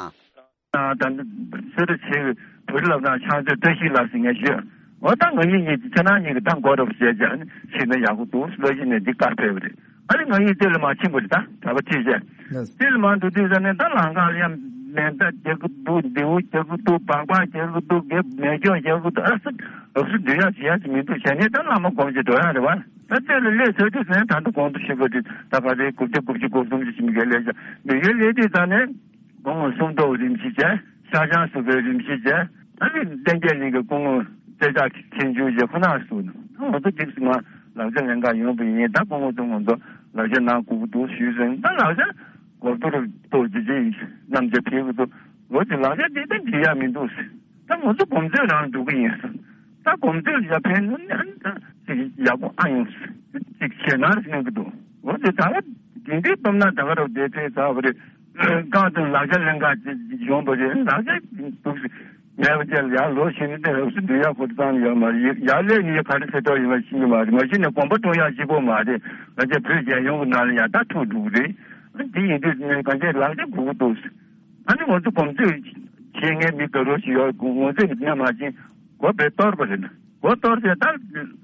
ད་ལྟ་གསོལ་རས་བྱེད་བོད་རིགས་ལབ་དང་ཕྱག་མཛོད་བཀྲ་ཤིས་ལགས་ཟེར་ངས་ཞུས། འོ་ད་ང་གཉིས་གཉིས་ཀྱི་ཁྱེད་རང་གཉིས་ཀྱི་ད་མགོ་རབ་བྱས་བྱས་ཕྱིན་ན་ཡག་པོ་འདུག་ལོ་གཞི་ནས་འདི་བཀའ་ཕེབས་པ་རེད། ཨ་ནི་ང་གཉིས་ལྟེ་ལ་མ་ཕྱིན་པ་རེད། ད་གྲྭ་པ་ཁྲིད་བྱས་ལྟེ་ལ་མ་འགྲོ་དུས་ཙམ་ནས་ད་ལམ་ཁ་ལ་ཡང་ ཟན་བརྟག་རྒྱག་གི་འདུག་མདེའུ་རྒྱག་གི་འདུག་སྦག་སྦག་རྒྱག་གི་འདུག་རྒྱབ་མེ་སྒྱོགས་རྒྱག་གི་འདུག་ཨ་སི་ཨ་སི་འདུལ་ཡག་བྱེད་ཡག་ཅིག་མི་འདུག་བྱས་ནས་ད་བླ་མ་སྒོམ་ཅིག་འགྲོ་ཡག་རེད་བ། ད་རྩེ་ལ་སླེབས་ཚར་དུས་ཟན་ད་ལྟ་གོང་དུ་ཞུས་པ་དེ་ད་ག་ཚོད་དགུ་བརྒྱ་དགུ་བཅུ་གོ་གསུམ་ཞིག་མི་འགལ་ལས་བྱ་མི་འགལ་ལས་དུས་ད་ནས། སྐུ་ངོ་སུམ་མདོ་རིམ་བཞིན་བྱས། ཤར་བྱང་སུ་བའི་རིམ་བཞིན་བྱས། ཨ་ནི་བསྟན་རྒྱས་གླིང་གི་སྐུ་ངོ་རྩེ་ལྕགས་མཁན་ཆུང་རྗེ་ཁོ་ན་སུ་ང་ཚོ་འདི་ང་ལག་ཆ་ལེན་ག་ཡོང་པ་ཡིན། ད་སྐུ་ངོ་ཚོ་ང་ཚོ་ལག་ཆ་ནང་སྒུག་གི་འདུག་ཞུས་ཟིན། ད་ལག་ཆ་གོ་བསྡུར་ཏོག་ཅི་ཅི་རྣམ་ཆ་ཕེབས་ཀྱི་འདུག་ལོ་དེ་ལག་ཆ་དེ་ད་འགྲིག་ཡ་མི་འདུག་ད་ང་ཚོ་གོམས་སྲོལ་རང་འགྲོ་གི་ཡིན། ད་གོམས་སྲོལ་ཡ་ཕན་ནི་ཨ་ནི་ད་ཅིག་ཡག་པོ་ཨ་ཡོང་ཅིག་བྱེད་ན་རེ་གནང་གི་འདུག་ལོ་དེ་ད་ག་དེ་འདྲའི་སྟོབས་ན་ད་ག་རུ་བསྡད་ཚེ་ད་བ་རེད། རྐང་དང་ལག་ཆ་ལེན་ག་ཅིག་ཡོང་པ་རེད། ལག་ཆ་འདུག་སེ་མེད་པ་ཅིག་ལ་ཡར་ལོ་ཕྱིན་ནས་དེ་རབ་སུ་འདུལ་ཡག་ཁོ་ཚང་ཡོད་མ་རེད། ཡར་ལས་ནི་ག་རེ་ཟེར་དོགས་ཡོད་མ་ཤེས་ཀྱི་མ་རེད། མ་གཞི་ནས་གོམ་པ་སྤོ་ཡག་གཅིག་པོ་མ་རེད། ང་ཚོ་བོད་རྒྱལ་ཡོངས་ཀྱི་ནང་ལ་ཡང་ད་ཐུག་འགྲོ་གི་རེད། དེ་ཡིན་དུས་ནས་གང་ཅི་ལག་ཆ་དགོས་ཀྱི་འདུག་ཨ་ནི་ང་ཚོ་གོམས་སྲོལ་བྱེད་མཁན་མི་དགའ་རོགས་ཤིག་ཡོད། ང་ཚོས་ནི་མ་བྱིན་མགོ་བས་གཏོར་བ་རེད་ན། མགོ་གཏོར་ཏེ་ད་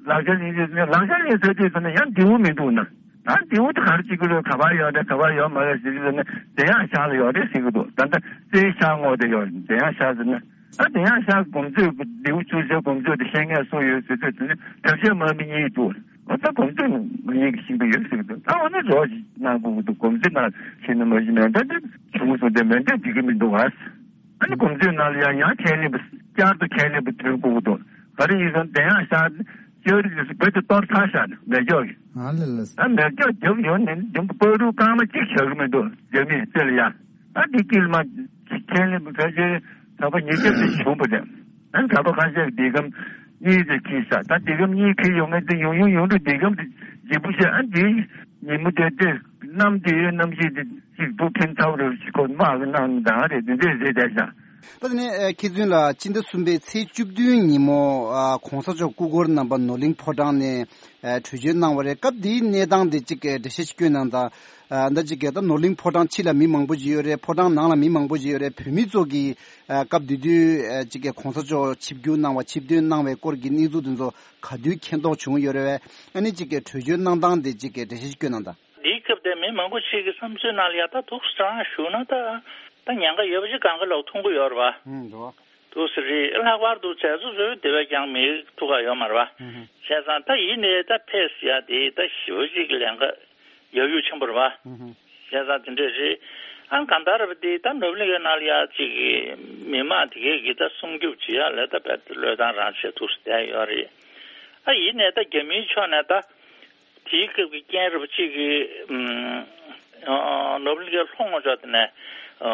ལག་ཆ་ལེན་ཟེར་ནས་ལག་ཆ་ལེན་ཟེར་དུས་ཙམ་ན་ཡང་མདེའུ་མི་འདུག་ན། ད་མདེའུ་དེ་ག་རེ་བྱེད་ཀྱི་རེད། ག་པར་ཡོད་རེད། ག་པར་ཡོད་མ་རེད་ཟེར་དུས་ཙམ་ན་དེ་ཡང་ཤག་ལ་ཡོད་རེད་ཟེར་གྱི་འདུག་ད་ལྟ་རྩེའི་ཤག་ངོས་དེ་ཡོད་རེད། དེ་ཡང་ཤག་ཟེར་ན། ད་དེ་ཡང་ཤག་གོམས་སྲོལ་མདེའུ་ཆུ་ཚོད་གོམས་སྲོལ་དེ་ཤེས་མཁན་སུ་ཡོད་ཟེར་དུས་ཙམ་ན་ཐབས་ཤེས་མ་མི་གཉིས་འདུག་འོ་ད་གོམས་སྲོལ་མ་ཡིན་གྱི་ཤིང་པ་ཡོད་ཟེར་གྱི་འདུག་ད་འོ་ན་རོགས་ཤིག་གནང་དགོས་ཀྱི་འདུག་གོམས་སྲོལ་ནང་ཤེས་ན་མ་གཞི་མེད། ད་འདི་བྱུང་སོང་དེ་མེད་འདྲ་འགྲིག་གི་མི་འདུག་ཨ། ཨ་ནི་གོམས་སྲོལ་ནང་ལ་ཡང་ཡང་ཁས་ལེན་པ་བསྐྱར་དུ་ཁས་ལེན་པ་དོན་དགོས་ཀྱི་འདུག་ག་རེ་ཡིན་ཟེར་ན་དེ་ཡང་ཤག་ཅོ་རི་དེ་སུ་བོད་དུ་གཏོར་ཚར་ཤག་ནས་མེ་སྒྱོགས་ཀྱི་ཨ་ལེ་ལེ། ད་མེ་སྒྱོགས་རྒྱབ་ཡོང་ནས་འདི་པ་རུ་རྐང་མ་གཅིག་བྱ་གི་མི་འདུག་རྒྱ་མིས་རྩེ་ལ་ཡ། ད་འདི་དཀྱིལ་མ་ཁས་ལེན་པ་ཕལ་ཆེར་ད་པ་ཉིས་བརྒྱ་ཙམ་བྱུང་པ་རེད། ཨ་ནི་ད་པ་ཁ་ཤས་ཀྱི་ལྡེ་སྒམ་གཉིས་ཙམ་ཁྱེར་ཤག་ད་ལྡེ་སྒམ་གཉིས་ཁྱེར་ཡོང་མཁན་དེ་ཡོང་ཡོང་ཡོང་དུས་ལྡེ་སྒམ་དེ་ལྗིད་པོ་ཤག་ཨ་འདི་ཉིན་མོ་དེ་དེ་གནམ་དེའི་གནམ་གཤིས་དེ་གཅིག་སྡུག་ཕན་ཚ་པོ་རེད་ཞིག་ཁོ་དམག་གི་གནང་ནི་དང་རེད། དེ་འདྲས་རེད་བསྡད་ཤག་ད་དེ་ནས་ཨ་མཁས་བཙུན་ལགས་སྤྱི་ཟླ་གསུམ་པའི་ཚེས་བཅུ་བདུན་ཉིན་མོ་ཨ་གོང་ས་མཆོག་སྐུ་འཁོར་རྣམ་པ་ནོར་གླིང་ཕོ་བྲང་ནས་ཨ་གྲོས་ཆོད་གནང་བ་རེད། སྐབས་དེའི་གནས་སྟངས་དེ་གཅིག་འགྲེལ་བཤད་ཅིག་སྐྱོན་གནང་དང་། ཨ་ད་གཅིག་ད་ནོར་གླིང་ཕོ་བྲང་ཕྱི་ལ་མི་མང་པོ་ཅིག་ཡོད་རེད། ཕོ་བྲང་ནང་ལ་མི་མང་པོ་ཅིག་ཡོད་རེད། བོད་མི་ཚོ་གིས་ཨ་སྐབས་དེ་དུས་ཨ་གཅིག་གོང་ས་མཆོག་ཆིབས་བསྒྱུར་གནང་བ་ཆིབས་ཐོན་གནང་བའི་སྐོར་གྱི་གནས་ཚུལ་དེ་ཚོ་ག་དུས་མཁྱེན་རྟོགས་བྱུང་ཡོད་རེད་བས། ཨ་ནི་གཅིག་གྲོས་ཆོད་གནང་སྟངས་དེ་གཅིག་འགྲེལ་བཤད་ཅིག་སྐྱོན་གནང་དང་། འདིའི་སྐབས་དེ་མི་མང་པོ་ཞིག་གི་བསམ་ཚུལ་ནང་ལ་ཡ་ད་འདུག་སེ་རང་ཞུགས་ན་ད་ད་ཉེན་ཁ་ཡོད་པ་ཅིག་གང་ག་ལོག་མཐོང་གི་ཡོད་རེད་བ། ཨང་འདུག་འདུག་སེ་རེད། ལྷག་པར་དུ་མཛད་གཙོ་ཚོའི་དེ་བས་ཀྱང་མི་ཐུག་ག་ཡོད་མ་རེད་བ། ཨང་ཧུ། བྱས་ཙང་ད་ཡིན་ནའི་ད་ཕེབས་ཡ་དེ་ད་ཞེ་པོ་ཅིག་ལན་ཁག་ཡག་ཡུག་ཆེན་པོ་རེད་བ། ཨང་ཧུ། བྱས་ཙང་དེ་འདྲས་རེད། ཨང་གང་ལྟར་རེད་བ། དེ་ད་ནོར་བུ་གླིང་གའི་ནང་ལ་ཡ་ཅིག་མི་མང་དེ་གས་ཀྱིས་ད་སྲུང་སྐྱོབ་བྱེད་ཡ་ལ་ད་བལ་བློས་བཏང་རང་བྱས་འདུག་སེ་བསྡད་ཡོད་རེད། ཨ་ཡིན་ནའི་ད་རྒྱ་མིའི་ཕྱོགས་ནས་ད། དེའི་སྐབས་ཀྱི་རྐྱེན་རེད་པ་གཅིག་གིས་ཨུམ་ཨ་ནོར་བུ་གླིང་གའི་ལྷོ་ངོས་ཕྱོགས་དེ་ནས་ཨ་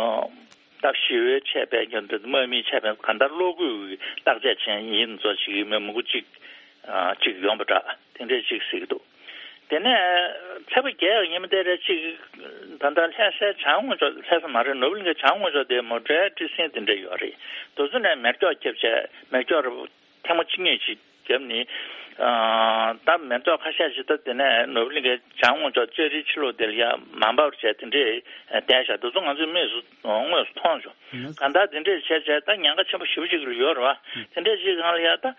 ད་ཞི་བའི་ཆད་པས་ཀྱང་འདི་དམག་མིའི་ཆད་པས་གང་ལྟར་གློག་སྐུད་བརྟག་དཔྱད་བྱས་ཡིན་ཚོ་ཞིག་མི་མང་པོ་གཅིག་ཨ་གཅིག་ཡོང་པ་འདྲ་དེ་འདྲས་གཅིག་གཟིགས་འདུག་དེ་ནས་ཚེས་པ་བརྒྱད་ཡག་ཉིན་མོ་དེ་རེད་གཅིག་ད་ལྟ་ལྷ་སའི་བྱང་ངོས་ཕྱོགས་ལྷ་ས་མ་རེད། ནོར་བུ་གླིང་གའི་བྱང་ངོས་ཕྱོགས་དེ་མོ་ཊའི་ཊི་སིན་དེ་འདྲས་ཡོད་རེད། དེ་ཚོ་ནས་མེ་སྒྱོགས་བརྒྱབ་བྱས་མེ་སྒྱོགས་རེད་པ། ཐེངས་མ་གཅིག་གཉིས་ཤིག་བརྒྱབ་ནི། ཨ་ད་མེ་ཏོག་ཁ་ཤས་ཤིག་ད་དེ་ནས་ནོར་བུ་གླིང་གའི་བྱང་ངོས་ཕྱོགས་ལྕགས་རིའི་ཕྱི་ལོགས་དེ་ལ་ཡ་མ་འབབ་བྱས་དེ་འདྲས་བསྡད་བཞག་དེ་ཚོ་ང་ཚོས་དམིགས་སུ་དངོས་སུ་མཐོང་བྱུང་། གང་ལྟར་དེ་འདྲས་བྱས་བྱས་ད་ཉེན་ཁ་ཆེན་པོ་ཞེ་པོ་ཅིག་ལ་ཡོད་རེད་བ། དེ་འདྲས་ཅིག་སྒང་ལ་ཡ་ད།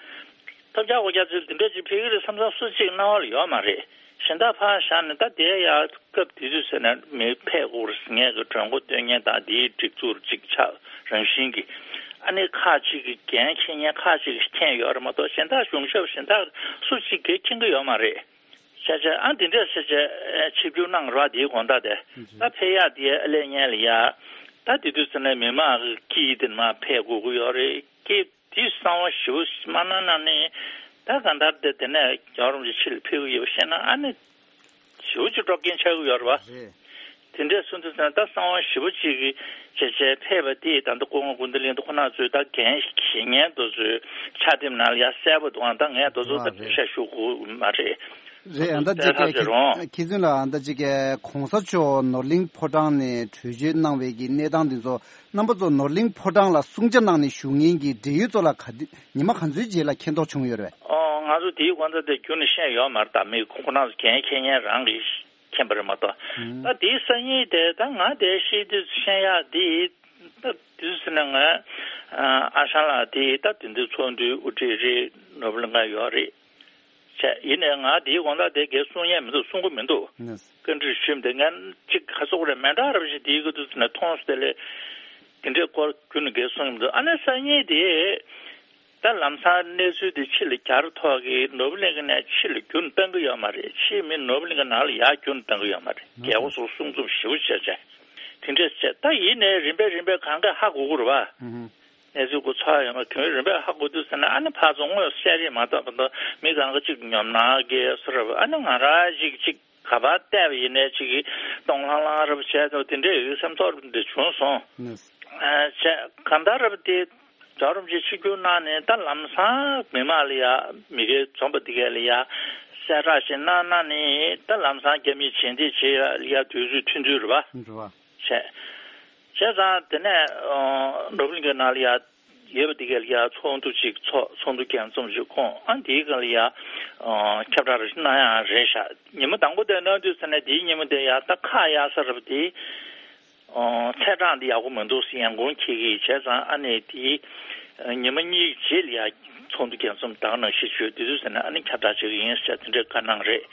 ཐོབ་རྒྱག་འོ་རྒྱག་ཚུལ་དེ་འདྲས་ཅིག་ཕེབས་ཀྱི་རེད་བསམ་བསམ་སུ་གཅིག་རྣ་བ་ལ་ཡོད་མ་རེད། གཞན་དག་ཕར་བཞག་ནས་ད་དེ་ཡ་སྐབས་དེ་དུས་ཟེར་ན་མི་ཕེབས་དགོས་རེད་ཟེར་མཁན་གྱི་གྲོས་འགོ་སྟོན་མཁན་དང་དེའི་སྒྲིག་འཛུགས་གཅིག་ཆགས་རང་བཞིན་གྱི་ཨ་ནི་ཁག་ཅིག་གི་འགན་འཁྱེར་མཁན་ཁག་ཅིག་གིས་འཁྱེར་ཡོད་རེད་མ་གཏོགས་གཞན་དག་གཞུང་ཞབས་གཞན་དག་སུ་གཅིག་གིས་འཁྱེར་གྱི་ཡོད་མ་རེད། བྱས་བྱས་ཨ་འདི་འདྲས་བྱས་བྱས་ཆིབས་བསྒྱུར་གནང་རོགས་དེའི་དགོངས་དག་དེ་ད་ཕེབས་ཡག་དེ་ཨ་ལས་ཉན་ལ་ཡ་ད་དེ་དུས་ཟེར་ན་མི་མང་གི་དཀྱིལ་དེ་ནས་མར་ཕེབས་དགོས་ཀྱི་ཡོད་རེད་ཀྱི། དེའི་གསང་བ་ཞེ་པོ་མ་གནང་ན་ནི་ད་གང་ལྟར་དེ་དེ་ནས་རྒྱལ་བ་རིན་པོ་ཆེ་ཕྱི་ལ་ཕེབས་ཀྱི་ཡོད་པ་ཤེས་ན་ཨ་ནི་ཞེ་པོ་ཅིག་འགྲོ་རྐྱེན་ཆགས་ཀྱི་ཡོད་རེད་བ། རེད། དེ་འདྲས་སོང་དུས་ཙང་ད་གསང་བ་ཞེ་པོ་ཅིག་གི་བྱས་བྱས་ཕེབས་པ་དེ་ད་ལྟ་སྐུ་ངོ་ཀུན་བདེ་གླིང་དུ་ཁོ་ན་ཚོས་ད་འགན་འཁྱེར་མཁན་དེ་ཚོའི་ཕྱག་དེབ་ནང་ལ་ཡ་གསལ་པོ་འདུག་ཨང་ད་ངས་དེ་ཚོ་ད་རེད། བཤད་ཤོག་གི་མ་རེད། རེད། ཨ་ད་ཅིག་གི་ཁི་ཁི་ཙུན་ལགས་ཨ་ད་ཅིག་གི་གོང་ས་མཆོག་ནོར་གླིང་ཕོ་བྲང་ནས་གྲོས་ཆོད་གནང་བའི་གི་གནས་སྟངས་འདི་ཚོ་རྣམ་པ་ཚོ་ནོར་གླིང་ཕོ་བྲང་ལ་གསུང་ཆ་གནང་ནས་བཞུགས་མཁན་གྱི་འབྲེལ་ཡོད་ཚོ་ལ་ག་དུས་ཉི་མ་ག་ཚོད་རྗེས་ལ་མཁྱེན་རྟོགས་བྱུང་ཡོད་རེད། ཨོ་ང་ཚོ་དེའི་དགོངས་དག་དེ་རྒྱུན་ནས་བཤད་ཡོད་མ་རེད། ད་མི་ཁོ་ན་ཚོ་འགན་འཁྱེར་མཁན་རང་གིས་མཁྱེན་པ་རེད་མ་གཏོགས། ཨང་། ད་དེའི་སང་ཉིན་དེ་ད་ང་དེ་ཤེས་དུས་བཤད་ཡག་དེ་ད་དུས་ཟེར་ན་ང་ཨ་ཞང་ལགས་དེ་ད་དེ་འདྲའི་ཚོགས་འདུའི་དབུ་ཁྲིད་རེད། ནོར་བུ་གླིང་ག་ཡོད་རེད། བྱས་ཡིན་ནའི་ང་དེའི་དགོངས་དག་དེ་གས་གསུང་ཡས་མི་འདུག་གསུང་གི་མི་འདུག་ནས། བཀའ་འདྲི་ཞུས་འདི་ངས་གཅིག་ག་ཚོད་རེད་མེ་འདྲ་རབ་ཞིག་དེའི་གི་དུས་ནས་མཐོང་སོང་དེ་ལས། དེ་འདྲའི་སྐོར་རྒྱུན་ནས་འགས་གསུངས་ཡོང་དུས། ཨ་ནི་སང་ཉིན་དེ་ད་ལམ་སང་གནས་ཚུལ་དེ་ཕྱི་ལ་གྱར་ཐོག་གི་ནོར་བུ་གླིང་ག་ནས་ཕྱི་ལ་རྒྱུན་བཏང་གི་ཡོད་མ་རེད། ཕྱིའི་མི་ནོར་བུ་གླིང་ག་ནང་ལ་ཡར་རྒྱུན་བཏང་གི་ཡོད་མ་རེད། རྒྱལ་པོ་ཚོ་གསུང་རྩོམ་ཞེ་པོ་བྱས་བྱས་དེ་འདྲས་བྱས། ད་ཡིན་ནའི་རིམ་པས་རིམ་པས་གང་ག་ཧ་གོ་གི་རེད་པ། གནས་ཚུལ་གོ་ཚོད་ཡོད་མ་གང་རིམ་པས་ཧ་གོ་དུས་ཟེར་ན། ཨ་ནི་ཕར་ཚུར་དངོས་སུ་བཤད་རེས་མ་བཏང་བར་དུ་མི་གང་ག་ཅིག་ཉོབ་སྣང་སྐྱེ་སོ་རེད་པ། ཨ་ནི་ང་རང་ཅིག་ཅིག་ག་པར་བལྟས་པ་ཡིན་ནའི་ཅིག་གིས་གདོང་ལྷང་ལྷང་རེ་བྱས་ཏེ་དེ་འདྲའི་ཡོད་སེམས་ཚོར་འདི་བྱུང་སོང་། ཨ་བྱས་གང་ལྟར་རེད་པ། དེ་རྒྱལ་བ་རིན་པོ་ཆེ་ཆིབས་བསྒྱུར་གནང་ནས་ད་ལམ་སང་མི་མང་ལ་ཡ་མི་སྒེར་འཛོམས་པ་དེ་གས་ལ་ཡ་གསལ་བསྒྲགས་ཤིག་གནང་གནང་ནས། ད་ལམ་སང་རྒྱ་མིའི་རྗེས་འདེད་བྱེད་ཡ་ལ་ཡ་དུས་ཚོད་ཐུང་ཐུང་རེད་པ། རེད་པ། བྱས། བྱས་ཙང་དེ་ནས་ཨ་ནོར་བུ་གླིང་གའི་ནང་ལ་ཡ་ཡོད་པ་དེ་གས་ལ་ཡ་ཚོགས་འདུ་ཅིག་ཚོགས། ཚོགས་འདུ་རྒྱས་འཛོམས་ཅིག་ཁོང་ཨ་འདིའི་སྒང་ལ་ཡ་ཨ་ཁྱབ་བསྒྲགས་རེ་ཞིག་གནང་ཡག་རེད་ཤག་ཉིན་མོ་དང་པོ་དེ་གནང་དུས་ཙ་ནས་དེའི་ཉིན་མོ་དེ་ཡ་ད་ཁག་ཡག་ས་རེད་པ། དེ་ཨ་ཚེས་གྲངས་དེ་ཡག་པོ་མི་འདུག་ཟེར་ཡང་དགོངས་འཁྱེར་གྱི་བྱས་ཙང་། ཨ་ནི་དེའི་ཉི་མ་གཉིས་རྗེས་ལ་ཡ་ཚོགས་འདུ་རྒྱས་འཛོམས་ད་ག་ནང་བཞིན་བྱོས། དེ་དུས་ཙ་ནས་ཨ་ནི་ཁྱབ་བསྒྲགས་བྱེད་ཀྱི་ཡིན་ཟེར་དེ་འདྲའི་བཀའ་གནང་རེད།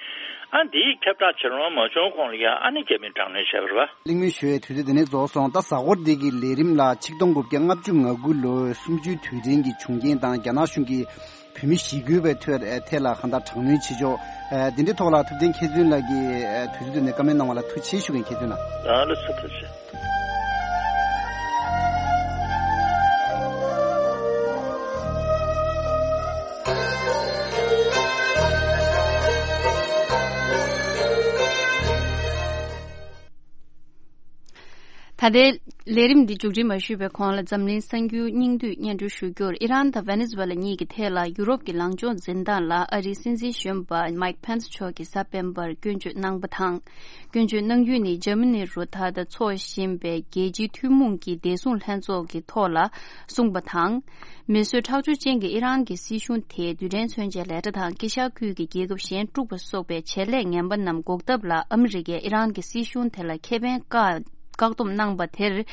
ཨ་འདིའི་ཁྱབ་བསྒྲགས་བྱེད་རུང་མ་བྱུང་གོང་ལ་ཡ་ཨ་ནི་རྒྱ་མིས་དྲག་གནོན་བྱས་པ་རེད་པ། གླེང་མོལ་ཞུ་ཡའི་དུས་ཚོད་དེ་ནས་རྫོགས་སོང་། ད་གཟའ་འཁོར་འདི་གི་ལས་རིམ་ལ་ཆིག་སྟོང་དགུ་བརྒྱ་ལྔ་བཅུ་ང་དགུ་ལོའི་གསུམ་བཅུའི་དུས་དྲན་གྱི་བྱུང་རྐྱེན་དང་རྒྱ་ནག་གཞུང་གིས་བོད་མི་ཞི་རྒོལ་བའི་ཐོག་ཐད་ལ་གང་ལྟར་དྲག་གནོན་བྱེད་ཕྱོགས། ཨ་འདི་འདྲའི་ཐོག་ལ་ཐུབ་བསྟན་མཁས་བཙུན་ལགས་ཀྱིས་ཨ་དུས་ཚོད་དེ་ནས་བཀའ་མོལ་གནང་བ་ལ་ཐུགས་རྗེ་ཆེ་ཞུ་མཁན་མཁས་བཙུན་ལགས། ལགས་ལགས་སོ། ཐུགས་རྗེ་ཆེ། ད་ལྟའི་ལས་རིམ་འདི་མཇུག་སྒྲིལ་མ་ཞུས་པའི་གོང་ལ་འཛམ་གླིང་གསར་འགྱུར་སྙིང་བསྡུས་སྙན་སྒྲོན་ཞུ་རྒྱུར། ཨི་རན་དང་ཝེ་ནེ་ཛུ་ཝེ་ལ་གཉིས་ཀྱི་ཐད་ལ་ཡུ་རོབ་ཀྱི་ལངས་ཕྱོགས་འཛིན་སྟངས་ལ་ཨ་རིའི་སྲིད་འཛིན་གཞོན་པ་མའིག་ཕན་སི་མཆོག་གིས་གཟའ་སྤེན་པར་སྐྱོན་བརྗོད་གནང་པ་དང་། སྐྱོན་བརྗོད་གནང་རྒྱུ་ནི་འཇར་མ་ནི་རུ་ད་ལྟ་འཚོགས་བཞིན་པའི་རྒྱལ་སྤྱིའི་ཐུན་མོང་གི་བདེ་སྲུང་ལྷན་ཚོགས་ཀྱི་ཐོག་ལ་གསུངས་པ་དང་། མི་གསོད་ཁྲག་སྦྱོར་ཅན་གྱི་ཨི་རན་གྱི་སྲིད་གཞུང་དེས་རྡུལ་ཕྲན་མཚོན་ཆའི་ལས་གྲྭ་དང་དཀྱིལ་ཤར་ཁུལ་གྱི་རྒྱལ་ཁབ་གཞན་དཀྲུགས་པ་སོགས་པའི་བྱེད་ལས་ངན་པ་རྣམས་འགོག་ཐབས་ལ་ཨ་མི་རི་ཀས་ཨི་རན་གྱི་སྲིད་གཞུང་དེ་ལ་ཁེ་ཕན་བཀག་བཀག་སྡོམ་གནང་པ་དེར།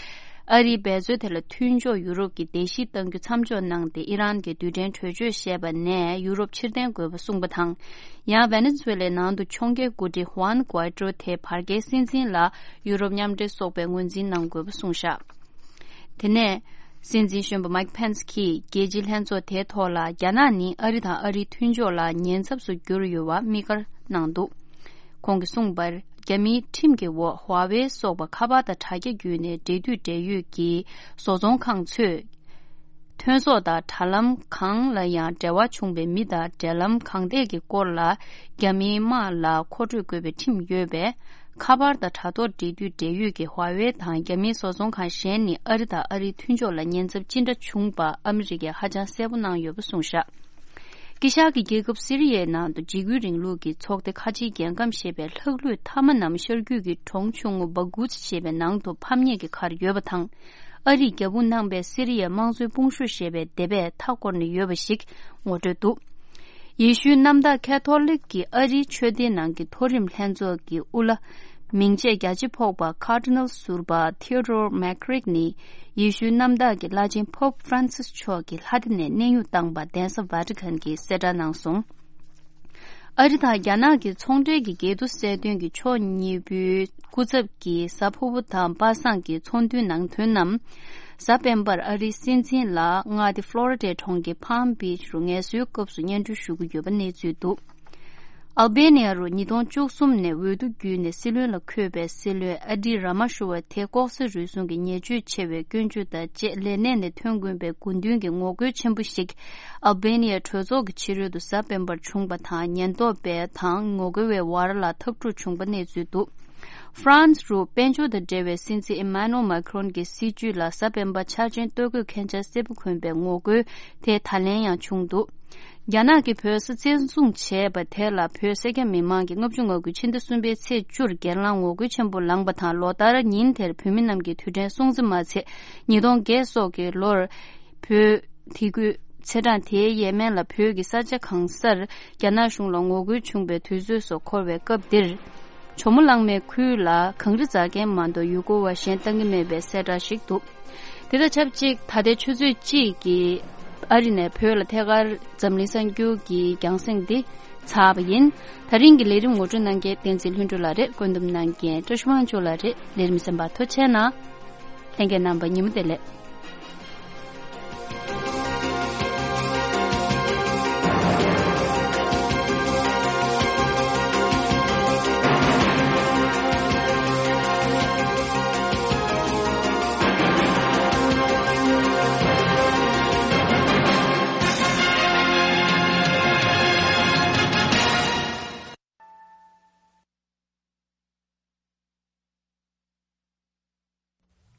ཨ་རིའི་འབད་རྩོལ་དེ་ལ་མཐུན་ཕྱོགས་ཡུ་རོབ་ཀྱིས་བརྡལ་བཤིག་གཏང་རྒྱུ་མཚམས་འཇོག་གནང་སྟེ། ཨི་རན་གྱི་རྡུལ་ཕྲན་གྲོས་ཆོད་བཞེས་པ་ནས་ཡུ་རོབ་ཕྱིར་འཐེན་དགོས་པ་གསུངས་པ་དང་། ཡང་ཝེ་ནེ་ཛུ་ཝེ་ལའི་ནང་དུ་ཕྱོགས་འགལ་འགོ་ཁྲིད་ཧུའན་གུའེ་ཏྲོ་དེ་བར་བརྒལ་སྲིད་འཛིན་ལ་ཡུ་རོབ་མཉམ་འབྲེལ་སོགས་པས་ངོས་འཛིན་གནང་དགོས་པ་གསུངས་བཞག་དེ་ནས་སྲིད་འཛིན་གཞོན་པ་མའིག་ཕན་སི་གིས་རྒྱལ་སྤྱིའི་ལྷན་ཚོགས་དེའི་ཐོག་ལ་རྒྱ་ནག་ནི་ཨ་རི་དང་ཨ་རིའི་མཐུན་ཕྱོགས་ལ་ཉེན་ཚབས་སུ་གྱུར་ཡོད་པ་དམིགས་བཀར་གནང་འདུག་ཁོང་གིས་གསུངས་པར། རྒྱ་མིའི་ཁྲིམས་ཀྱི་འོག་ཧྭ་ཝེ་སོགས་པ་ཁ་པར་དང་དྲ་རྒྱ་བརྒྱུད་ནས་འབྲེལ་མཐུད་འབྲེལ་ཡོད་ཀྱི་བཟོ་ཚོང་ཁང་ཚོས། ཐོན་ཟོག་དང་དྲ་ལམ་གང་ལ་ཡང་འབྲེལ་བ་བྱུང་བའི་མི་དང་འབྲེལ་ལམ་གང་ཐད་ཀྱི་སྐོར་ལ་རྒྱ་མིའི་དམག་ལ་མཁོ་སྤྲོད་དགོས་པའི་ཁྲིམས་ཡོད་པས། ཁ་པར་དང་དྲ་ཐོག་འབྲེལ་མཐུད་འབྲེལ་ཡོད་ཀྱི་ཧྭ་ཝེ་དང་རྒྱ་མིའི་བཟོ་ཚོང་ཁང་གཞན་ནི་ཨ་རི་དང་ཨ་རིའི་མཐུན་ཕྱོགས་ལ་ཉེན་ཚབས་ཅི་འདྲ་བྱུང་པ་ཨ་མི་རི་ཀས་ཧ་ཅང་གསལ་པོ་གནང་ཡོད་པ་གསུངས་བཞག་དཀྱིལ་ཤར་གྱི་རྒྱལ་ཁབ་སི་རི་ཡའི་ནང་དུ་འཇིགས་སྐུལ་རིང་ལུགས་ཀྱི་ཚོགས་སྡེ་ཁ་ཆེའི་རྒྱལ་ཁམས་ཞེས་པའི་ལྷག་ལུས་མཐའ་མ་རྣམས་ཤར་རྒྱུད་ཀྱི་གྲོང་ཆུང་ངུ་སྦ་གུ་ཙི་ཞེས་པའི་ནང་དུ་ཕམ་ཉེས་ཀྱི་ཁར་ཡོད་པ་དང་། ཨ་རིས་རྒྱབ་དཔུང་གནང་པའི་སི་རི་ཡའི་དམངས་གཙོའི་དཔུང་ཤུགས་ཞེས་པའི་སྡེ་པས་མཐའ་བསྐོར་ནས་ཡོད་པ་ཞིག་ངོ་སྤྲོད་འདུག་ཡེ་ཤུའི་གནམ་བདག་ཁེ་ཐོ་ལིག་གི་ཨ་རིའི་ཆོས་སྡེའི་ནང་གི་མཐོ་རིམ་ལྷན་ཚོགས་ཀྱི་དབུ་བླ། མིང་བརྗེས་རྒྱ་ཆེ་ཕོག་པ་Cardinal ཟུར་པ་Theodore McCarrick ནི་ཡེ་ཤུའི་གནམ་བདག་གི་བླ་ཆེན་Pope Francis མཆོག་གི་ལྷ་སྡེ་ནས་གནས་དབྱུང་བཏང་པ་གདན་ས་ཝ་ཊི་ཁན་གྱིས་གསལ་བསྒྲགས་གནང་སོང་། ཨ་རི་དང་རྒྱ་ནག་གི་ཚོང་འབྲེལ་གྱི་འགལ་འདུ་སེལ་དོན་གྱི་ཕྱོགས་གཉིས་པོའི་སྐུ་ཚབ་ཀྱིས་གཟའ་ཕུར་བུ་དང་པ་སངས་ཀྱི་ཚོགས་འདུའི་ནང་ཐོན་རྣམས། གཟའ་སྤེན་པར་ཨ་རིའི་སྲིད་འཛིན་ལ་མངའ་སྡེ་ཕློ་རི་ཌའི་གྲོང་ཁྱེར་Palm Beach རུ་ངལ་གསོའི་སྐབས་སུ་སྙན་སྒྲོན་ཞུ་གི་ཡོད་པ་གནས་ཚུལ་འདུག་ཨལ་བྷེ་ནི་ཡ་རུ་ཉིས་སྟོང་བཅུ་གསུམ་ནས་འོས་བསྡུ་བརྒྱུད་ནས་སྲིད་བློན་ལ་འཁོད་པའི་སྲིད་བློན་ཨ་ཌི་ར་མ་ཤུ་བ་དེ་ལྐོག་ཟ་རུལ་སུངས་ཀྱི་ཉེས་སྤྱོད་ཆེ་བའི་སྐྱོན་བརྗོད་དང་བཅས་ལས་གནས་ནས་ཐོན་དགོས་པའི་དགོས་འདུན་གྱི་ངོ་རྒོལ་ཆེན་པོ་ཞིག་ཨལ་བྷེ་ནི་ཡའི་གྲོས་ཚོགས་ཀྱི་ཕྱི་རོལ་དུ་གཟའ་སྤེན་པར་བྱུང་པ་དང་། ཉེན་རྟོག་པའི་དང་ངོ་རྒོལ་བའི་བར་ལ་འཐབ་འཁྲུག་བྱུང་པ་གནས་ཚུལ་འདུག་ཧྥ་རན་སི་རུ་དཔལ་འབྱོར་དང་འབྲེལ་བའི་སྲིད་འཛིན་ཨི་མཱ་ནུ་ཨེལ་མཱ་ཁི་རོན་གྱི་སྲིད་བྱུས་ལ་གཟའ་སྤེན་པ་འཆར་ཅན་ལྟོ་གོས་མཁན་ཆ་སེར་པོ་གོན་པའི་ངོ་རྒོལ་དེ་ད་ལན་ཡང་བྱུང་འདུག་རྒྱ་ནག་གིས་བོད་ས་བཙན་བཟུང་བྱས་པ་དེ་ལ་བོད་སེར་སྐྱ་མི་མང་གིས་ལྔ་བཅུ་ང་དགུ་ཕྱི་ཟླ་གསུམ་པའི་ཚེས་བཅུར་སྒེར་ལངས་ངོ་རྒོལ་ཆེན་པོ་ལངས་པ་དང་། ལོ་ལྟར་ཉིན་དེར་བོད་མི་རྣམས་ཀྱིས་དུས་དྲན་སྲུང་བརྩི་མ་ཚད་ཉིས་སྟོང་བརྒྱད་སོགས་ཀྱི་ལོར་བོད་དེ་དགོས། ཚེས་གྲངས་དེའི་ཡས་མས་ལ་བོད་ཀྱི་ས་ཆ་གང་སར་རྒྱ་ནག་གཞུང་ལ་ངོ་རྒོལ་བྱུང་བའི་དུས་ཚོད་སོགས་འཁོར་བའི་སྐབས་འདིར། ཇོ་མོ་གླང་མའི་ཁུལ་ལ་གངས་རི་འཛེག་མཁན་མ་གཏོགས་ཡུལ་སྐོར་བ་གཞན་བཏང་གི་མེད་པའི་གསལ་བསྒྲགས་ཤིག་འདུག་དེ་དང་ཆབས་ཅིག་ད་ལྟའི་ཆུ་ཚོད་གཅིག་གི་ཨ་རི་ནས་བོད་ལ་ཐད་ཀར་འཛམ་གླིང་གསར་འགྱུར་གྱི་རྒྱང་སྲིང་འདི་ཚར་བ་ཡིན། ད་རིང་གི་ལས་རིམ་ངོ་སྤྲོད་གནང་མཁན་བསྟན་འཛིན་ལྷུན་གྲུབ་ལགས་རེད། བཀོད་འདོམས་གནང་མཁན་བཀྲ་ཤིས་དབང་ཕྱུག་ལགས་རེད། ལས་རིམ་གསན་པར་ཐུགས་རྗེ་གནང་། ལྷན་རྒྱས་རྣམ་པ་ཉིན་མོ་བདེ་ལེགས།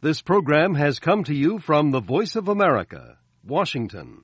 This program has come to you from the Voice of America, Washington.